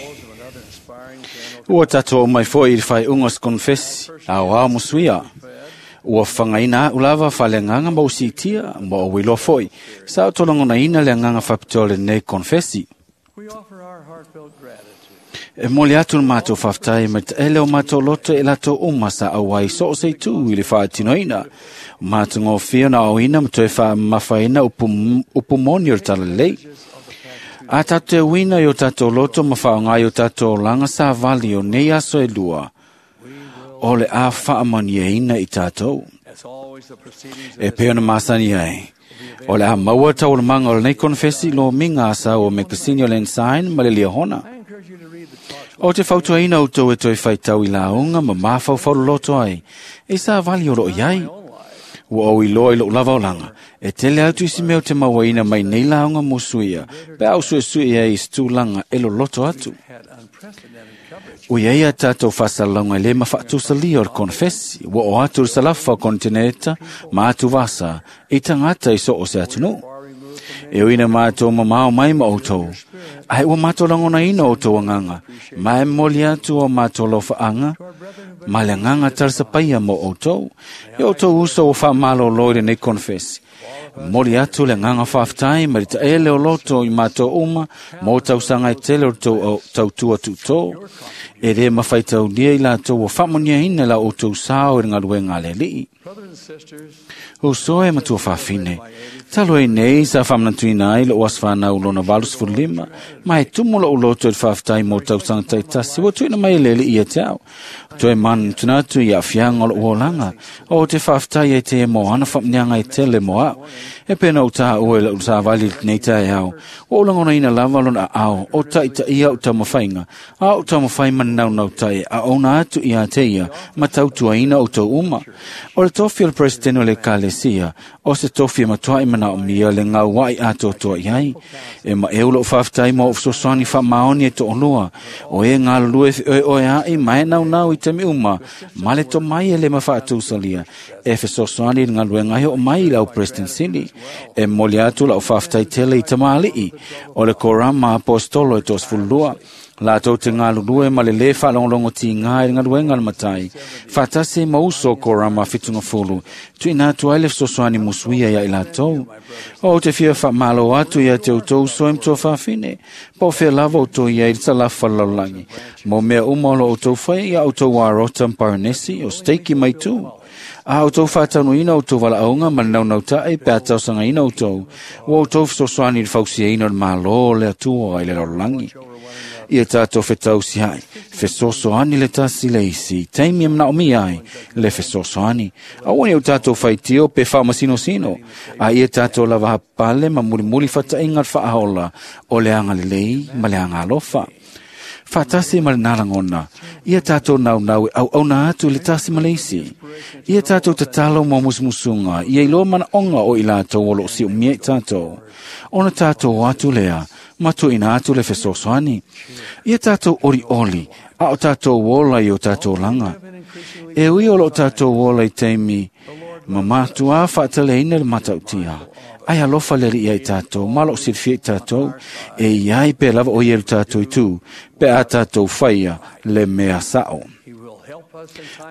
Ua tatou mai foi i le faaiuga o se konfesi, aoao musuia. Ua fagaina a'u lava faaleagaga ma usiitia ma ou iloa foi sa o tolagonaina le agaga faapitoa o lenei konfesi. E moli atu le matou faafetai mai taele o matou loto e latou uma sa auai so o se itu i le faatinoina. O matagofie ona aoina ma toe faamamafaina upu, upu moni o le talalelei. A tatou teuina i o tatou loto ma faaaoga i o tatou olaga savali o nei aso e lua, o le a faamaniaina i tatou. E pei ona masani ai, o le a maua taualumaga o lenei konfesi lomiga a sau o mekasini o le Ensign ma le Liahona. O te fautuaina outou e toe faitau i lauga ma mafaufau loloto ai, e savali o loo iai. Ua ou iloa i lou lava olaga, e tele atu isi mea o te mauaina mai nei lauga musuia, pe a usuesue ai i se tulaga e loloto atu. Ua iai a tatou faasalalauga e lē mafaatusalia o le konfesi, ua oo atu le salafa o kontineta ma atuvasa i tagata i so o se atunuu. E uina matou mamao mai ma outou, ae ua matou lagonaina outou agaga, ma e momoli atu o matou lofaaga ma le agaga talasapaia mo outou. E outou uso ua faamalōlō i lenei konfesi. Moli atu le nganga whaaftai ma le taele o loto i mātou uma mō tausaga e tele o tou tautua tuto. E le mawhaitaunia i lātou o whamonia la o tau sao i ngaluenga le lii. O soe matua whawhine. Talo e nei sa whamnatuina ai lo aswhana u lona valus fulima, ma e tumu lo uloto i whawhtai mō tausaga taitasi wa tuina mai lele i e te au. Toe man tunatu i a whianga o lo uolanga, o te whawhtai e te mō ana whamnianga e tele mō au. E pena o tā oe la usa vali nei tai au. O ulangona ina lava lona au, o taita ia o taumawhainga, a o taumawhai manau nau tai, a ona atu i a te ia, ma tautuaina o tau uma. O le tofi o le presidente o le kalesia, o se tofi e matua i mana o mia le ngau wai a totoa i ai. E ma e ulo whawhtai mō ufsosani wha maoni e to onua, o e ngā lue e oe ai mai nau nau i te mi uma, ma le to mai e le mawhaatusalia, e fesosani ngā lue ngai o mai lau president sili. E moli atu lau whawhtai tele i tamali'i, o le korama apostolo e tos fulua. La tau te ngā lulue ma le le whalonglongo ti ngā i ngā luenga le matai. Whatase mauso korama whitunga fulu. Tui nā tua ele sosoani musuia ia i la tau. O te fia wha malo atu ia te utou soe mtua whawhine. Pau whea lava o tō ia i te lafa laulangi. Mo mea umalo o tau whai ia o tau arota mparanesi o steiki mai tū. A o tau whātanuina o tau walaonga ma nau nau tae pe a tausangaina o tau. O o tau sosoani i whausiaina o le malo le atua i le laulangi. Ia tātou whetausi hai, whesosoani le tasi le isi, teimi e mnao mi ai, le whesosoani. Awani o tātou whaitio pe whamasino sino, a ia tātou lava hapale ma mulimuli whatainga whaahola, o le anga lelei ma le anga alofa. Whatasi ma le nalangona, ia tātou nau nau au au nā atu le tasi ma le isi. Ia tātou tatalo mo musumusunga, ia iloa mana onga o i lātou o lo si o mia i tātou. Ona tātou atu lea, matu ina atu le fesosoani. Ia tātou ori oli, a o tātou ola i o tātou langa. E ui o lo tātou ola i teimi, ma mātua whaataleina le matautia. Ai alofa le ia i tātou, malo silfia i tātou, e iai pe lava o ia tātou i tū, pe a tātou whaia le mea sao.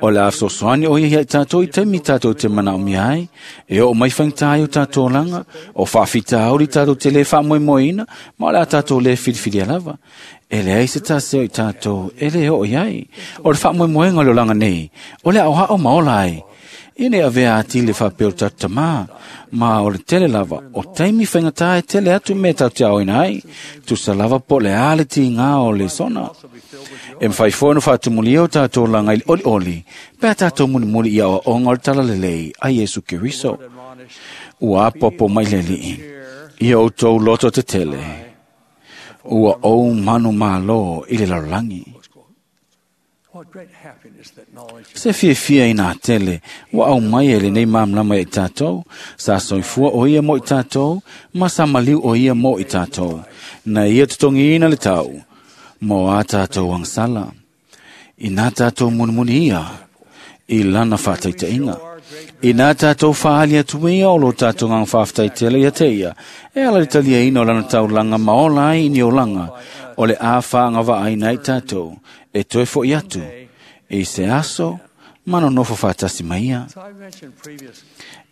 O le afsosoani o ia i tātou i teimi tātou te mana o mia ai, e o mai whangtai o tātou langa, o whaafita auri tātou te le whaamoemoeina, ma o le a tātou le whiriwhiria lava. E le ai se tāseo i tātou, e le o iai, o le whaamoemoenga o le langa nei, o le au hao maola ai. Ine avea ati le whapeo tātou ma o le tele lava, o taimi whaingatai e tele atu me tātou te aoina ai, tusa lava po le ale ti ngā o le sona. E mwhai whono whātumulia o tātou langa i le oli oli, pea tātou mulimuli i awa onga o le talalelei a Yesu Keriso. Ua apopo mai le lii, ia o tau loto te tele, ua o manu malo i le larolangi. Se fia fia i nā tele, wa au mai e le nei mamlama i tātou, sa soifua o ia mo i tātou, ma sa maliu o ia mo i tātou, na ia tutongi ina le tau, mo a tātou angsala. I nā tātou munimuni ia, i lana whātaitainga. I nā tātou whaali atu ia o lo tātou ngang whāwhataitele ia te ia, e ala le talia ina o lana taulanga maola ai ni o langa, o le a whaanga vaaina i tātou, e toe fo i atu, e se aso, mano nofo whātasi mai ia.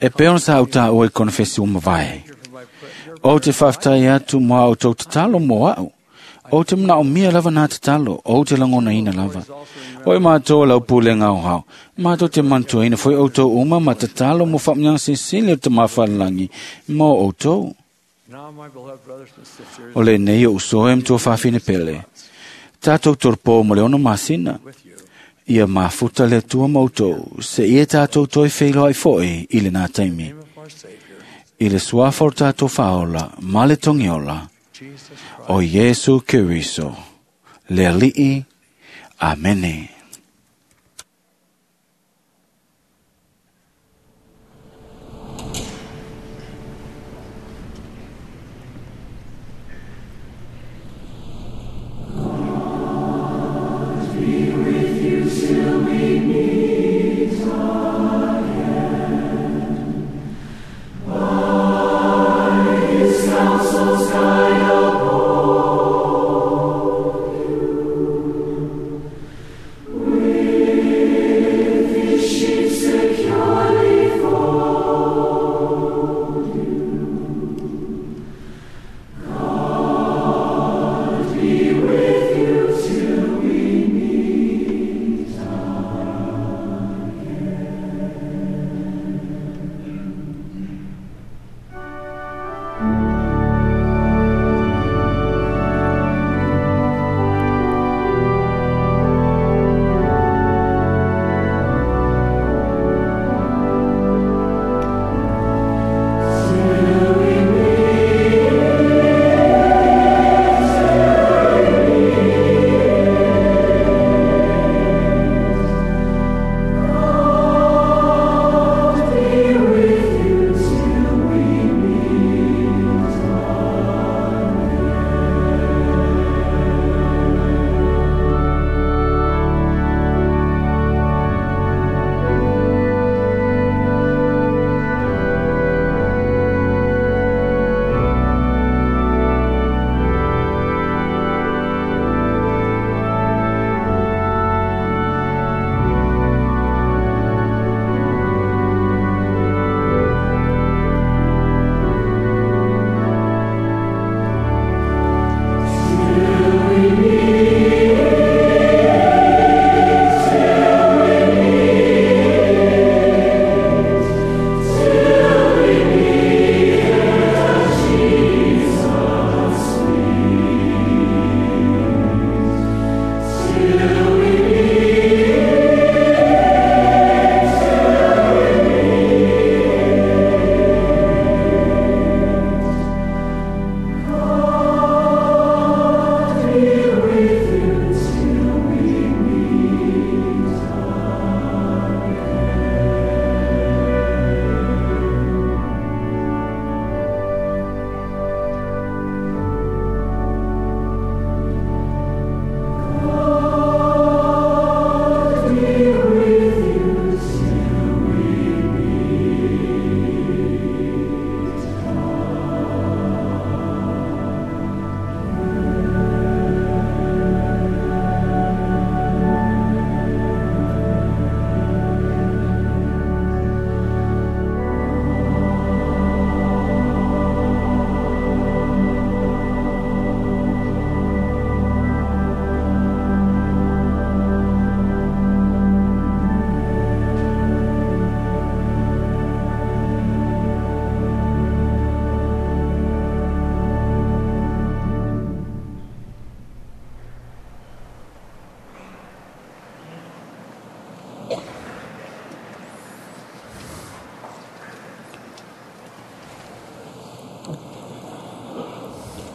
E peona sa au tā oe konfesi umavae. O te whāwhtai atu moa o tau tatalo moa au. O te mna o mia lava nā tatalo, o te langona ina lava. Oi mātou lau pule ngau hau, mātou te mantua ina foi o tau uma ma tatalo mo whapnyang sisili o te mawhalangi mō o tau. O le nei o usoe mtua whawhine pele. Tātou torpo mo le ono masina. Ia mafuta le tua mautou, se ia tātou toi wheiloa i foe i le nā taimi. I le suafa o tātou whaola, ma le tongiola, o Yesu Keriso, le alii, amene. Securely fold you.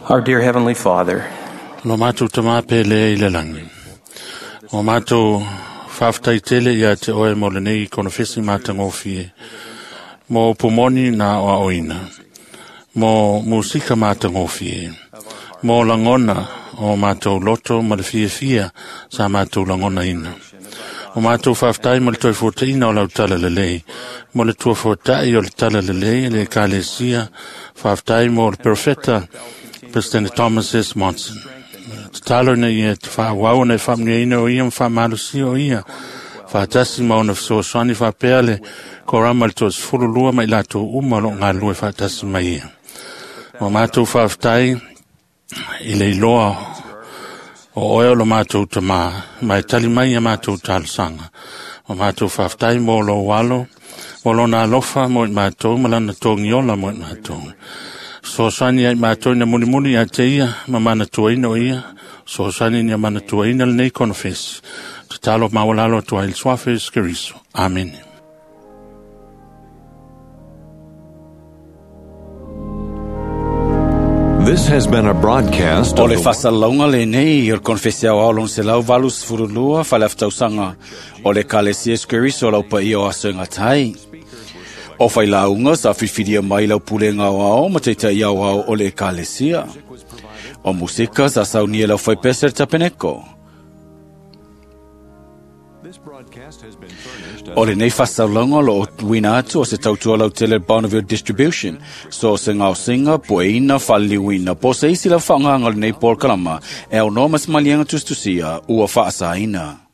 Our dear Heavenly Father, Lo mātou tamā pele i le langi. O mātou whaftai tele ia te oe mo le nei konofesi mātangofie. Mo pumoni nā o aoina. Mo musika mātangofie. Mo langona o mātou loto ma le fia fia sa mātou langona ina. O mātou whaftai mo le toi fōtaina o lau tala lelei. Mo le tua fōtai o le tala lelei le kalesia. Whaftai mo le profeta President Thomas S. Monson. Te talo na ia te whaawau na whaamniaina o ia ma whaamalusia o ia. Whaatasi mauna whasoaswani whaapea le korama le toas fululua mai lātou uma lo ngā lue whaatasi mai ia. O mātou whaaftai i le iloa o oe o lo mātou tamā, mai tali mai ia mātou talosanga. O mātou whaaftai mō lo walo, mō lona alofa mō i mātou, malana tōngiola mō i mātou. So sani ai mātou ina mulimuli a te ia, ma mana tuaina o ia, so sani ina mana tuaina le nei konofesi. Te talo mawalalo tua il suafe skeriso. Amen. This has been a broadcast O of le the fasalauga lenei o le konfesi aoao lona selau valu sefululua faleafatausanga o le Ekalesia Iesu Keriso lau paia o aso e gatai. O failauga sa filifilia mai lau pulega aoao ma taita'i aoao o le Ekalesia. O musika sa saunia lau faipese le tapeneko. O lenei fasaulauga o loo tuuina atu o se tautua lautele Bonneville Distribution, so se gaosiga pueina faaliliuina po o se isi lau faaaogaga o lenei polokalama e aunoa ma se maliega tusitusia ua faasaina.